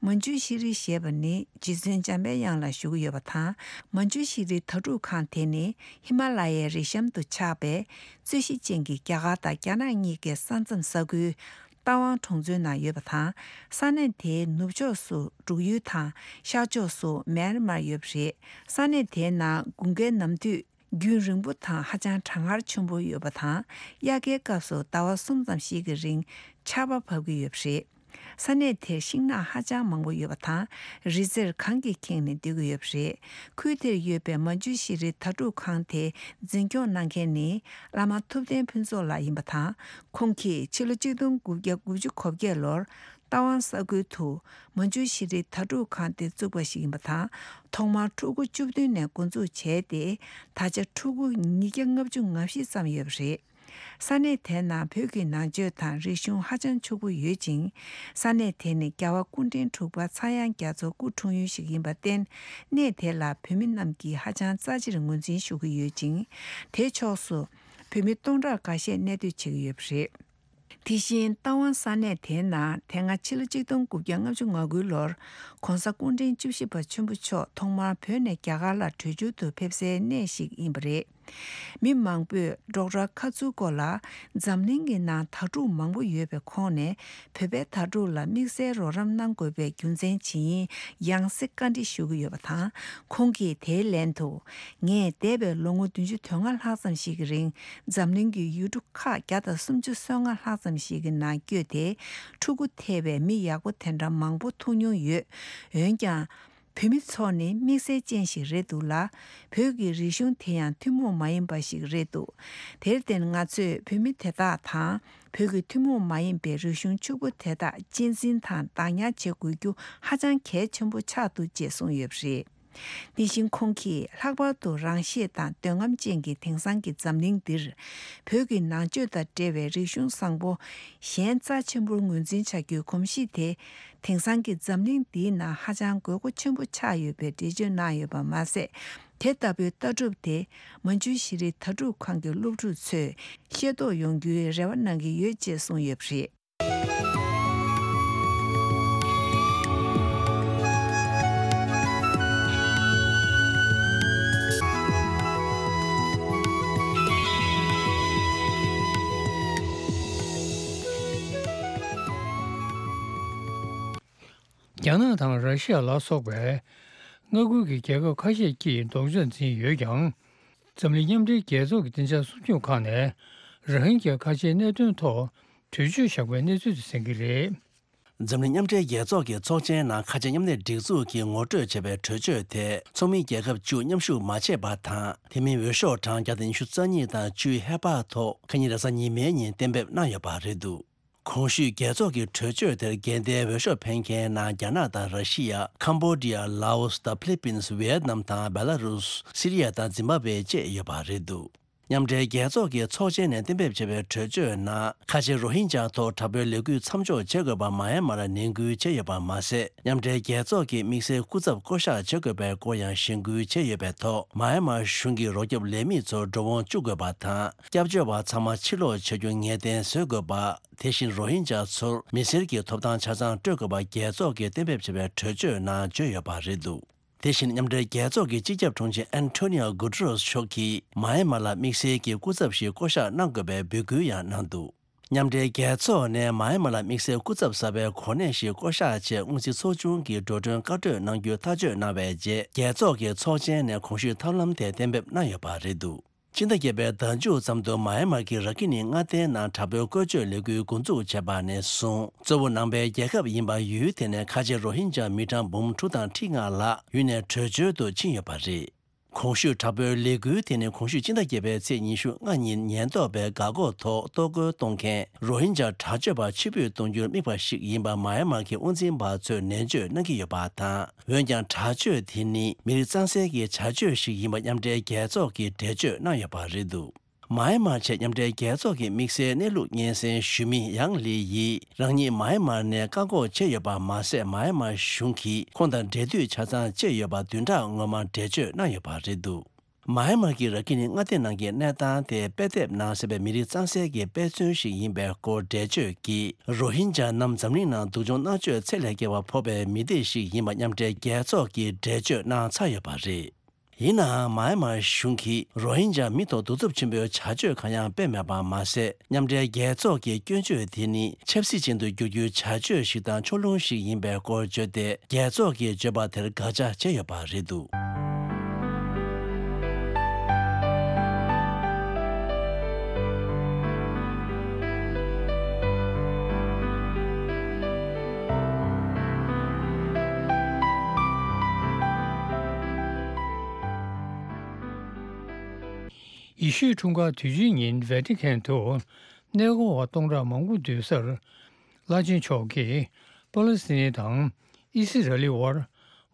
མན་ཇུ་ཤེས་རིག་ཞེས་པ་ནི་རྗེ་བཙུན་འཇམ་དཔལ་དབྱངས་ལ་ཞུ་གི་ཡོད་པ་དང་། མན་ཇུ་ཤེས་རིག་དྭ་ཕྲུག་ཁང་དེ་ནི་ཧི་མ་ལ་ཡའི་རི་གཤམ་དུ་ཆགས་པའི་རྩོད་གཞི་ཅན་གྱི་རྒྱ་གར་དང་རྒྱ་ནག་གཉིས་ཀའི་ས་མཚམས་ས་ཁུལ། རྟ་དབང་གྲོང་ཚོའི་ནང་ཡོད་པ་དང་། ས་གནས་དེའི་ནུབ་ཕྱོགས་སུ་འབྲུག་ཡུལ་དང་ཤར་ཕྱོགས་སུ་མེན་མར་ཡོད་པ་རེད། ས་གནས་དེའི་ནང་དགུན་ཁའི་ནམ་དུས་རྒྱུན་རིང་པོ་དང་ཧ་ཅང་གྲང་ངར་ཆེན་པོ་ཡོད་པ་དང་། དབྱར་ཁའི་སྐབས་སུ་ཟླ་བ་གསུམ་ཙམ་ཞིག་གི་རིང་ཆར་པ་བབས་ཀྱི་ཡོད་པ་རེད། ས་གནས་དེར་ཤིང་ནགས་ཧ་ཅང་མང་པོ་ཡོད་པ་དང་། རི་རྩེར་གངས་ཀྱིས་ཁེངས་ནས་སྡོད་ཀྱི་ཡོད་པ་རེད། ཁུལ་དེར་ཡོད་པའི་མན་ཇུ་ཤེས་རིག་དྭ་ཕྲུག་ཁང་དེ་འཛིན་སྐྱོང་གནང་མཁན་ནི་བླ་མ་ཐུབ་བསྟན་ཕུན་ཚོགས་ལགས་ཡིན་པ་དང་། ཁོང་གིས་ཕྱི་ལོ་གཅིག་སྟོང་དགུ་བརྒྱ་དགུ་བཅུ་གོ་བརྒྱད་ལོར་རྟ་དབང་ས་ཁུལ་དུ་མན་ཇུ་ཤེས་རིག་དྭ་ཕྲུག་ཁང་དེ་བཙུགས་པ་ཞིག་ཡིན་པ་དང་། ཐོག་མར་ཕྲུ་གུ་བཅུ་བདུན་ནས་འགོ་འཛུགས་བྱས་ཏེ། ད་ཆ་ཕྲུ་གུ་ཉིས་བརྒྱ་ལྔ་བཅུ་ང་བཞི་ཙམ་ཡོད་པ་རེད། ས་གནས་དེའི་ནང་བོད་ཀྱི་ནང་ཆོས་དང་རིག་གཞུང་ཧ་ཅང་ཕྱུག་པོ་ཡོད་ཅིང་། ས་གནས་དེ་ནི་རྒྱལ་བ་སྐུ་ཕྲེང་དྲུག་པ་ཚངས་དབྱངས་རྒྱ་མཚོ་སྐུ་འཁྲུངས་ཡུལ་ཞིག་ཡིན་པར་བརྟེན། གནས་དེ་ལ་བོད་མི་རྣམས་ཀྱིས་ཧ་ཅང་རྩ་ཆེར་ངོས་འཛིན་ཞུ་གི་ཡོད་ཅིང་། དེའི་ཕྱོགས་སུ་བོད་མི་སྟོང་ཕྲག་འགའ་ཤས་གནས་སྡོད་བྱེད་ཀྱི་ཡོད་པ་རེད། དེ་བཞིན་རྟ་དབང་ས་གནས་དེའི་ནང་དེ་སྔ་ཕྱི་ལོ་གཅིག་སྟོང་དགུ་བརྒྱ་ལྔ་བཅུ་ང་དགུ་ལོར་༧གོང་ས་སྐུ་ཕྲེང་བཅུ་བཞི་པ་ཆེན་པོ་མཆོག་ཐོག་མར་བོད་ནས་རྒྱ་གར་ལ་བྲོས་བྱོལ་དུ་ཕེབས་སའི་གནས་ཤིག་ཡིན་པ་རེད། མི་མང་པོས་ཌོག་ཊར་ཁ་ཙུ་ཀོ་ལ་འཛམ་གླིང་གི་ནང་དྭ་ཕྲུག་མང་པོ་ཡོད་པའི་ཁོངས་ནས་བོད་པའི་དྭ་ཕྲུག་ལ་དམིགས་བསལ་རོགས་རམ་གནང་དགོས་པའི་རྒྱུ་མཚན་ཇི་ཡིན་ཡང་སེ་བཀའ་འདྲི་ཞུ་གི་ཡོད་པ་དང་། ཁོང་གིས་དེའི་ལན་དུ། ངས་འདས་པའི་ལོ་ངོ་བདུན་ཅུ་དོན་ལྔ་ལྷག་ཙམ་ཞིག་གི་རིང་འཛམ་གླིང་གི་ཡུལ་གྲུ་ཁག་བརྒྱ་དང་སུམ་ཅུ་སོ་ལྔ་ལྷག་ཙམ་ཞིག་གི་ནང་བསྐྱོད་དེ་ཕྲུ་གུ་ཐེ་བའི་མི་ཡག་པོ་དེ་འདྲ་མང་པོ་ཐུག་མྱོང་ཡོད། འོན་ཀྱང་། བོད་མི་ཚོ་ནི་དམིགས་བསལ་ཅན་ཞིག་རེད་འདུག་ལ། བོད་ཀྱི་རིག་གཞུང་དེ་ཡང་ཐུན་མོང་མ་ཡིན་པ་ཞིག་རེད་འདུག་དེར་བརྟེན་ང་ཚོས་བོད་མི་དེ་དག་དང་བོད་ཀྱི་ཐུན་མོང་མ་ཡིན་པའི་རིག་གཞུང་ཕྱུག་པོ་དེ་དག་གཅེས་འཛིན་དང་བདག་ཉར་བྱེད་དགོས་རྒྱུ་ཧ་ཅང་གལ་ཆེན་པོ་ཆགས་འདུག་ཅེས་གསུངས་ཡོད་པ་རེད། དེ་བཞིན་ཁོང་གིས་ལྷག་པར་དུ་རང་ཤེད་དང་འདོད་རྔམ་ཅན་གྱི་དེང་སང་གི་འཛམ་གླིང་འདིར། བོད་ཀྱི་ནང་ཆོས་དང་འབྲེལ་བའི་རིག་གཞུང་བཟང་པོ་གཞན་རྩ་ཆེན་པོར་ངོས་འཛིན་བྱ་རྒྱུའི་གོམས་གཤིས་དེ། དེང་སང་གི་འཛམ་གླིང་འདིའི་ནང་ཧ་ཅང་དགོས་མཁོ་ཆེན་པོ་ཆགས་ཡོད་པའི་འགྲེལ་བརྗོད་གནང་ཡོད་པ་མ་ཟད། དེ་ལྟ་བུའི་ལྟ་གྲུབ་དེ་མན་ཇུ་ཤེས་རིག་དྭ་ཕྲུག་ཁང་གི་སློབ་ཕྲུག་ཚོས་ཤེས་རྟོགས་ཡོང་རྒྱུའི་རེ་བ་གནང་གི་ཡོད་ཅེས་གསུངས་ཡོད་པ་རེད། རྒྱ་ནག་དང་ར་ཤི་ཡ་ལ་སོགས་པའི་མངའ་ཁུལ་གྱི་རྒྱལ་ཁབ་ཁ་ཤས་ཀྱིས་ལྡོག་ཕྱོགས་འཛིན་ཡོད་ཀྱང་། འཛམ་གླིང་མཉམ་འབྲེལ་རྒྱལ་ཚོགས་ཀྱི་བདེ་འཇགས་སྲུང་སྐྱོབ་ཁང་ནས་རོ་ཧིན་གྱི་ཁ་ཆེའི་གནད་དོན་ཐོག་གྲོས་ཆོད་བཞག་པའི་གནས་ཚུལ་དེ་གསན་གྱི་རེད། འཛམ་གླིང་མཉམ་འབྲེལ་རྒྱལ་ཚོགས་ཀྱི་ཚོགས་ཆེན་ནང་ཁ་ཆེ་མཉམ་ལས་སྒྲིག་འཛུགས་ཀྱིས་ངོ་སྤྲོད་བྱས་པའི་གྲོས་ཆོད་དེ་ཚོགས་མི་རྒྱལ་ཁབ་བཅུ་མཉམ་ཞུགས་མ་བྱས་པ་དང་། དེ་མིན་འོས་ཤོག་གྲངས་བརྒྱ་དང་ཉི་ཤུ་རྩ་གཉིས་དང་བཅུའི་ཧེ་བག་ཐོག་ཁ་ཉིན་རེས་གཟའ་ཉི་མའི་ཉིན་གཏན་འབེབས་གནང་ཡོད་པ་རེད་འདུག་གོང་ཞུས་རྒྱལ་ཚོགས་ཀྱི་གྲོས་ཆོད་དེར་འགལ་ཟླའི་འོས་ཤོག་འཕེན་མཁན་ནང་རྒྱ་ནག་དང་ར་ཤི་ཡ། ཁམ་བྷོ་ཌི་ཡ། ལའོ་སི་དང་ཕི་ལི་པིན། ཝི་ཡེད་ནམ་དང་བེ་ལ་རུས། སི་རི་ཡ་དང་ཛིམ་བྷ་ཝེ་བཅས་ཡོད་པ་རེད་འདུག་མཉམ་འབྲེལ་རྒྱལ་ཚོགས་ཀྱི་ཚོགས་ཆེན་ནས་གཏན་འབེབས་བྱས་པའི་གྲོས་ཆོད་ནང་ཁ་ཆེ་རོ་ཧིན་ཇཱ་ཐོག་དྲག་པོའི་ལས་འགུལ་མཚམས་འཇོག་བྱེད་དགོས་པ་མ་ཡན་མར་ནན་སྐུལ་བྱས་ཡོད་པ་མ་ཟད། མཉམ་འབྲེལ་རྒྱལ་ཚོགས་ཀྱི་དམིགས་བསལ་སྐུ་ཚབ་བསྐོ་གཞག་བྱེད་དགོས་པའི་སྐོར་ཡང་གཞེན་སྐུལ་བྱས་ཡོད་པའི་ཐོག་མ་ཡན་མར་གཞུང་གིས་རོགས་སྐྱོབ་ལས་མི་ཚོར་འགྲོ་འོང་བཅུག་དགོས་པ་དང་། སྐྱབས་བཅོལ་བ་ཚང་མ་ཕྱིར་ལོག་བྱ་རྒྱུ་ངེས་གཏན་བཟོ་དགོས་པ། དེ་བཞིན་རོ་ཧིན་ཇཱ་ཚོར་མི་སེར་གྱི་ཐོབ་ཐང་ཆ་ཚང་སྤྲོད་དགོས་པ་རྒྱལ་ཚོགས་ཀྱིས་གཏན་འབེབས་བྱས་པའི་གྲོས་ཆོད་ནང་བརྗོད་ཡོད་པ་རེད་འདུག་དེ་བཞིན་མཉམ་འབྲེལ་རྒྱལ་ཚོགས་ཀྱི་སྤྱི་ཁྱབ་དྲུང་ཆེ་ཨན་ཐོ་ནི་ཨོ་གུ་ཏེ་རེས་མཆོག་གིས་མ་ཡན་མར་ལ་དམིགས་བསལ་གྱི་སྐུ་ཚབ་ཞིག་བསྐོ་གཞག་གནང་དགོས་པའི་འབོད་སྐུལ་ཡང་གནང་འདུག་མཉམ་འབྲེལ་རྒྱལ་ཚོགས་ནས་མ་ཡན་མར་ལ་དམིགས་བསལ་སྐུ་ཚབ་གསར་པའི་གོ་གནས་ཤིག་བསྐོ་གཞག་ཆེད་སྔོན་རྩིས་ཚོགས་ཆུང་གི་འགྲོ་གྲོན་བཀའ་གྲོས་གནང་རྒྱུ་ཐག་གཅོད་གནང་བའི་རྗེས། རྒྱལ་ཚོགས་ཀྱི་ཚོགས་ཆེན་ནས་གོང་ཞུས་ཐབས་ལམ་དེ་གཏན་འབེབས་གནང་ཡོད་པ་རེད་འདུག་ཕྱི་ཟླ་བརྒྱད་པའི་ཟླ་མཇུག་ཙམ་དུ་མ་ཡན་མར་གྱི་ར་ཁི་ནི་མངའ་སྡེའི་ནང་དྲག་པོའི་བཀོལ་སྤྱོད་ལས་འགུལ་འགོ་འཛུགས་བྱས་པ་ནས་བཟུང་། གཙོ་བོ་ནང་པའི་རྒྱལ་ཁབ་ཡིན་པ་ཡུལ་དེ་ནས་ཁ་ཆེ་རོ་ཧིན་ཇཱ་མི་གྲངས་འབུམ་དྲུག་དང་ཁྲི་ལྔ་ལྷག་ཡུལ་ནས་བྲོས་བྱོལ་དུ་ཕྱིན་ཡོད་པ་རེད། གོང་ཞུས་དྲག་པོའི་ལས་འགུལ་དེ་ནི་གོང་ཞུས་སྤྱི་ཟླ་བརྒྱད་པའི་ཚེས་ཉི་ཤུ་ལྔ་ཉིན་ཉེན་རྟོག་པས་འགག་སྒོ་ཐོག་གཏོར་རྒོལ་གཏོང་མཁན་རོ་ཧིན་ཇཱ་དྲག་སྤྱོད་པ་ཕྱིར་འབུད་གཏོང་རྒྱུར་དམིགས་པ་ཞིག་ཡིན་པ་མ་ཡན་མར་གྱི་དབང་འཛིན་པ་ཚོས་ནན་བརྗོད་གནང་གི་ཡོད་པ་དང་། འོན་ཀྱང་དྲག་སྤྱོད་དེ་ནི་མི་རིགས་གཙང་སེལ་གྱི་བྱ་སྤྱོད་ཞིག་ཡིན་པ་མཉམ་འབྲེལ་རྒྱལ་ཚོགས་ཀྱིས་འགྲེལ་བརྗོད་གནང་ཡོད་པ་རེད་འདུག་མ་ཡན་མར་ཆེད་མཉམ་འབྲེལ་རྒྱལ་ཚོགས་ཀྱི་དམིགས་བསལ་གནས་ལུགས་སྙན་སེང་ཞུ་མི་ཡང་ལི་ཡིས། རང་ཉིད་མ་ཡན་མར་ནས་བཀག་འགོག་བྱས་ཡོད་པ་མ་ཟད། མ་ཡན་མར་གཞུང་གིས་ཁོང་དང་འབྲེལ་མཐུད་ཆ་ཚང་བཅད་ཡོད་པ་བདུན་ཕྲག་སྔོན་མར་འགྲེལ་བརྗོད་གནང་ཡོད་པ་རེད་འདུག་མ་ཡན་མར་གྱི་ར་ཁི་ནི་མངའ་སྡེ་ནང་གི་གནས་སྟངས་དེ་དཔེ་དེབ་ནང་གསལ་བའི་མི་རིགས་གཙང་སེལ་གྱི་དཔེ་མཚོན་ཞིག་ཡིན་པའི་སྐོར་འགྲེལ་བརྗོད་ཀྱིས། རོ་ཧིན་ཇཱ་རྣམས་འཛམ་གླིང་ནང་སྡུག་སྦྱོང་མནར་གཅོད་ཚད་ལས་བརྒལ་བ་ཕོག་པའི་མི་སྡེ་ཞིག་ཡིན་པ་མཉམ་འབྲེལ་རྒྱལ་ཚོགས་ཀྱིས་འགྲེལ་བརྗོད་གནང་ཚར་ཡོད་པ་རེད། ཡིན་ནའང་། མ་ཡན་མར་གཞུང་གིས་རོ་ཧིན་ཇཱ་མི་ཐོག་གདུག་རྩུབ་ཆེན་པོའི་བྱ་སྤྱོད་གང་ཡང་སྤེལ་མེད་པ་མ་ཟད། མཉམ་འབྲེལ་རྒྱལ་ཚོགས་ཀྱི་སྐྱོན་བརྗོད་དེ་ནི་ཆབ་སྲིད་ཅན་དུ་བསྒྱུར་རྒྱུའི་བྱ་སྤྱོད་ཞིག་དང་ཕྱོགས་ལྷུང་ཞིག་ཡིན་པའི་སྐོར་བརྗོད་དེ། རྒྱལ་ཚོགས་ཀྱིས་བརྗོད་པ་དེར་དགག་བྱ་བྱས་ཡོད་པ་རེད་འདུག་ཡེ་ཤུའི་འཁྲུངས་སྐར་དུས་ཆེན་ཉིན་ཝེ་ཏི་ཁན་དུ་གནས་སྐོར་བ་སྟོང་ཕྲག་མང་པོ་འདུས་སར། བླ་ཆེན་མཆོག་གིས་པ་ལི་སི་ཐན་དང་ཨི་སི་ར་ལི་དབར་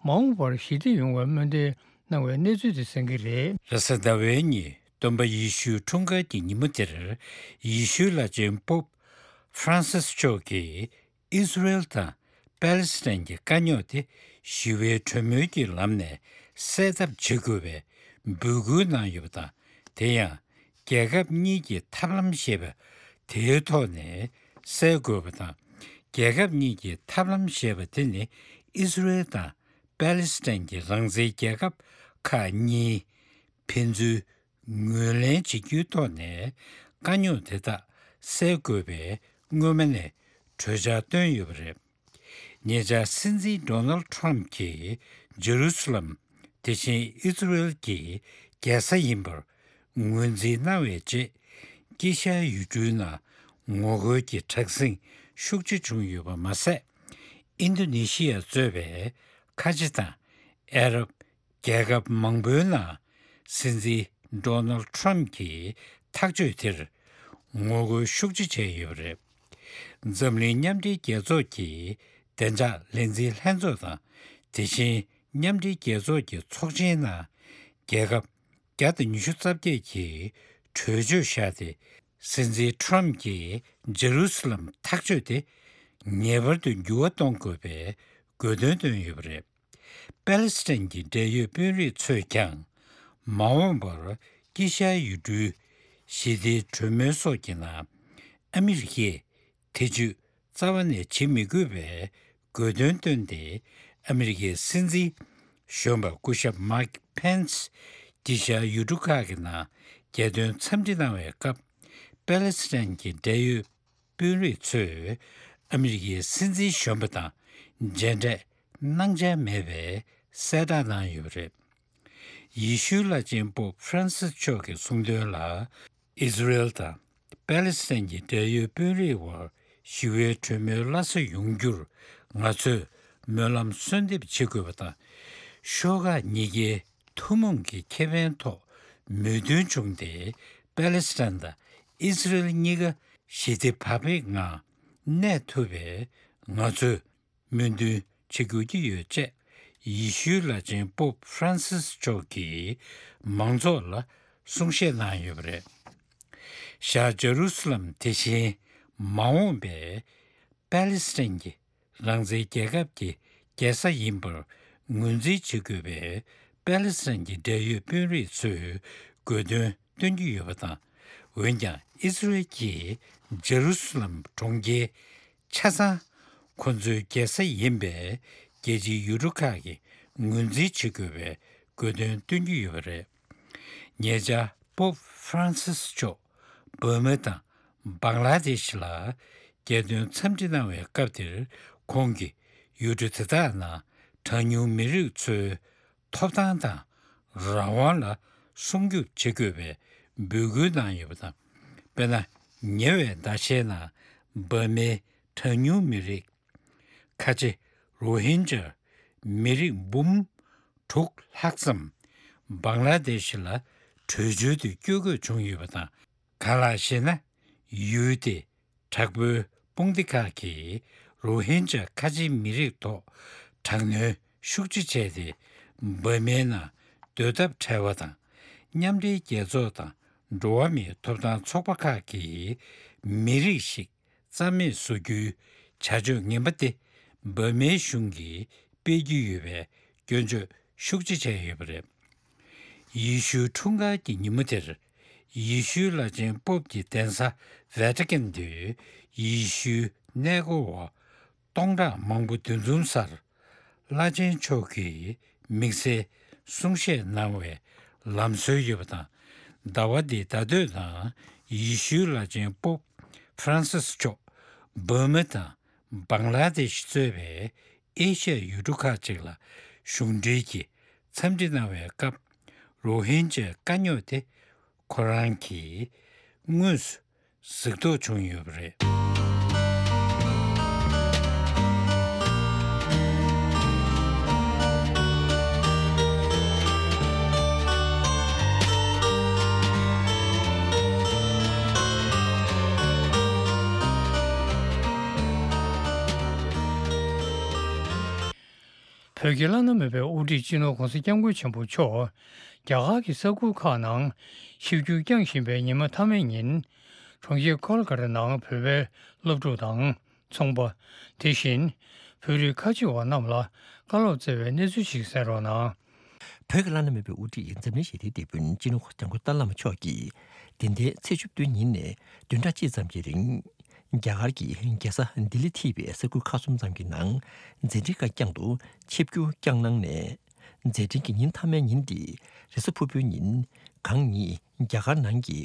མ་འོངས་པར་ཞི་བདེ་ཡོང་བའི་སྨོན་འདུན་གནང་བའི་གནས་ཚུལ་དེ་གསན་གྱི་རེད། རེས་གཟའ་ཟླ་བའི་ཉིན་སྟོན་པ་ཡེ་ཤུའི་འཁྲུངས་སྐར་གྱི་ཉིན་མོ་དེར། ཡེ་ཤུའི་བླ་ཆེན་པོབ་ཧྥ་རན་སིས་མཆོག་གིས། ཨི་སི་རེལ་དང་པ་ལི་སི་ཐན་གྱི་དཀའ་རྙོག་དེ་ཞི་བའི་གྲོས་མོལ་གྱི་ལམ་ནས་སེལ་ཐབས་བྱེད་དགོས་པའི་འབོད་སྐུལ་གནང་ཡོད་པ་དང་། དེ་ཡང་རྒྱལ་ཁབ་གཉིས་ཀྱི་ཐབས་ལམ་ཞེས་པ་དེའི་ཐོག་ནས་སེལ་དགོས་པ་དང་། རྒྱལ་ཁབ་གཉིས་ཀྱི་ཐབས་ལམ་ཞེས་པ་དེ་ནི་ཨི་སི་རེལ་དང་པ་ལི་སི་ཐན་གྱི་རང་བཙན་རྒྱལ་ཁབ་ཁག་གཉིས་ཕན་ཚུན་ངོས་ལེན་བྱེད་རྒྱུའི་ཐོག་ནས་དཀའ་རྙོག་དེ་དག་སེལ་དགོས་པའི་སྔོན་མ་ནས་གྲོས་འཆར་བཏོན་ཡོད་པ་རེད། ཉེ་ཆར་སྲིད་འཛིན་ཌོ་ནལ་ཊམ་གྱིས་ཇེ་རུ་སི་ལམ་དེ་བཞིན་ཨི་སི་རེལ་གྱི་རྒྱལ་ས་ཡིན་པར་ངོས་འཛིན་གནང་བའི་རྗེས། དཀྱིལ་ཤར་ཡུལ་གྲུའི་ནང་ངོ་རྒོལ་གྱི་དྲག་ཟིང་ཤུགས་ཆེ་བྱུང་ཡོད་པ་མ་ཟད། ཨིན་རྡོ་ནེ་ཤི་ཡ་གཙོས་པའི་ཁ་ཆེ་དང་ ཨ་རབ་རྒྱལ་ཁབ་མང་པོའི་ནང་སྲིད་འཛིན་ཌོ་ནལ་ཌི་ཊརམ་ཕི་གྱི་ཐག་གཅོད་དེར་ངོ་རྒོལ་ཤུགས་ཆེ་བྱས་ཡོད་པ་རེད། འཛམ་གླིང་མཉམ་འབྲེལ་རྒྱལ་ཚོགས་ཀྱི་བདེ་འཇགས་ལས་འཛིན་ལྷན་ཚོགས་དང་། དེ་བཞིན་མཉམ་འབྲེལ་རྒྱལ་ཚོགས་ཀྱི་ཚོགས་ཆེན་ནང་རྒྱལ་ཁབ་བརྒྱ་དང་ཉི་ཤུ་རྩ་བརྒྱད་ཀྱིས་གྲོས་ཆོད་བཞག་སྟེ། སྲིད་འཛིན་ཊརམ་ཕི་གྱི་ཇེ་རུ་སི་ལམ་ཐག་གཅོད་དེ་ངེས་པར་དུ་འགྱུར་བ་གཏོང་དགོས་པའི་དགོས་འདུན་བཏོན་ཡོད་པ་རེད། པེ་ལེ་སི་ཐན་གྱི་འབྲེལ་ཡོད་དཔོན་རིགས་ཚོས་ཀྱང་མ་འོངས་པར་དཀྱིལ་ཤར་ཡུལ་གྲུའི་ཞི་བདེའི་གྲོས་མོལ་སོགས་ཀྱི་ནང་ཨ་མི་རི་ཀས་ཐེ་ཇུས་རྩ་བ་ནས་བྱེད་མི་དགོས་པའི་དགོས་འདུན་བཏོན་ཏེ། ཨ་མི་རི་ཀའི་སྲིད་འཛིན་གཞོན་པ་སྐུ་ཞབས་མཱིག་ཕེན་སི་དཀྱིལ་ཤར་ཡུལ་གྲུ་ཁག་གི་ནང་རྒྱལ་དོན་འཚམས་འདྲི་གནང་བའི་སྐབས། པེ་ལེ་སི་ཐན་གྱི་འབྲེལ་ཡོད་དཔོན་རིགས་ཚོས་ཨ་མི་རི་ཀའི་སྲིད་འཛིན་གཞོན་པ་དང་མཇལ་འཕྲད་གནང་འཆར་མེད་པའི་གསལ་བསྒྲགས་གནང་ཡོད་པ་རེད། ཡེ་ཤུའི་བླ་ཆེན་པོབ་ཧྥ་རན་སིས་མཆོག་གིས་གསུངས་དོན་ལ། ཨི་ཟི་རེལ་དང་པེ་ལེ་སི་ཐན་གྱི་འབྲེལ་ཡོད་དཔོན་རིགས་དབར་ཞི་བའི་གྲོས་མོལ་སླར་གསོ་ཡོང་རྒྱུར་ང་ཚོས་སྨོན་ལམ་གསོལ་འདེབས་བྱེད་དགོས་པ་དང་། ཤོག་ཁག་གཉིས་ཀའི་ཐུན་མོང་གི་ཁེ་ཕན་ཐོག་མོས་མཐུན་བྱུང་སྟེ། པེ་ལེ་སི་ཐན་དང་ཨི་ཟི་རེལ་གཉིས་ཀ་ཞི་བདེ་བག་ཕེབས་ངང་གནས་ཐུབ་པའི་ང་ཚོས་སྨོན་འདུན་བྱེད་དགོས་ཀྱི་ཡོད་ཅེས་ཡེ་ཤུའི་བླ་ཆེན་པོབ་ཧྥ་རན་སིས་མཆོག་གིས་མང་ཚོགས་ལ་གསུང་བཤད་གནང་ཡོད་པ་རེད། ཤར་ཇེ་རུ་སི་ལམ་དེ་བཞིན་མ་འོངས་པའི་པེ་ལེ་སི་ཐན་གྱི་རང་བཙན་རྒྱལ་ཁབ་ཀྱི་རྒྱལ་ས་ཡིན་པར་ངོས་འཛིན་བྱེད་དགོས་པའི་པེ་ལེ་སི་ཐན་གྱི་འབྲེལ་ཡོད་དཔོན་རིགས་ཚོས་དགོས་འདུན་བཏོན་གྱི་ཡོད་པ་དང་། འོན་ཀྱང་ཨི་ཟི་རེལ་གྱིས་ཇེ་རུ་སི་ལམ་གྲོང་ཁྱེར་ཆ་ཚང་ཁོ་ཚོའི་རྒྱལ་ས་ཡིན་པའི་རྒྱལ་སྤྱིའི་ཡུལ་གྲུ་ཁག་གིས་ངོས་འཛིན་བྱེད་དགོས་པའི་དགོས་འདུན་བཏོན་གྱི་ཡོད་པ་རེད། ཉེ་ཆར་པོབ་ཧྥ་རན་སིས་མཆོག་འབར་མ་དང་བང་ལ་དེ་ཤི་ལ་རྒྱལ་དོན་འཚམས་འདྲི་གནང་བའི་སྐབས་དེར། ཁོང་གིས་ཡུལ་གྲུ་དེ་དག་ནང་གྲངས་ཉུང་མི་རིགས་ཚོའི་ཐོབ་ཐང་དང་རང་དབང་ལ་སྲུང་སྐྱོབ་བྱེད་དགོས་པའི་འབོད་སྐུལ་གནང་ཡོད་པ་དང་། དཔེར་ན། ཉེ་བའི་ཟླ་ཤས་ནང་འབར་མའི་གྲངས་ཉུང་མི་རིགས་ཁ་ཆེ་རོ་ཧིན་ཇཱ་མི་རིགས་འབུམ་དྲུག་ལྷག་ཙམ་བང་ལ་དེ་ཤི་ལ་བྲོས་བྱོལ་དུ་བསྐྱོད་དགོས་བྱུང་ཡོད་པ་དང་། གང་ལགས་ཤེ་ན། ཡུལ་དེའི་དྲག་པོའི་དཔུང་སྡེ་ཁག་གིས་རོ་ཧིན་ཇཱ་ཁ་ཆེའི་མི་རིགས་ཐོག་དྲག་གནོན་ཤུགས་ཆེ་བྱས་ཏེ། འབར་མའི་ནང་སྡོད་ཐབས་བྲལ་བ་དང་། མཉམ་འབྲེལ་རྒྱལ་ཚོགས་དང་འགྲོ་བ་མིའི་ཐོབ་ཐང་ཚོགས་པ་ཁག་གིས་མི་རིགས་ཤིག་རྩ་མེད་བཟོ་རྒྱུའི་བྱ་སྤྱོད་ངན་པ་དེ་འབར་མའི་གཞུང་གིས་སྤེལ་གྱི་ཡོད་པའི་སྐྱོན་བརྗོད་ཤུགས་ཆེ་བྱས་ཡོད་པ་རེད། ཡེ་ཤུའི་འཁྲུངས་སྐར་གྱི་ཉིན་མོ་དེར། ཡེ་ཤུའི་བླ་ཆེན་པོབ་ཀྱི་གདན་ས་ཝེ་ཏི་ཀན་དུ་ཡེ་ཤུའི་གནས་སྐོར་བ་སྟོང་ཕྲག་མང་པོ་འདུ་འཛོམས་སར། བླ་ཆེན་མཆོག་གིས་དམིགས་བསལ་གསུང་བཤད་གནང་བའི་ལམ་སྲོལ་ཡོད་པ་དང་། ཟླ་བ་འདིའི་ཟླ་སྟོད་ནང་ཡེ་ཤུའི་བླ་ཆེན་པོབ་ཧྥ་རན་སིས་མཆོག་འབར་མ་དང་བང་ལ་དེ་ཤི་གཙོས་པའི་ཨེ་ཤ་ཡའི་ཡུལ་གྲུ་ཁག་ཅིག་ལ་གཞུང་འབྲེལ་གྱི་འཚམས་འདྲི་གནང་བའི་སྐབས། རོ་ཧིན་ཇའི་དཀའ་རྙོག་དེ་ཁོ་རང་གིས་དངོས་སུ་གཟིགས་རྟོག་བྱུང་ཡོད་པ་རེད། བོད་ཀྱི་བླ་ན་མེད་པའི་དབུ་ཁྲིད་སྤྱི་ནོར་༧གོང་ས་༧སྐྱབས་མགོན་ཆེན་པོ་མཆོག་རྒྱ་གར་གྱི་ས་ཁུལ་ཁག་ནང་ཆིབས་བསྒྱུར་བསྐྱངས་བཞིན་པའི་ཉི་མ་མཐའ་མའི་ཉིན། གྲོང་ཁྱེར་ཁོལ་ཀ་ཏ་ནང་བོད་པའི་སློབ་ཕྲུག་དང་ཚོང་པ། དེ་བཞིན་བོད་རིགས་ཁ་ཆེ་བ་རྣམས་ལ་བཀའ་སློབ་སྩལ་བའི་གནས་ཚུལ་ཞིག་གསན་རོགས་གནང་། བོད་ཀྱི་བླ་ན་མེད་པའི་དབུ་ཁྲིད་འཛམ་གླིང་ཞི་བདེའི་དེད་དཔོན་སྤྱི་ནོར་༧གོང་ས་༧གོང་ས་ཏཱ་ལའི་བླ་མ་མཆོག་གིས་འདི་ཟླའི་ཚེས་བཅུ་བདུན་ཉིན་ནས་བདུན་ཕྲག་གཅིག་ཙམ་གྱི་རིང་། རྒྱ་གར་གྱི་རྒྱལ་ས་ལྡི་ལི་ཐེ་བའི་ས་ཁུལ་ཁག་གསུམ་ཙམ་གྱི་ནང་མཛད་འཕྲིན་ཁ་རྐྱང་དུ་ཆིབས་བསྒྱུར་བསྐྱངས་གནང་ནས། མཛད་འཕྲིན་གྱི་ཉིན་མཐའ་མའི་ཉིན་ཏེ་རེས་གཟའ་ཕུར་བུའི་ཉིན་གང་ཉིད་རྒྱ་གར་ནང་གི་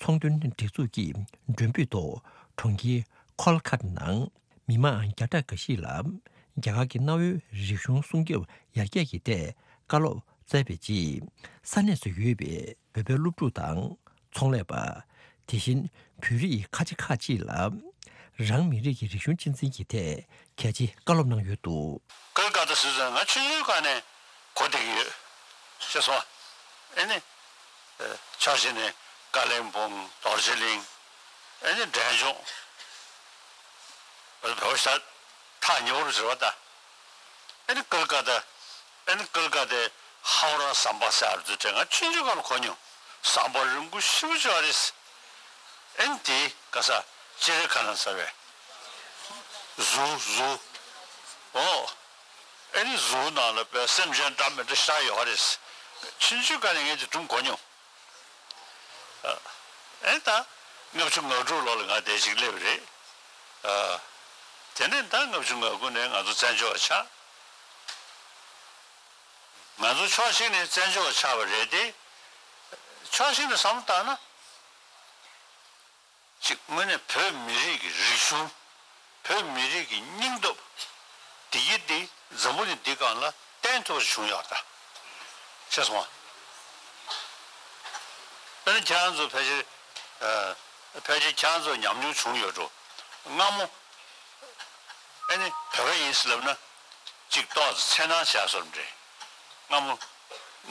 ཚོང་དོན་སྒྲིག་འཛུགས་ཀྱི་མགྲོན་འབོད་ཐོག་གྲོང་ཁྱེར་ཁོལ་ཁ་ཏ་ནང་མི་མང་བརྒྱ་ཕྲག་འགའ་ཞིག་ལ་རྒྱ་གར་གྱི་གནའ་བོའི་རིག་གཞུང་སྲུང་སྐྱོབ་ཡར་རྒྱས་ཀྱི་ཐད་བཀའ་སློབ་སྩལ་བའི་རྗེས། ས་གནས་སུ་ཡོད་པའི་བོད་པའི་སློབ་ཕྲུག་དང་ཚོང་ལས་པ། དེ་བཞིན་བོད་རིགས་ཁ་ཆེ་ཁག་ཅིག་ལ་རང་མི་རིགས་ཀྱི་རིག་གཞུང་གཅེས་འཛིན་གྱི་ཐད་གལ་ཆེའི་བཀའ་སློབ་གནང་ཡོད་འདུག། ཀལ་ཀ་ཏ་ཟེར་ཙང་ང་ཆུང་ཆུང་སྒང་ནས་ གོ་བསྡད་ཀྱི་ཡོད། ཤེས་སོང་ཨ། ཨེ་ནི། ཨ། ཕྱོགས་གཅིག་ནས་ཀ་ལིམ་པོང་། རྡོ་རྗེ་གླིང་། ཨེ་ནི་འབྲས་ལྗོངས། བོད་པ་ཤ་ཐག་ཉེ་བོ་རུ་ཟེར་བ་ད། ཨེ་ནི་ཀལ་ཀ་ཏ། ཨེ་ནི་ཀལ་ཀ་ཏའི་ཧའོ་ར་ཟམ་པ་ཟེར་བ་ཚོ་དྲན། ང་ཆུང་ཆུང་སྒང་ལ་གོ་མྱོང་། ཟམ་པ་རིང་པོ་ཞེ་པོ་ཅིག་ཡོད་རེད། ཨེ་ནི་དེའི་ག་ས་སྤྱན་རས་གཟིགས་ལ་ཟེར་བའི་གཟུགས། གཟུགས། ཨོ། ཨེ་ནི་གཟུགས་ནང་ལ་བའི་སེམས་ཅན་འདྲ་མི་འདྲ་ཤར་ཡོད་རེད། ཆུང་ཆུང་སྒང་ནས་ངས་དེ་སྒྲུང་གོ་མྱོང་། ཨ། ཨེ་ད་ལྔ་བཅུ་ང་དྲུག་ལོ་ལ་ང་དེ་ཅིག་སླེབས་རེད། ཨ། དེ་ནས་ད་ལྔ་བཅུ་ང་དགུ་ནས་ང་ཚོ་བཙན་བྱོལ་བ་ཆགས། ང་ཚོ་ཕྱོགས་གཅིག་ནས་བཙན་བྱོལ་བ་ཆགས་པ་རེད་དེ། ཕྱོགས་གཅིག་ནས་བསམ་བློ་བཏང་ན། གཅིག་དངོས་གནས་བོད་མི་རིགས་ཀྱི་རིག་གཞུང་། བོད་མི་རིགས་ཀྱི་སྙིང་སྟོབས། འདི་ཡི་འདི་འཛམ་བུ་གླིང་འདི་སྒང་ལ་བསྟན་ཐུབ་པ་བྱུང་ཡོད་ད། ཤེས་སོང་ཨ། དཔེར་ན་ཁྱེད་རང་ཚོ་ཕལ་ཆེར། ཨ། ཕལ་ཆེར་ཁྱེད་རང་ཚོ་ཉམས་མྱོང་བྱུང་ཡོད་འགྲོ། སྔ་མོ། ཨེ་ནི་བོད་པ་ཡིན་ཟེར་ལབ་ན། གཅིག་ཏོག་ཙམ་འཚེར་སྣང་བྱས་བཟོ་འདྲ། སྔ་མོ།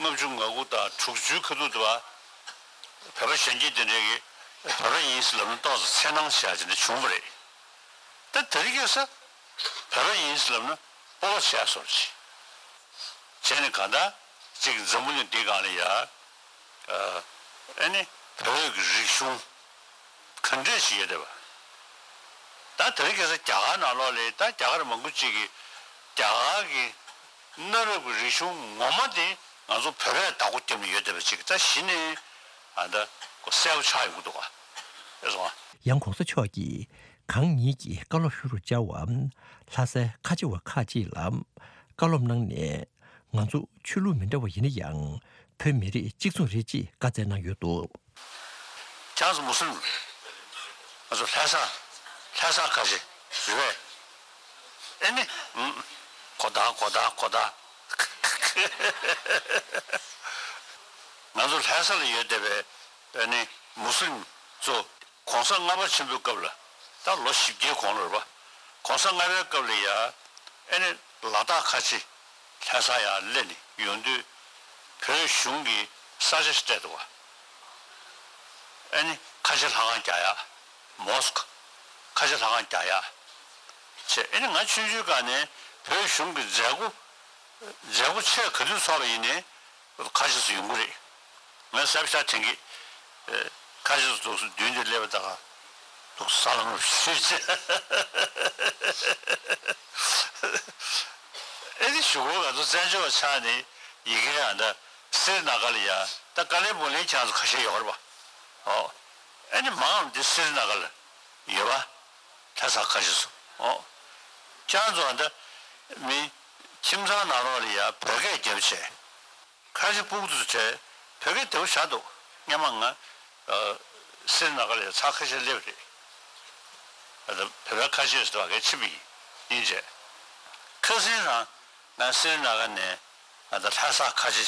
ལྔ་བཅུ་ང་དགུ་དང་དྲུག་ཅུའི་ཁ་ཐུག་ཏུ་བ། བོད་པ་གཞོན་སྐྱེས་དེ་འདྲས་ཀྱིས་བོད་པ་ཡིན་ཟེར་ལབ་ན་ཏོག་ཙམ་འཚེར་སྣང་བྱས་དེ་འདྲ་བྱུང་བ་རེད། ད་དེ་རིང་ཁ་སང་བོད་པ་ཡིན་ཟེར་ལབ་ན་སྤོབས་པ་བྱས་བཟོ་འདྲ། བྱས་ནས་གང་ལྟར་གཅིག་འཛམ་བུ་གླིང་འདི་སྒང་ལ་ཡ། ཨ། ཨེ་ནི་བོད་ཀྱི་རིག་གཞུང་ག་འདྲས་ཞིག་ཡོད་བསྡད་པ། ད་དེ་རིང་ཁ་སང་རྒྱ་གར་ནང་ལོགས་ལ་ད་རྒྱ་གར་མང་པོ་ཅིག་གིས་རྒྱ་གར་གྱི་གནའ་རབས་ཀྱི་རིག་གཞུང་ངོ་མ་དེ་ང་ཚོ་བོད་པས་བདག་པོ་བརྒྱབ་ནས་ཡོད་བསྡད་པ་ཅིག་ད་གཞི་ནས་ཨ་ད་གསལ་པོ་ཆགས་ཡོང་གི་འདུག་ག། ཨེ་སོང་ཨ། ཡང་གོང་ས་མཆོག་གིས་གང་ཉིད་ཀྱིས་བཀའ་སློབ་ཞུ་རུ་བཅར་བ། ལྷ་སའི་ཁ་ཆེ་བ་ཁག་ཅིག་ལ་བཀའ་སློབ་གནང་ནས། ང་ཚོ་ཆོས་ལུགས་མི་འདྲ་བ་ཡིན་ན་ཡང་། བོད་མི་རིགས་གཅིག་མཚུངས་རེད་ཅེས་བཀའ་སྩལ་གནང་ཡོད་འདུག། ཁྱེད་ཚོ་མུ་སི་ལིམ། ང་ཚོ་ལྷ་ས། ལྷ་ས་ཁ་ཆེ་རེད་པས། ཨེ་ནི། ཨུམ། གོ་བརྡ་གོ་བརྡ་གོ་བརྡ། ང་ཚོ་ལྷ་ས་ལ་ཡོད་བསྡད་པའི་ཨེ་ནི་མུ་སི་ལིམ་ཚོ། གོང་ས་ལྔ་པ་ཆེན་པོའི་སྐབས་ལ། ད་ལོ་བཞི་བརྒྱའི་གོང་ལ་རེད་པ། གོང་ས་ལྔ་པའི་སྐབས་ལ་ཡ། ཨེ་ནི་ལ་དྭགས་ཁ་ཆེ་ལྷ་ས་ཡར་སླེབས་ནས་ཡོང་དུས། བོད་གཞུང་གིས་ས་ཆ་ཞིག་སྤྲད་འདུག་ག། ཨེ་ནི་ཁ་ཆེ་ལྷ་ཁང་རྒྱག་ཡག། མོ་སི་ཁོ། ཁ་ཆེ་ལྷ་ཁང་རྒྱག་ཡག་བྱས། ཨེ་ནི་ང་ཆུང་ཆུང་སྒང་ནས་བོད་གཞུང་གི་མཛད་སྒོ། མཛད་སྒོ་ཆེ་ག་དུས་ཚོགས་པ་ཡིན་ནའི། ཁ་ཤས་སུ་ཡོང་གི་རེད། ངས་གཟབ་གཟབ་དྲན་གི། ཨེ། ཁ་ཤས་སུ་འདུག་སེ་མདུན་དེར་སླེབས་པ་ད་ག། འདུག་ས་ལ་ངོ་ཤེས་ཅེས། ཨེ་ནི་གཞུག་གུ་ང་ཚོ་བཙན་བྱོལ་བ་ཆགས་ནས་ཡི་གེ་ཡང་ད་སི་རི་ན་ག་ལ་ཡ། ད་ཀ་ལིམ་པོང་ལ་ཁྱེད་ཚོ་ཁ་ཤས་ཡོད་རེད་པ། ཨོ། ཨེ་ནི་མང་འདི་སི་རི་ན་ག་ལ་ཡོད་པ། ལྷ་ས་ཁ་ཤས་སུ། ཨོ། ཁྱེད་ཚོ་ད་མི་ཁྱིམ་ཚང་ནང་ལོགས་ལ་ཡ་བོད་སྐད་རྒྱབ་བྱས། ཁ་ཆེ་སྤུ་གུ་ཚོ་བྱས། བོད་སྐད་བདེ་པོ་བྱ་འདུག། སྔོན་མ་ང་། ཨ། སི་རི་ན་ག་ལ་ཚར་ཁ་ཤས་སླེབས་རེད། ཨ། ད་བོད་པའི་ཁ་ཆེ་ཟེར་བ་གས་ཕྱིན་པ་ཡིན། ཡིན་བྱས། ཁ་སང་རང་ང་སི་རི་ན་ག་ནས་ང་ད་ལྷ་ས་ཁ་ཆེ་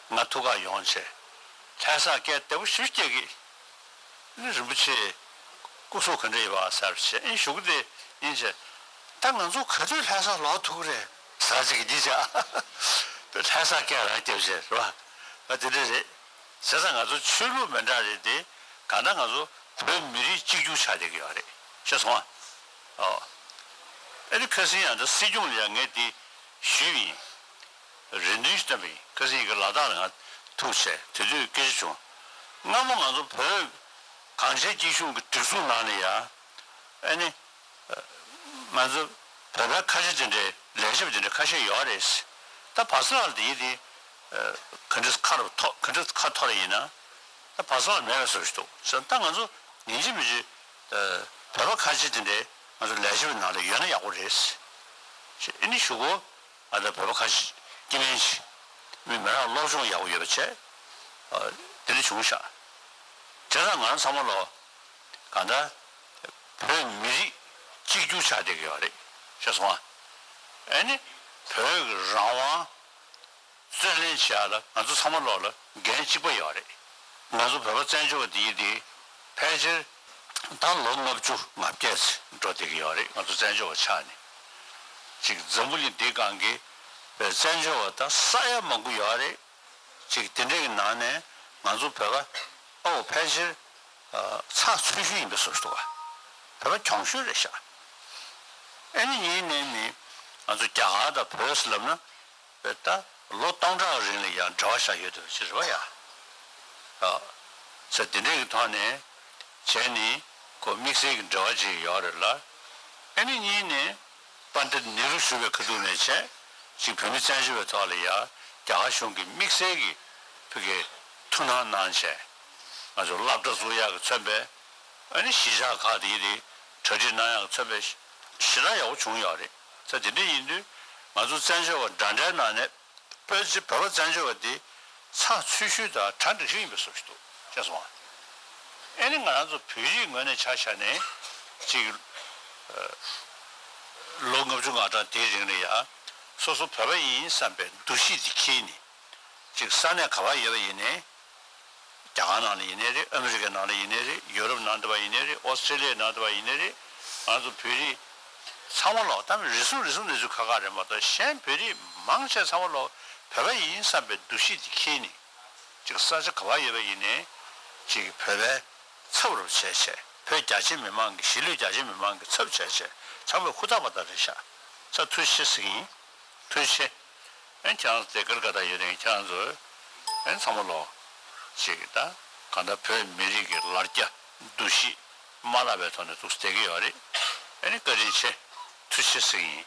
ང་ཐུག་ག་ཡོང་བྱས། ལྷ་ས་སྐད་བདེ་པོ་ཞེ་པོ་སྐྱེ་གི། ཨ་ནི་རིན་པོ་ཆེ་སྐུ་གཟུགས་ག་འདྲ་ཡོད་པ་ཟེར་བྱས། ཨ་ནི་གཞུག་གུ་དེ་ཡིན་བྱས། ད་ང་ཚོ་ག་དུས་ལྷ་ས་ལོག་ཐུབ་ཀྱི་རེད་ཟེར་ཅིག་གིས་འདི་བྱས། ལྷ་ས་སྐད་རང་རྒྱབ་བྱས་རེད་པ། ཨ། དེ་འདྲ་རེད། བྱས་ཙང་ང་ཚོ་ཆོས་ལུགས་མི་འདྲ་རེད་དེ། གང་ལྟར་ང་ཚོ་བོད་མི་རིགས་གཅིག་གྱུར་ཆགས་བསྡད་ཀྱི་ཡོད་རེད། ཤེས་སོང་ཨ། ཨོ། ཨ་ནི་ཁ་སང་ཡང་ད་སྲིད་སྐྱོང་ལ་ཡང་ངས་འདི་ཞུས་པ་ཡིན། རེ་འདུན་ཞིག་བཏོན་པ་ཡིན། ཁ་སང་ཡི་གེ་ལ་དྭགས་ལ་ང་ཐུག་བྱས་དེ་དུས་སྐད་ཆ་བྱུང་། སྔ་མོ་ང་ཚོ་བོད་གངས་ཅན་སྐྱིད་གཤོངས་ཀྱི་སྒྲིག་འཛུགས་ནང་ལ་ཡ། ཨ་ནི། ང་ཚོ་བོད་པའི་ཁ་ཆེ་དེ་འདྲའི་ལས་བྱེད་པ་དེ་འདྲའི་ཁ་ཤས་ཡོད་རེད། ད་བྷ་སི་ལགས་དེ་ཡི་དེ། ག་འདྲ་ཁ་རུ་ཐོ་ག་འདྲ་ཁ་ཐོར་ཡིན་ན། ད་བྷ་སི་ལགས་མེད་པའི་བཟོ་ཞིག་འདུག་ཟེར། ད་ང་ཚོ་ཡིན་གཅིག་མིན་གཅིག། བོད་པ་ཁ་ཆེ་དེ་འདྲའི་ང་ཚོ་ལས་བྱེད་པའི་ནང་ལ་ཡོད་ན་ཡག་པོ་རེད། ཨ་ནི་གཞུག་གུ། ང་ཚོ་བོད་པ་ཁ་ཤས་སྐྱེ་དམན་ཞིག་མི་མི་རང་སློབ་སྦྱོང་ཡག་པོ་ཡོད་པ་བྱས། ཨ། དེ་འདྲ་བྱུང་ཤག། བྱས་ཙང་ང་རང་ཚང་མ་ལོ། གང་ལྟར། བོད་མི་རིགས་གཅིག་གྱུར་ཆགས་བསྡད་ཀྱི་ཡོད་རེད། ཤེས་སོང་ཨ། ཨ་ནི། བོད་ཀྱི་རང་དབང་རྩོད་ལེན་བྱེད་ཡག་ལ་ང་ཚོ་ཚང་མ་ལོག་ལ་འགན་གཅིག་པ་ཡོད་རེད། ང་ཚོ་བོད་པ་བཙན་བྱོལ་བ་འདི་ཡིན་དེ། ཕལ་ཆེར་ད་ལོ་ལྔ་བཅུ་ང་བརྒྱད་ཙམ་འགྲོ་བསྡད་ཀྱི་ཡོད་རེད། ང་ཚོ་བཙན་བྱོལ་བ་ཆགས་ནས། ཅིག་འཛམ་བུ་གླིང་འདིའི་སྒང་གི་ པའི་བཙན་བྱོལ་བ་ད་ས་ཡ་མང་པོ་ཡོད་རེད། ཅིག་དེ་འདྲའི་གི་ནང་ནས་ང་ཚོ་བོད་པ་ཨོ་ཕལ་ཆེར་ཚགས་ཚུད་ཤོས་ཡིན་པའི་བཟོ་ཞིག་འདུག་བ། བོད་པ་གྱོང་ཤོས་རེད་ཤག་ཨེ་ནི་གཉིས་ནས་ནི་ང་ཚོ་རྒྱ་གར་དང་བོད་ཟེར་ལབ་ན། བོད་ད་ལོ་སྟོང་ཕྲག་རིང་ལ་ཡང་འབྲེལ་བ་བཞག་ཡོད་དུ་ཅི་རེད་བ་ཡ། ཨ། ས་དེ་འདྲའི་གི་ཐོག་ནས་བྱས་ནི་ཁོ་དམིགས་བསལ་གྱི་འབྲེལ་བ་ཅིག་ཡོད་རེད་ལ། ཨེ་ནི་གཉིས་ནས་པཎྜི་ཏ་ནེ་རུ་བཞུགས་པའི་ཁ་ཐུག་ནས་བྱས་ཅིག་བོད་མི་བཙན་བྱོལ་བའི་ཐོག་ལ་ཡ་རྒྱ་གར་གཞུང་གིས་དམིགས་བསལ་གྱི་བོད་ཀྱི་ཐུགས་སྣང་གནང་བྱས་ང་ཚོ་སློབ་གྲྭ་བཙུགས་ཡག་གི་མཚོན་པའི་ཨ་ནི་གཞིས་ཆགས་ཁག་དེ་ཡི་དེ་གྲ་སྒྲིག་གནང་ཡག་གི་མཚོན་པའི་ཞེ་དྲག་ཡག་པོ་བྱུང་ཡོད་རེད། ས་དེ་འདྲ་ཡིན་དུས་ང་ཚོ་བཙན་བྱོལ་བ་འདྲ་འདྲའི་ནང་ནས། བོད་ཀྱི་བོད་པ་བཙན་བྱོལ་བ་དེ་ཚགས་ཚུད་ཤོས་དང་གྲ་འགྲིག་ཤོས་ཡིན་པའི་བཟོ་ཞིག་འདུག་ཤེས་སོང་ང་། ཨེ་ནི་ང་རང་ཚོ་བོད་རིགས་ངོས་ནས་ཆ་བཞག་ནས་ཅིག་ལོ་ལྔ་བཅུ་ང་གྲངས་དེའི་རིང་ལ་ཡ་སོ་སོ་བོད་པ་ཡིན་བསམ་པའི་འདུ་ཤེས་དེ་འཁྱེར་ནས་ཅིག་ས་གནས་ག་པར་ཡོད་པ་ཡིན་ནའི། རྒྱ་གར་ནང་ལ་ཡིན་ནའི་རེད། ཨ་མི་རི་ཀའི་ནང་ལ་ཡིན་ནའི་རེད། ཡུ་རོབ་ནང་དུ་བ་ཡིན་ནའི་རེད། ཨོ་སི་ཀྲེ་ལི་ཡའི་ནང་དུ་བ་ཡིན་ནའི་རེད། ང་ཚོ་བོད་རིགས་ཚང་མ་ལོག་ད་རེ་ཟུང་རེ་ཟུང་ནས་ཚུར་ཁ་ཁ་རེད་མ་གཏོགས་གཞན་བོད་རིགས་མང་ཆེ་ཚང་མ་ལོག་བོད་པ་ཡིན་བསམ་པའི་འདུ་ཤེས་དེ་འཁྱེར་ནས་ཅིག་ས་ཆ་ག་པར་ཡོད་པ་ཡིན་ནའི་ཅིག་བོད་པའི་ཚབ་རུ་བྱས་བྱས་བོད་རྒྱ་ཆེ་མི་མང་གི་གཞིས་ལུས་རྒྱ་ཆེ་མི་མང་གི་ཚབ་བྱས་བྱས་ཚང་མས་ཧུར་ཐག་པ་ད་རེད་ཤག་ས་ཐུགས་རྗེ་ཆེ་ཟེར་གི་ཡིན། ཐུགས་རྗེ་ཆེ། ཨན་ཁྱེད་རང་ཚོ་དེ་གར་ག་ད་ཡོད་དེ་ཁྱེད་རང་ཚོ་ཨན་ཚང་མ་ལོ་ཅིག་ད་ག་ད་བོད་མི་རིགས་ཀྱི་ལར་རྒྱ་འདུ་ཤེས་མ་བརླག་པའི་ཐོག་ནས་ཐུགས་བསྡད་ཀྱི་ཡོད་རེད། ཨན་བཀའ་དྲིན་ཆེ། ཐུགས་རྗེ་ཆེ་ཟེར་གྱི་ཡིན།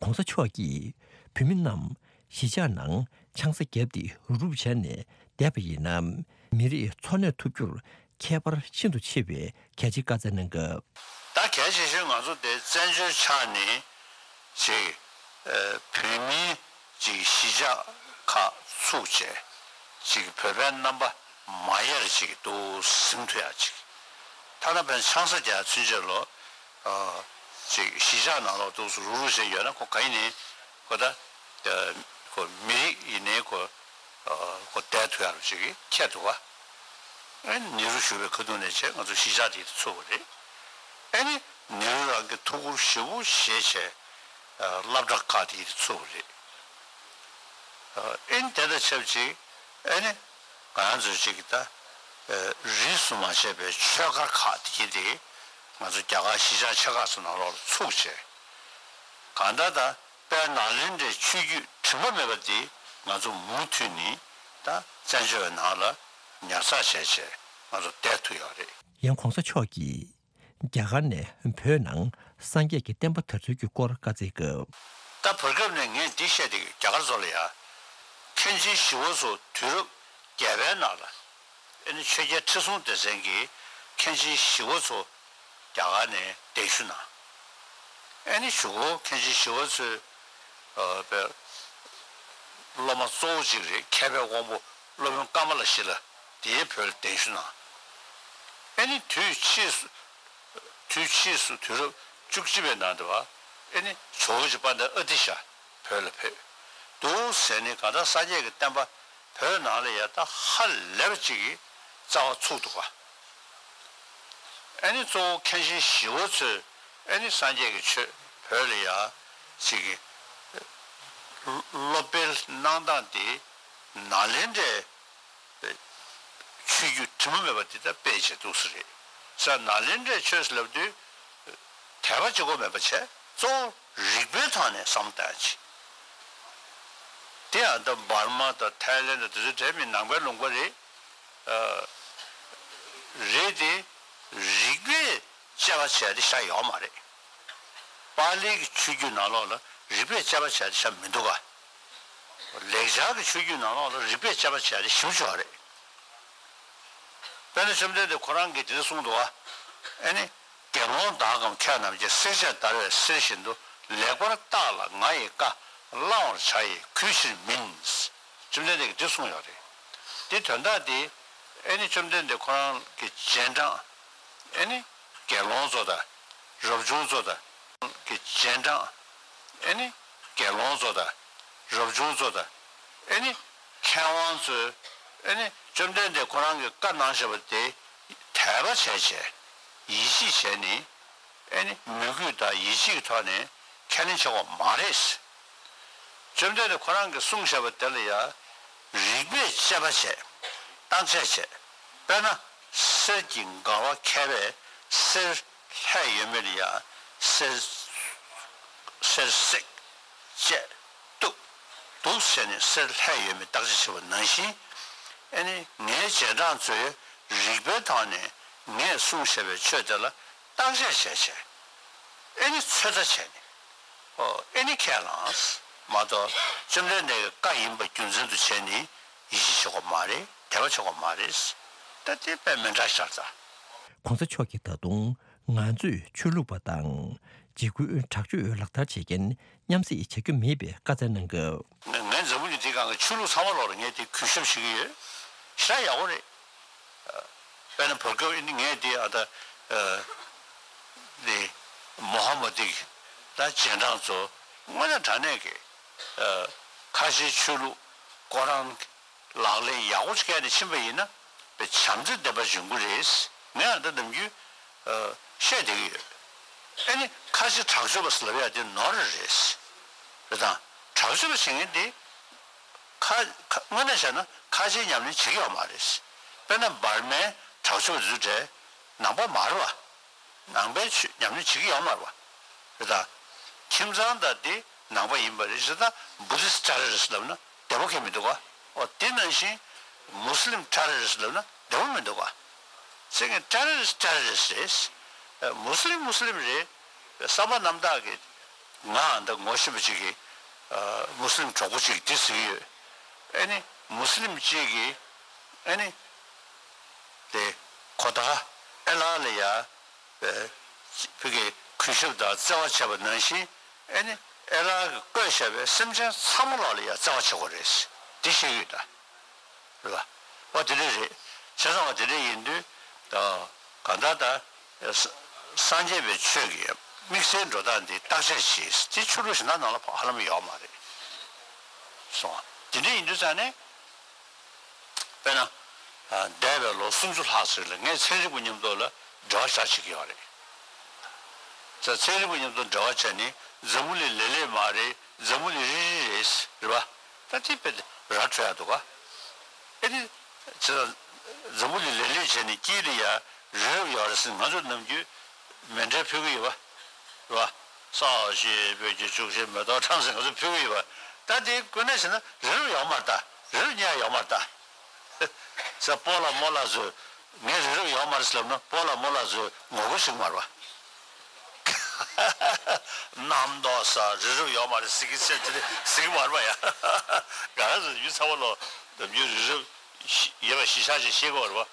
༸གོང་ས་མཆོག་གིས་བོད་མི་རྣམས་གཞིས་ཆགས་ནང་ཆང་ས་བརྒྱབ་སྟེ་རུབ་རུབ་བྱས་ནས་བསྡད་པ་ཡིན་ན། མི་རིགས་འཚོ་གནས་ཐུབ་རྒྱུར་ཁྱད་པར་ཤིན་ཏུ་ཆེ་བའི་གལ་ཆེའི་བཀའ་སྩལ་གནང་སྐབས། ད་གལ་ཆེ་ཤོས་ང་ཚོ་དེ་བཙན་བྱོལ་ཆགས་ནས་ཅིག་ཨ་བོད་མིའི་ཅིག་གཞིས་ཆགས་ཁག་ཚུགས་བྱས་ཅིག་བོད་པའི་རྣམ་པ་མ་ཡལ་ཅིག་འདུག་ཟིན་ཐུབ་ཡག་ཅིག་ཐ་ན་བན་ཆང་ས་རྒྱག་ཚུན་ཆད་ལོ་ཨ་ཅིག་གཞིས་ཆགས་ནང་ལོགས་འདུག་སུ་རུག་རུག་བྱས་ཡོད་ན་ཁོ་ག་ཡིན་ནའི་ཁོ་ད་ཁོ་མི་རིགས་ཡིན་ནའི་ཁོ་ཁོ་བསྡད་ཐུབ་ཡག་ཅིག་ཁྱད་འདུག་ག་ཨེ་ནི་ནེ་རུ་བཞུགས་པའི་ཁ་ཐུག་ནས་བྱས་ང་ཚོ་གཞིས་ཆགས་དེ་ཚུགས་པ་རེད། ཨེ་ནི་ནེ་རུ་རང་གི་ཐུགས་ཁུར་ཞེ་པོ་བཞེས་བྱས་སློབ་གྲྭ་ཁག་དེ་ཚུགས་པ་རེད། ཨེ་ནི་དེ་དང་ཆབས་ཅིག་ཨེ་ནི་ང་རང་ཚོ་ཅིག་ད་རིས་སུ་མ་ཆད་པའི་ཆོས་སྒར་ཁག་དེ་དེ་ང་ཚོ་རྒྱ་གར་གཞིས་ཆགས་ཆེ་ཁག་ཚོ་ནང་ལོགས་ལ་ཚུགས་བྱས་གང་ལྟར་ད། དཔལ་ནཱ་ལེནྡྲའི་ཆོས་བརྒྱུད་དྲི་མ་མེད་པ་འདི་ང་ཚོ་མུ་མཐུད་ནས་ད་བཙན་བྱོལ་བའི་ནང་ལ་ཉར་ཚགས་བྱས་བྱས་ང་ཚོ་བསྡད་ཐུབ་ཡོད་རེད། ཡང་གོང་ས་མཆོག་གིས་རྒྱ་གར་ནས་བོད་ནང་སངས་རྒྱས་ཀྱི་བསྟན་པ་དར་ཚུལ་གྱི་སྐོར་བཀའ་སྩལ་སྐབས། ད་བར་སྐབས་ནས་ངས་འདི་བཤད་དེ་རྒྱ་གར་ཚོ་ལ་ཡ། མཁན་ཆེན་ཞི་བ་འཚོ་དུས་རབས་བརྒྱད་པའི་ནང་ལ། ཨེ་ནི་ཆོས་རྒྱལ་ཁྲི་སྲོང་ལྡེ་བཙན་གྱིས་མཁན་ཆེན་ཞི་བ་འཚོ་རྒྱ་གར་ནས་གདན་ཞུ་གནང་། ཨེ་ནི་གཞུག་གུ་མཁན་ཆེན་ཞི་བ་འཚོའི་ཨ་པའི་སློབ་མ་གཙོ་བོ་གཅིག་རེད། མཁས་པའི་དབང་པོ་སློབ་དཔོན་ཀ་མ་ལ་ཤཱི་ལ་དེའི་བོད་ལ་གདན་ཞུ་གནང་། ཨེ་ནི་དུས་ཕྱིས་སུ་དུས་ཕྱིས་སུ་དུས་རབས་བཅུ་གཅིག་པའི་ནང་དུ་བ་ཨེ་ནི་ཇོ་བོ་རྗེ་དཔལ་ལྡན་ཨ་ཏི་ཤ་བོད་ལ་ཕེབས་འདུག་ཟེར་ནས་གང་ལྟར་སངས་རྒྱས་ཀྱི་བསྟན་པ་བོད་ནང་ལ་ཡ་ད་ཧ་ལས་པ་ཅིག་གི་རྩ་བ་ཚུགས་འདུག་ག་ཨེ་ནི་གཙོ་བོ་མཁན་ཆེན་ཞི་བ་འཚོས་ཨེ་ནི་སངས་རྒྱས་ཀྱི་ཆོས་བོད་ལ་ཡ་ཅིག་གི་སློབ་སྤེལ་གནང་སྟངས་དེ་ནཱ་ལེནྡྲའི་ཆོས་བརྒྱུད་དྲི་མ་མེད་པ་འདི་ལྟར་སྤེལ་བྱས་འདུག་ས་རེད། ས་ནཱ་ལེནྡྲའི་ཆོས་ཟེར་ལབ་དུས་དད་པ་གཅིག་པོ་མེད་པ་བྱས་གཙོ་བོ་རིགས་པའི་ཐོག་ནས་བསམ་བློ་བཏང་ཡ་ཅིག་དེ་ཡང་ད་འབར་མ་དང་ཐའི་ལེན་དང་དེ་ཚོའི་གྲས་མི་ནང་པའི་ལུང་པ་རེད། ཨ་རེད་དེ་རིགས་པས་དཔྱད་པ་བྱས་ཏེ་བཞག་ཡོད་མ་རེད། པཱ་ལིའི་གི་ཆོས་བརྒྱུད་ནང་ལོགས་ལ་རིགས་པས་དཔྱད་པ་བྱས་ཏེ་བཞག་མི་འདུག་ག་ལེགས་སྦྱར་གྱི་ཆོས་བརྒྱུད་ནང་ལོགས་ལ་རིགས་པས་དཔྱད་པ་བྱས་ཏེ་ཞིབ་ཆོག་རེད། དཔེར་ན་བཅོམ་ལྡན་འདས་ཁོ་རང་གིས་དེ་འདྲ་གསུངས་འདུག་ག་ཨེ་ནི། དགེ་སློང་དག་གམ་མཁས་རྣམས་ཀྱིས། བསྲེགས་བཅད་བརྡར་བའི་གསེར་བཞིན་དུ། ལེགས་པར་བརྟགས་ལ་ང་ཡི་བཀའ། བླང་བར་བྱ་ཡི་གུས་ཕྱིར་མིན། བཅོམ་ལྡན་འདས་ཀྱིས་འདི་གསུངས་ཡོད་རེད། འདི་དོན་དག་འདི་ཨེ་ནི་བཅོམ་ལྡན་འདས་ཁོ་རང་གི་རྗེས་འབྲང་ཨེ་ནི་དགེ་སློང་ཚོ་དང་རབ་བྱུང་ཚོ་དང་གི་རྗེས་འབྲང་ཨེ་ནི་དགེ་སློང་ཚོ་དང་རབ་བྱུང་ཚོ་དང་ཨེ་ནི་མཁས་དབང་ཚོས་ཨེ་ནི་བཅོམ་ལྡན་འདས་ཁོ་རང་གིས་བཀའ་གནང་བཞག་པ་དེ་དད་པ་བྱས་བྱས་ཡིད་ཆེས་བྱས་ནས་ཨེ་ནི་མོས་གུས་དང་ཡིད་ཆེས་ཀྱི་ཐོག་ནས་ཁས་ལེན་བྱེད་དགོས་མ་རེད། བཅོམ་ལྡན་འདས་ཁོ་རང་གིས་གསུངས་བཞག་པ་དེ་ལ་ཡང་རིགས་པས་དཔྱད་པ་བྱས། བརྟག་དཔྱད་བྱས། དཔེར་ན་གསེར་གྱི་འགལ་བ་མཁས་པས་གསེར་ལྷད་ཡོད་མེད་ལ་ཡང་གསེར་གསེར་བསྲེགས་བཅད་གཏུབ་འདུག་བྱས་ནས་གསེར་ལྷད་ཡོད་མེད་བརྟག་དཔྱད་བྱེད་པ་ནང་བཞིན། ཨེ་ནི་ངའི་རྗེས་འབྲང་ཚོས་རིགས་པའི་ཐོག་ནས་ངས་གསུངས་བཞག་པའི་ཆོས་དེ་ལ་བརྟག་དཔྱད་བྱས་བྱས། ཨེ་ནི་ཚོད་ལྟ་བྱས་ནས། ཨོ་ཨེ་ནི་ཁས་བླངས་མ་གཏོགས་བཅོམ་ལྡན་འདས་ཀྱི་བཀའ་ཡིན་པ་རྒྱུ་མཚན་དུ་བྱས་ནས་ཡིད་ཆེས་བྱེད་དགོས་མ་རེད། དད་པ་བྱེད་དགོས་མ་རེད། ད་དེ་དཔེ་མི་འདྲ་ཤར་ཙང་། ྋགོང་ས་མཆོག་གིས་ད་དུང་ང་ཚོས་ཆོས་ལུགས་པ་དང་འཇིགས་སྐུལ་དྲག་སྤྱོད་ལག་བསྟར་བྱེད་མཁན་མཉམ་བསྲེས་བྱ་རྒྱུ་མེད་པའི་བཀའ་སྩལ་གནང་སྐབས། ང་ང་འཛམ་བུ་གླིང་འདིའི་སྒང་གི་ཆོས་ལུགས་ཚང་མ་ལོག་ལ་ངས་དེ་གུས་ཞབས་བྱེད་ཀྱི་ཡོད། ཞེ་དྲག་ཡག་པོ་རེད། དཔེར་ན་བར་སྐབས་ཨ་ནི་ངས་དེ་ཨ་ད་ཨ་དེ་མོ་ཧ་མ་དི་ད་རྗེས་འབྲང་ཚོ་དངོས་གནས་དྲང་གནས་ཀྱི་ཨ་ཁ་ཆེའི་ཆོས་ལུགས་ཁོ་རང་ལག་ལེན་ཡག་པོ་ཅིག་བཀལ་ནས་ཕྱིན་པ་ཡིན་ན་དཔེ་བྱམས་བརྩེ་ལྡན་པ་ཡོང་གི་རེད། ངས་ཨ་ད་ནམ་རྒྱུན་ཨ་བཤད་བསྡད་ཀྱི་ཡོད། ཨ་ནི་ཁ་ཆེ་དྲག་སྤྱོད་པ་ཟེར་ལབ་ཡ་དེ་ནོར་རེད། རེད་དང་དྲག་སྤྱོད་པ་བྱེད་མཁན་དེ། ཁ་ཁ་དངོས་གནས་བྱས་ན་ཁ་ཆེའི་ཉམས་ལེན་བྱེད་ཀྱི་ཡོད་མ་རེད། དཔེར་ན་འབར་མའི་དྲག་སྤྱོད་བཟོས་འདྲ་ནང་པ་མ་རེད་བ། ནང་པའི་ཆོས་ཉམས་ལེན་བྱེད་ཀྱི་ཡོད་མ་རེད་བ། རེད་ད། ཁྱིམ་ཚང་དང་དེ་ནང་པ་ཡིན་པ་རེད་ཟེར་ད་བུ་དིསི་ཊི་ཊེ་རོ་རི་སི་ཊི་ལབ་ན་བདེ་པོ་གང་ཡང་མི་འདུག་ག་ཨོ་དེ་ནང་བཞིན་མུ་སི་ལིམ་ཊེ་རོ་རི་སི་ཊི་ལབ་ན་བདེ་པོ་མི་འདུག་ག་ཚིག་ངན་ཊེ་རོ་རི་སི་ཊི་ཊེ་རོ་རི་སི་ཊི་རེད། མུ་སི་ལིམ་མུ་སི་ལིམ་རེད། བསམ་པ་རྣམ་དག་གི་ང་འདི་ངོ་ཤེས་པ་ཅིག་གིས་ཨ་མུ་སི་ལིམ་གྲོགས་པོ་ཅིག་གིས་འདི་ཟེར་གྱི་ཡོད། ཨེ་ནི་མུ་སི་ལིམ་ཅིག་གིས་ཨེ་ནི་དེ་ཁོ་ད་ཨེ་ལགས་ལ་ཡ་ཨེ་ཕ་གི་གུས་ཞབས་དང་བརྩེ་བ་བྱས་པ་ནང་བཞིན་ཨེ་ནི་ཨེ་ལགས་ཀྱིས་བཀོད་བཞག་པའི་སེམས་ཅན་ཚང་མ་ལོག་ལ་ཡ་བརྩེ་བ་བྱེད་དགོས་རེད། འདི་བཤད་ཀྱི་ཡོད་ད། རེད་བ། འོ་དེ་འདྲ་རེད། བྱས་ཙང་འོ་དེ་འདྲ་ཡིན་དུས་ད་གང་ལྟར་ད་ས་སངས་རྒྱས་པའི་ཆོས་ཀྱི་དམིགས་བསལ་འགྲོ་སྟངས་འདི་བརྟག་དཔྱད་བྱེད་དེ་ཆོས་ལུགས་གཞན་དག་ནང་ལ་ཧ་ལམ་ཡོད་མ་རེད། སོང་བ། དེ་འདྲ་ཡིན་དུས་ཙང་ནས་དཔེར་ན་འདས་པའི་ལོ་སུམ་ཅུ་ལྷག་ཙམ་ལ་ངས་ཚན་རིག་པ་མཉམ་དུ་ལ་འབྲེལ་བ་བཞག་བྱེད་ཀྱི་ཡོད་རེད། ཚན་རིག་པ་མཉམ་དུ་འབྲེལ་བ་བྱས་ནས་འཛམ་བུ་གླིང་ལེབ་ལེབ་མ་རེད། འཛམ་བུ་གླིང་རིལ་རིལ་རེད། རེད་བ། ད་དེ་དཔེ་ར་འཕྲོད་ཡག་འདུག་ག་ཨེ་ནི། ཅི་ལ། འཛམ་བུ་གླིང་ལེབ་ལེབ་བྱས་ནས་དཀྱིལ་དུ་ཡ་རི་རབ་ཡོད་རེད་ཟེར་ང་ཚོ་ནམ་རྒྱུན་མཎྜལ་ཕུལ་གི་ཡོད་པ། རེད་བ། ས་གཞི་སྤོས་ཀྱི་བྱུག་ཤིང་མེ་ཏོག་ཁྲམ་ཟེར་ང་ཚོ་ཕུལ་གི་ཡོད་པ། ད་དེ་དངོས་གནས་བྱས་ན་རི་རབ་ཡོད་མ་རེད་ད། རི་རབ་རྙེད་ཡོད་མ་རེད་ད། ས་སྤོ་ལགས་རྨོ་ལགས་ཚོས། ངས་རི་རབ་ཡོད་མ་རེད་ཟེར་ལབ་ན་སྤོ་ལགས་རྨོ་ལགས་ཚོས་ངོ་རྒོལ་བྱེད་ཀྱི་མ་རེད་བ། རྣམ་རྟོག་ས་རི་རབ་ཡོད་མ་རེད་ཟེར་གྱི་ཟེར་དེ་ཟེར་གྱི་མ་རེད་བ་ཡ། ང་རང་ཚོ་ཡུལ་ཚ་བ་ལོ་ནམ་རྒྱུན་རི་རབ་ཡོད་པ་གཞི་བཞག་ཅིག་ཤེས་དགོས་རེད་བ།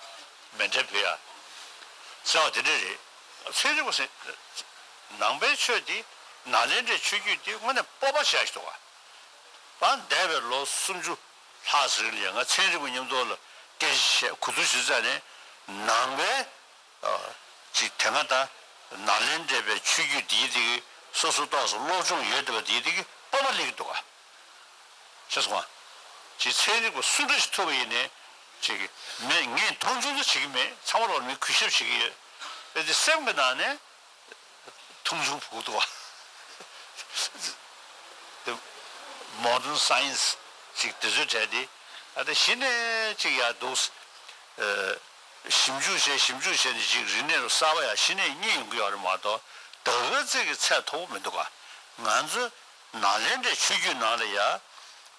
མཎྜལ་ཕུལ་ཡ། ཟེར་བ་དེ་འདྲ་རེད། ཚན་རིག་པ་ཟེར། ནང་པའི་ཆོས་དེ་ནཱ་ལེནྡྲའི་ཆོས་བརྒྱུད་དེ་དངོས་གནས་སྤོབས་པ་ཞེ་དྲག་ཞིག་འདུག་བ། ད་འདས་པའི་ལོ་སུམ་ཅུ་ལྷག་ཙམ་རིང་ལ་ཡང་ང་ཚན་རིག་པ་མཉམ་དུ་ལ་སྐད་ཆ་བཤད་གོ་བསྡུར་བྱེད་ཙང་ནས་ནང་པའི་ཨ་ཅིག་དེ་སྔ་ད་ནཱ་ལེནྡྲའི་པའི་ཆོས་བརྒྱུད་འདིའི་དེ་གི་སོ་སོ་ཏོག་ཙམ་སློབ་སྦྱོང་ཡོད་བསྡད་པ་འདིའི་དེ་གི་སྤོབས་པ་སླེབས་ཀྱི་འདུག་ག་ཤེས་སོང་ང་། ཅིག་ཚན་རིག་པ་སུ་འདྲ་ཞིག་ཐུག་པ་ཡིན་ནའི་ཅིག་མེད་ངས་མཐོང་ཆུང་ཚོ་བྱེད་ཀྱི་མེད། ཚང་མ་ལོག་མི་གུས་ཞབས་བྱེད་ཀྱི་ཡོད། དེ་སེམས་ཀྱི་ནང་ནས། མཐོང་ཆུང་བུ་འདུག་བ། དེ་མོ་ཌན་སའེན་སི་ཅིག་དེ་ཚོའི་གྲས་དེ་ཨ་ད་གཞི་ནས་ཅིག་ཡར་འདུག་ཨ་ཞིབ་འཇུག་བྱས་ཞིབ་འཇུག་བྱས་ནས་ཅིག་རིག་གནས་རུ་གསར་པ་ཡང་གཞི་ནས་རྙེད་ཡོང་གི་ཡོད་རེད་མ་གཏོགས་ད་ག་ཚོད་ཀྱི་ཚད་མཐོ་པོ་མི་འདུག་ག་ང་ཚོ་ནཱ་ལེནྡྲའི་ཆོས་བརྒྱུད་ནང་ལ་ཡ་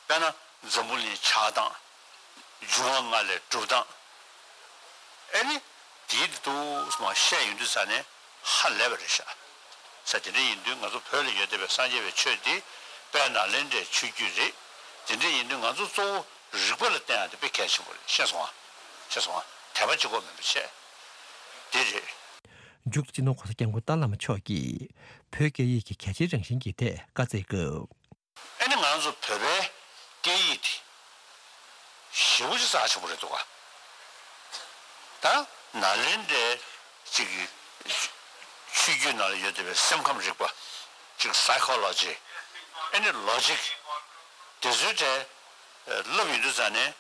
དཔེར་ན་འཛམ་བུ་གླིང་ཆགས་སྟངས། འབྱུང་བ་ལྔ་ལས་གྲུབ་སྟངས། ཨེ་ནི། དེའི་དུས་སུ་མ་བཤད་ཡོང་དུས་ཙ་ནས་ཧ་ལས་པ་རེད་ཤག་ས་དེ་འདྲ་ཡིན་དུས་ང་ཚོ་བོད་ལ་ཡོད་བསྡད་པའི་སངས་རྒྱས་པའི་ཆོས་འདི་དཔལ་ནཱ་ལེནྡྲའི་ཆོས་བརྒྱུད་རེད། དེ་འདྲ་ཡིན་དུས་ང་ཚོ་གཙོ་བོ་རིག་པ་ལ་བརྟེན་ཡག་དེ་དཔེ་གལ་ཆེན་པོ་རེད། ཤེས་སོང་ཨ། ཤེས་སོང་ཨ། དད་པ་གཅིག་པོ་མིན་པ་བྱས། དེ་རེད། མཇུག་ཏུ་སྤྱི་ནོར་༸གོང་ས་༸སྐྱབས་མགོན་ཏཱ་ལའི་བླ་མ་མཆོག་གིས་བོད་སྐད་ཡིག་གི་གལ་ཆེའི་རང་བཞིན་གྱི་ཐད་བཀའ་སྩལ་སྐབས། ཨེ་ནི་ང་ཚོ་བོད་པའི་སྐད་ཡིག་དེ་ཞེ་པོ་ཅིག་རྩ་ཆེན་པོ་རེད་འདུག་ག་ད་ནཱ་ལེནྡྲའི་ཅིག་ཆོས་བརྒྱུད་ནང་ལ་ཡོད་བསྡད་པའི་སེམས་ཁམས་རིག་པ་ཅིག་སའི་ཁོ་ལོ་ཇི་ཨེ་ནི་ལོ་ཇིག་དེ་ཚོའི་གྲས་བསླབ་ཡོང་དུས་ཙ་ནས་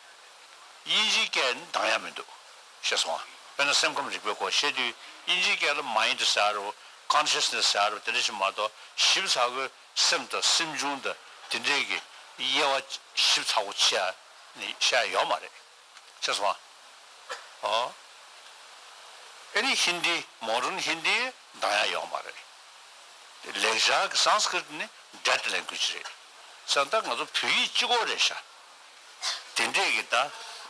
དབྱིན་ཇིའི་སྐད་ནི་འདང་ཡག་མི་འདུག་ཤེས་སོང་ཨ། དཔེར་ན་སེམས་ཁམས་རིག་པའི་སྐོར་བཤད་དུས་དབྱིན་ཇིའི་སྐད་ལ་མའིན་ཌི་ཟེར་རོ་ཀོན་ཤེས་ནེ་སི་ཟེར་རོ་དེ་འདྲ་ཞིག་མ་གཏོགས་ཞིབ་ཚགས་པོའི་སེམས་དང་སེམས་བྱུང་དང་དེ་འདྲའི་གི་ དབྱེ་བ་ཞིབ་ཚགས་པོ་ཕྱེ་ཡ་ནི་བཤད་ཡ་ཡོད་མ་རེད། ཤེས་སོང་ཨ། ཨོ། ཨེ་ནི་ཧིན་དི་མོ་ཌརན་ཧིན་དི་འདང་ཡ་ཡོད་མ་རེད། ལེགས་སྦྱར་གྱི་སཾ་སྐྲྀཏ་ནི་ཌེཌ་ལེང་གུ་ཨེཇ་རེད། ས་ད་ང་ཚོ་བོད་ཡིག་གཅིག་པོ་རེད་ཤག་དེ་འདྲས་ཀྱི་ད་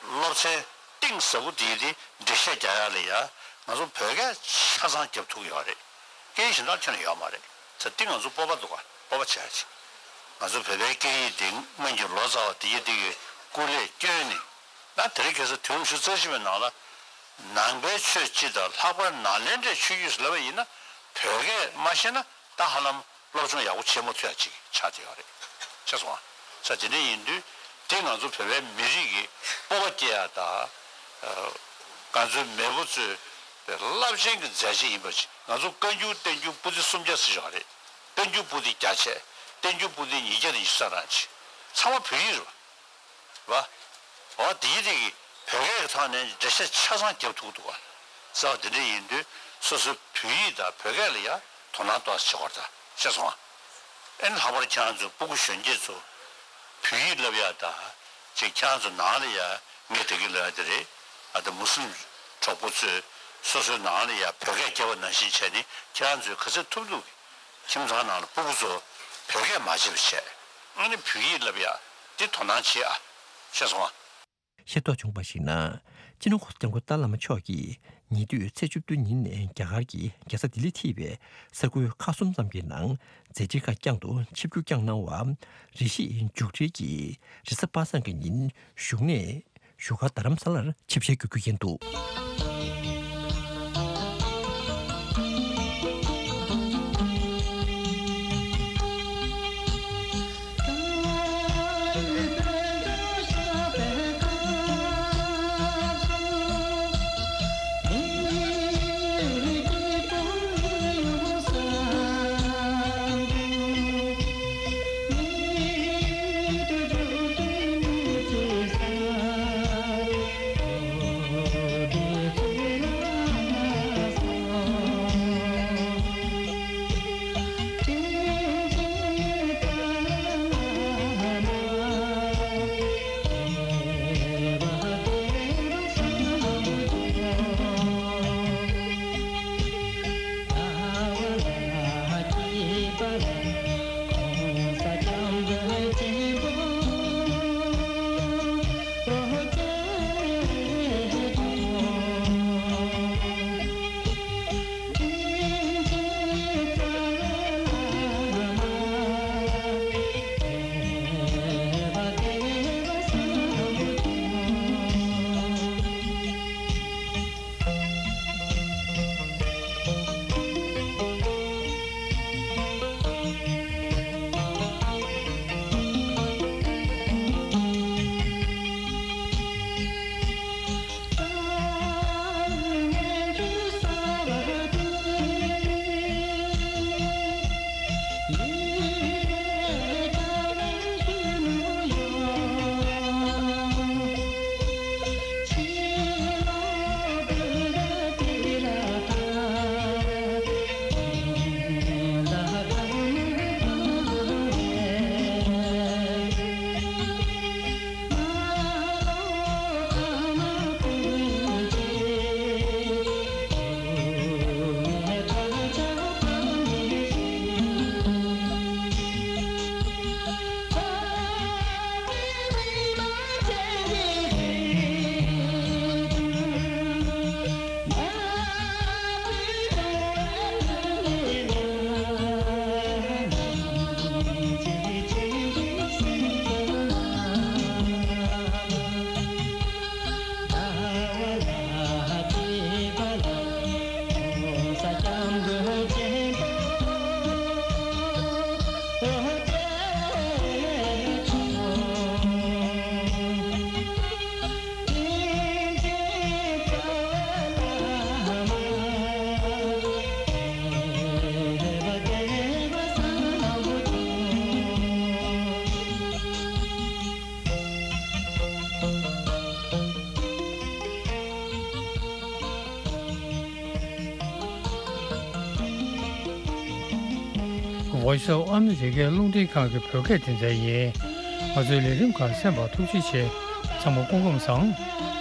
སློབ་ཚན་གཏིང་ཟབ་པོ་དེ་དེ་འགྲེལ་བཤད་རྒྱག་ཡ་ལ་ཡ་ང་ཚོ་བོད་སྐད་ཆ་ཚང་རྒྱབ་ཐུབ་ཀྱི་ཡོད་རེད། སྐད་ཡིག་གཞན་དག་ཁྱོན་ནས་ཡོད་མ་རེད། ས་དེ་ང་ཚོ་སྤོབས་པ་འདུག་ག་སྤོབས་པ་བྱ་ཡ་ཅིག་ང་ཚོ་བོད་པའི་སྐད་ཡིག་དེ་སྔོན་གྱི་ལོ་ཙཱ་བ་དེ་ཡི་དེ་གི་སྐུ་ལས་བསྐྱོན་ནས། ད་དེ་རིང་ཁ་སང་དུས་རབས་ཉི་ཤུ་རྩ་གཅིག་པའི་ནང་ལ་ནང་པའི་ཆོས་སྤྱི་དང་ལྷག་པར་ནཱ་ལེནྡྲའི་ཆོས་བརྒྱུད་ཟེར་ལབ་པ་ཡིན་ན་བོད་སྐད་མ་ཤེས་ན་ད་ཧ་ལམ་སློབ་སྦྱོང་ཡག་པོ་བྱེད་མ་ཐུབ་ཡ་ཅིག་ཆགས་བསྡད་ཡོད་རེད། ཤེས་སོང་ཨ། ས་དེ་འདྲ་ཡིན་དུས་དེ་ང་ཚོ་བོད་པའི་མི་རིགས་ཀྱི་སྤོབས་པ་སྐྱེ་ཡ་དང་། ང་ཚོའི་མེས་པོ་ཚོའི་རླབས་ཆེན་གྱི་མཛད་རྗེས་ཡིན་པ་ཅིག་ང་ཚོ་བཀའ་འགྱུར་བསྟན་འགྱུར་པོ་ཏི་སུམ་བརྒྱ་ཟེར་ཡོད་རེད། བསྟན་འགྱུར་པོ་ཏི་བརྒྱ་ཆ། བསྟན་འགྱུར་པོ་ཏི་ཉིས་བརྒྱ་དང་ཉི་ཤུ་རྩ་གྲངས་ཅིག་ཚང་མ་བོད་ཡིག་རེད་བ། བ། འོ་དེའི་རིགས་ཀྱི་བོད་སྐད་ཀྱི་ཐོག་ནས་འགྲེལ་བཤད་ཆ་ཚང་རྒྱབ་ཐུབ་ཀྱི་འདུག་བ། ས་བ་དེ་འདྲ་ཡིན་དུས་སོ་སོའི་བོད་ཡིག་དང་བོད་སྐད་ལ་ཡ་དོ་སྣང་ཏོག་ཙམ་བྱེད་དགོས་རེད་ད། ཤེས་སོང་ཨ། ཨེ་ནི་ལྷག་པར་ཁྱེད་རང་ཚོ་སྤུ་གུ་གཞོན་སྐྱེས་ཚོ་བོད་ཡིག་བསླབ་ཡ་དང་ཅིག་ཁྱེད་རང་ཚོ་ནང་ལ་ཡ་ངས་དེ་གི་ལབ་ཡ་དེ་རེད། ཨ་ད་མུ་སི་ལིམ་གྲོགས་པོ་ཚོས་སོ་སོའི་ནང་ལ་ཡ་བོད་སྐད་རྒྱབ་པ་ནང་བཞིན་བྱས་ནས་ཁྱེད་རང་ཚོས་ག་ཚོད་ཐུབ་ཐུབ་ཀྱིས། ཁྱིམ་ཚང་ནང་ལ་སྤུ་གུ་ཚོ་བོད་སྐད་མ་བརྗེད་པ་བྱས། ཨ་ནི་བོད་ཡིག་བསླབ་ཡ་འདི་དོ་སྣང་བྱེད་ཨ། ཤེས་སོང་ཨ། ཤེས་རྟོགས་བྱུང་བར་གཞིགས་ན། སྤྱི་ནོར་༸གོང་ས་༸སྐྱབས་མགོན་ཏཱ་བླ་མ་མཆོག་གིས་ཉེ་དུས་ཚེས་བཅུ་བདུན་ཉིན་རྒྱ་གར་གྱི་རྒྱལ་ས་ལྡི་ལིར་ཐེ་བའི་ས་ཁུལ་ཁག་གསུམ་ཙམ་གྱི་ནང་མཛད་འཕྲིན་ཁག་བསྐྱངས་འདུག་ཆིབས་བསྒྱུར་བསྐྱངས་གནང་བ། རེ་ཞིག་མཇུག་སྒྲིལ་གྱིས་རེས་གཟའ་པ་སངས་ཀྱི་ཉིན་བཞུགས་གནས་བཞུགས་སྒར་རྡ་རམ་ས་ལར་ཆིབས་ཞལ་བསྒྱུར་རྒྱུ་ཡིན་འདུག Voice of America རླུང་འཕྲིན་ཁང་གི་བོད་སྐད་སྡེ་ཚན་ཡིན། ང་ཚོའི་ལས་རིམ་ཁག་གསན་པར་ཐུགས་རྗེ་ཆེ། ཚང་མ་སྐུ་ཁམས་བཟང་།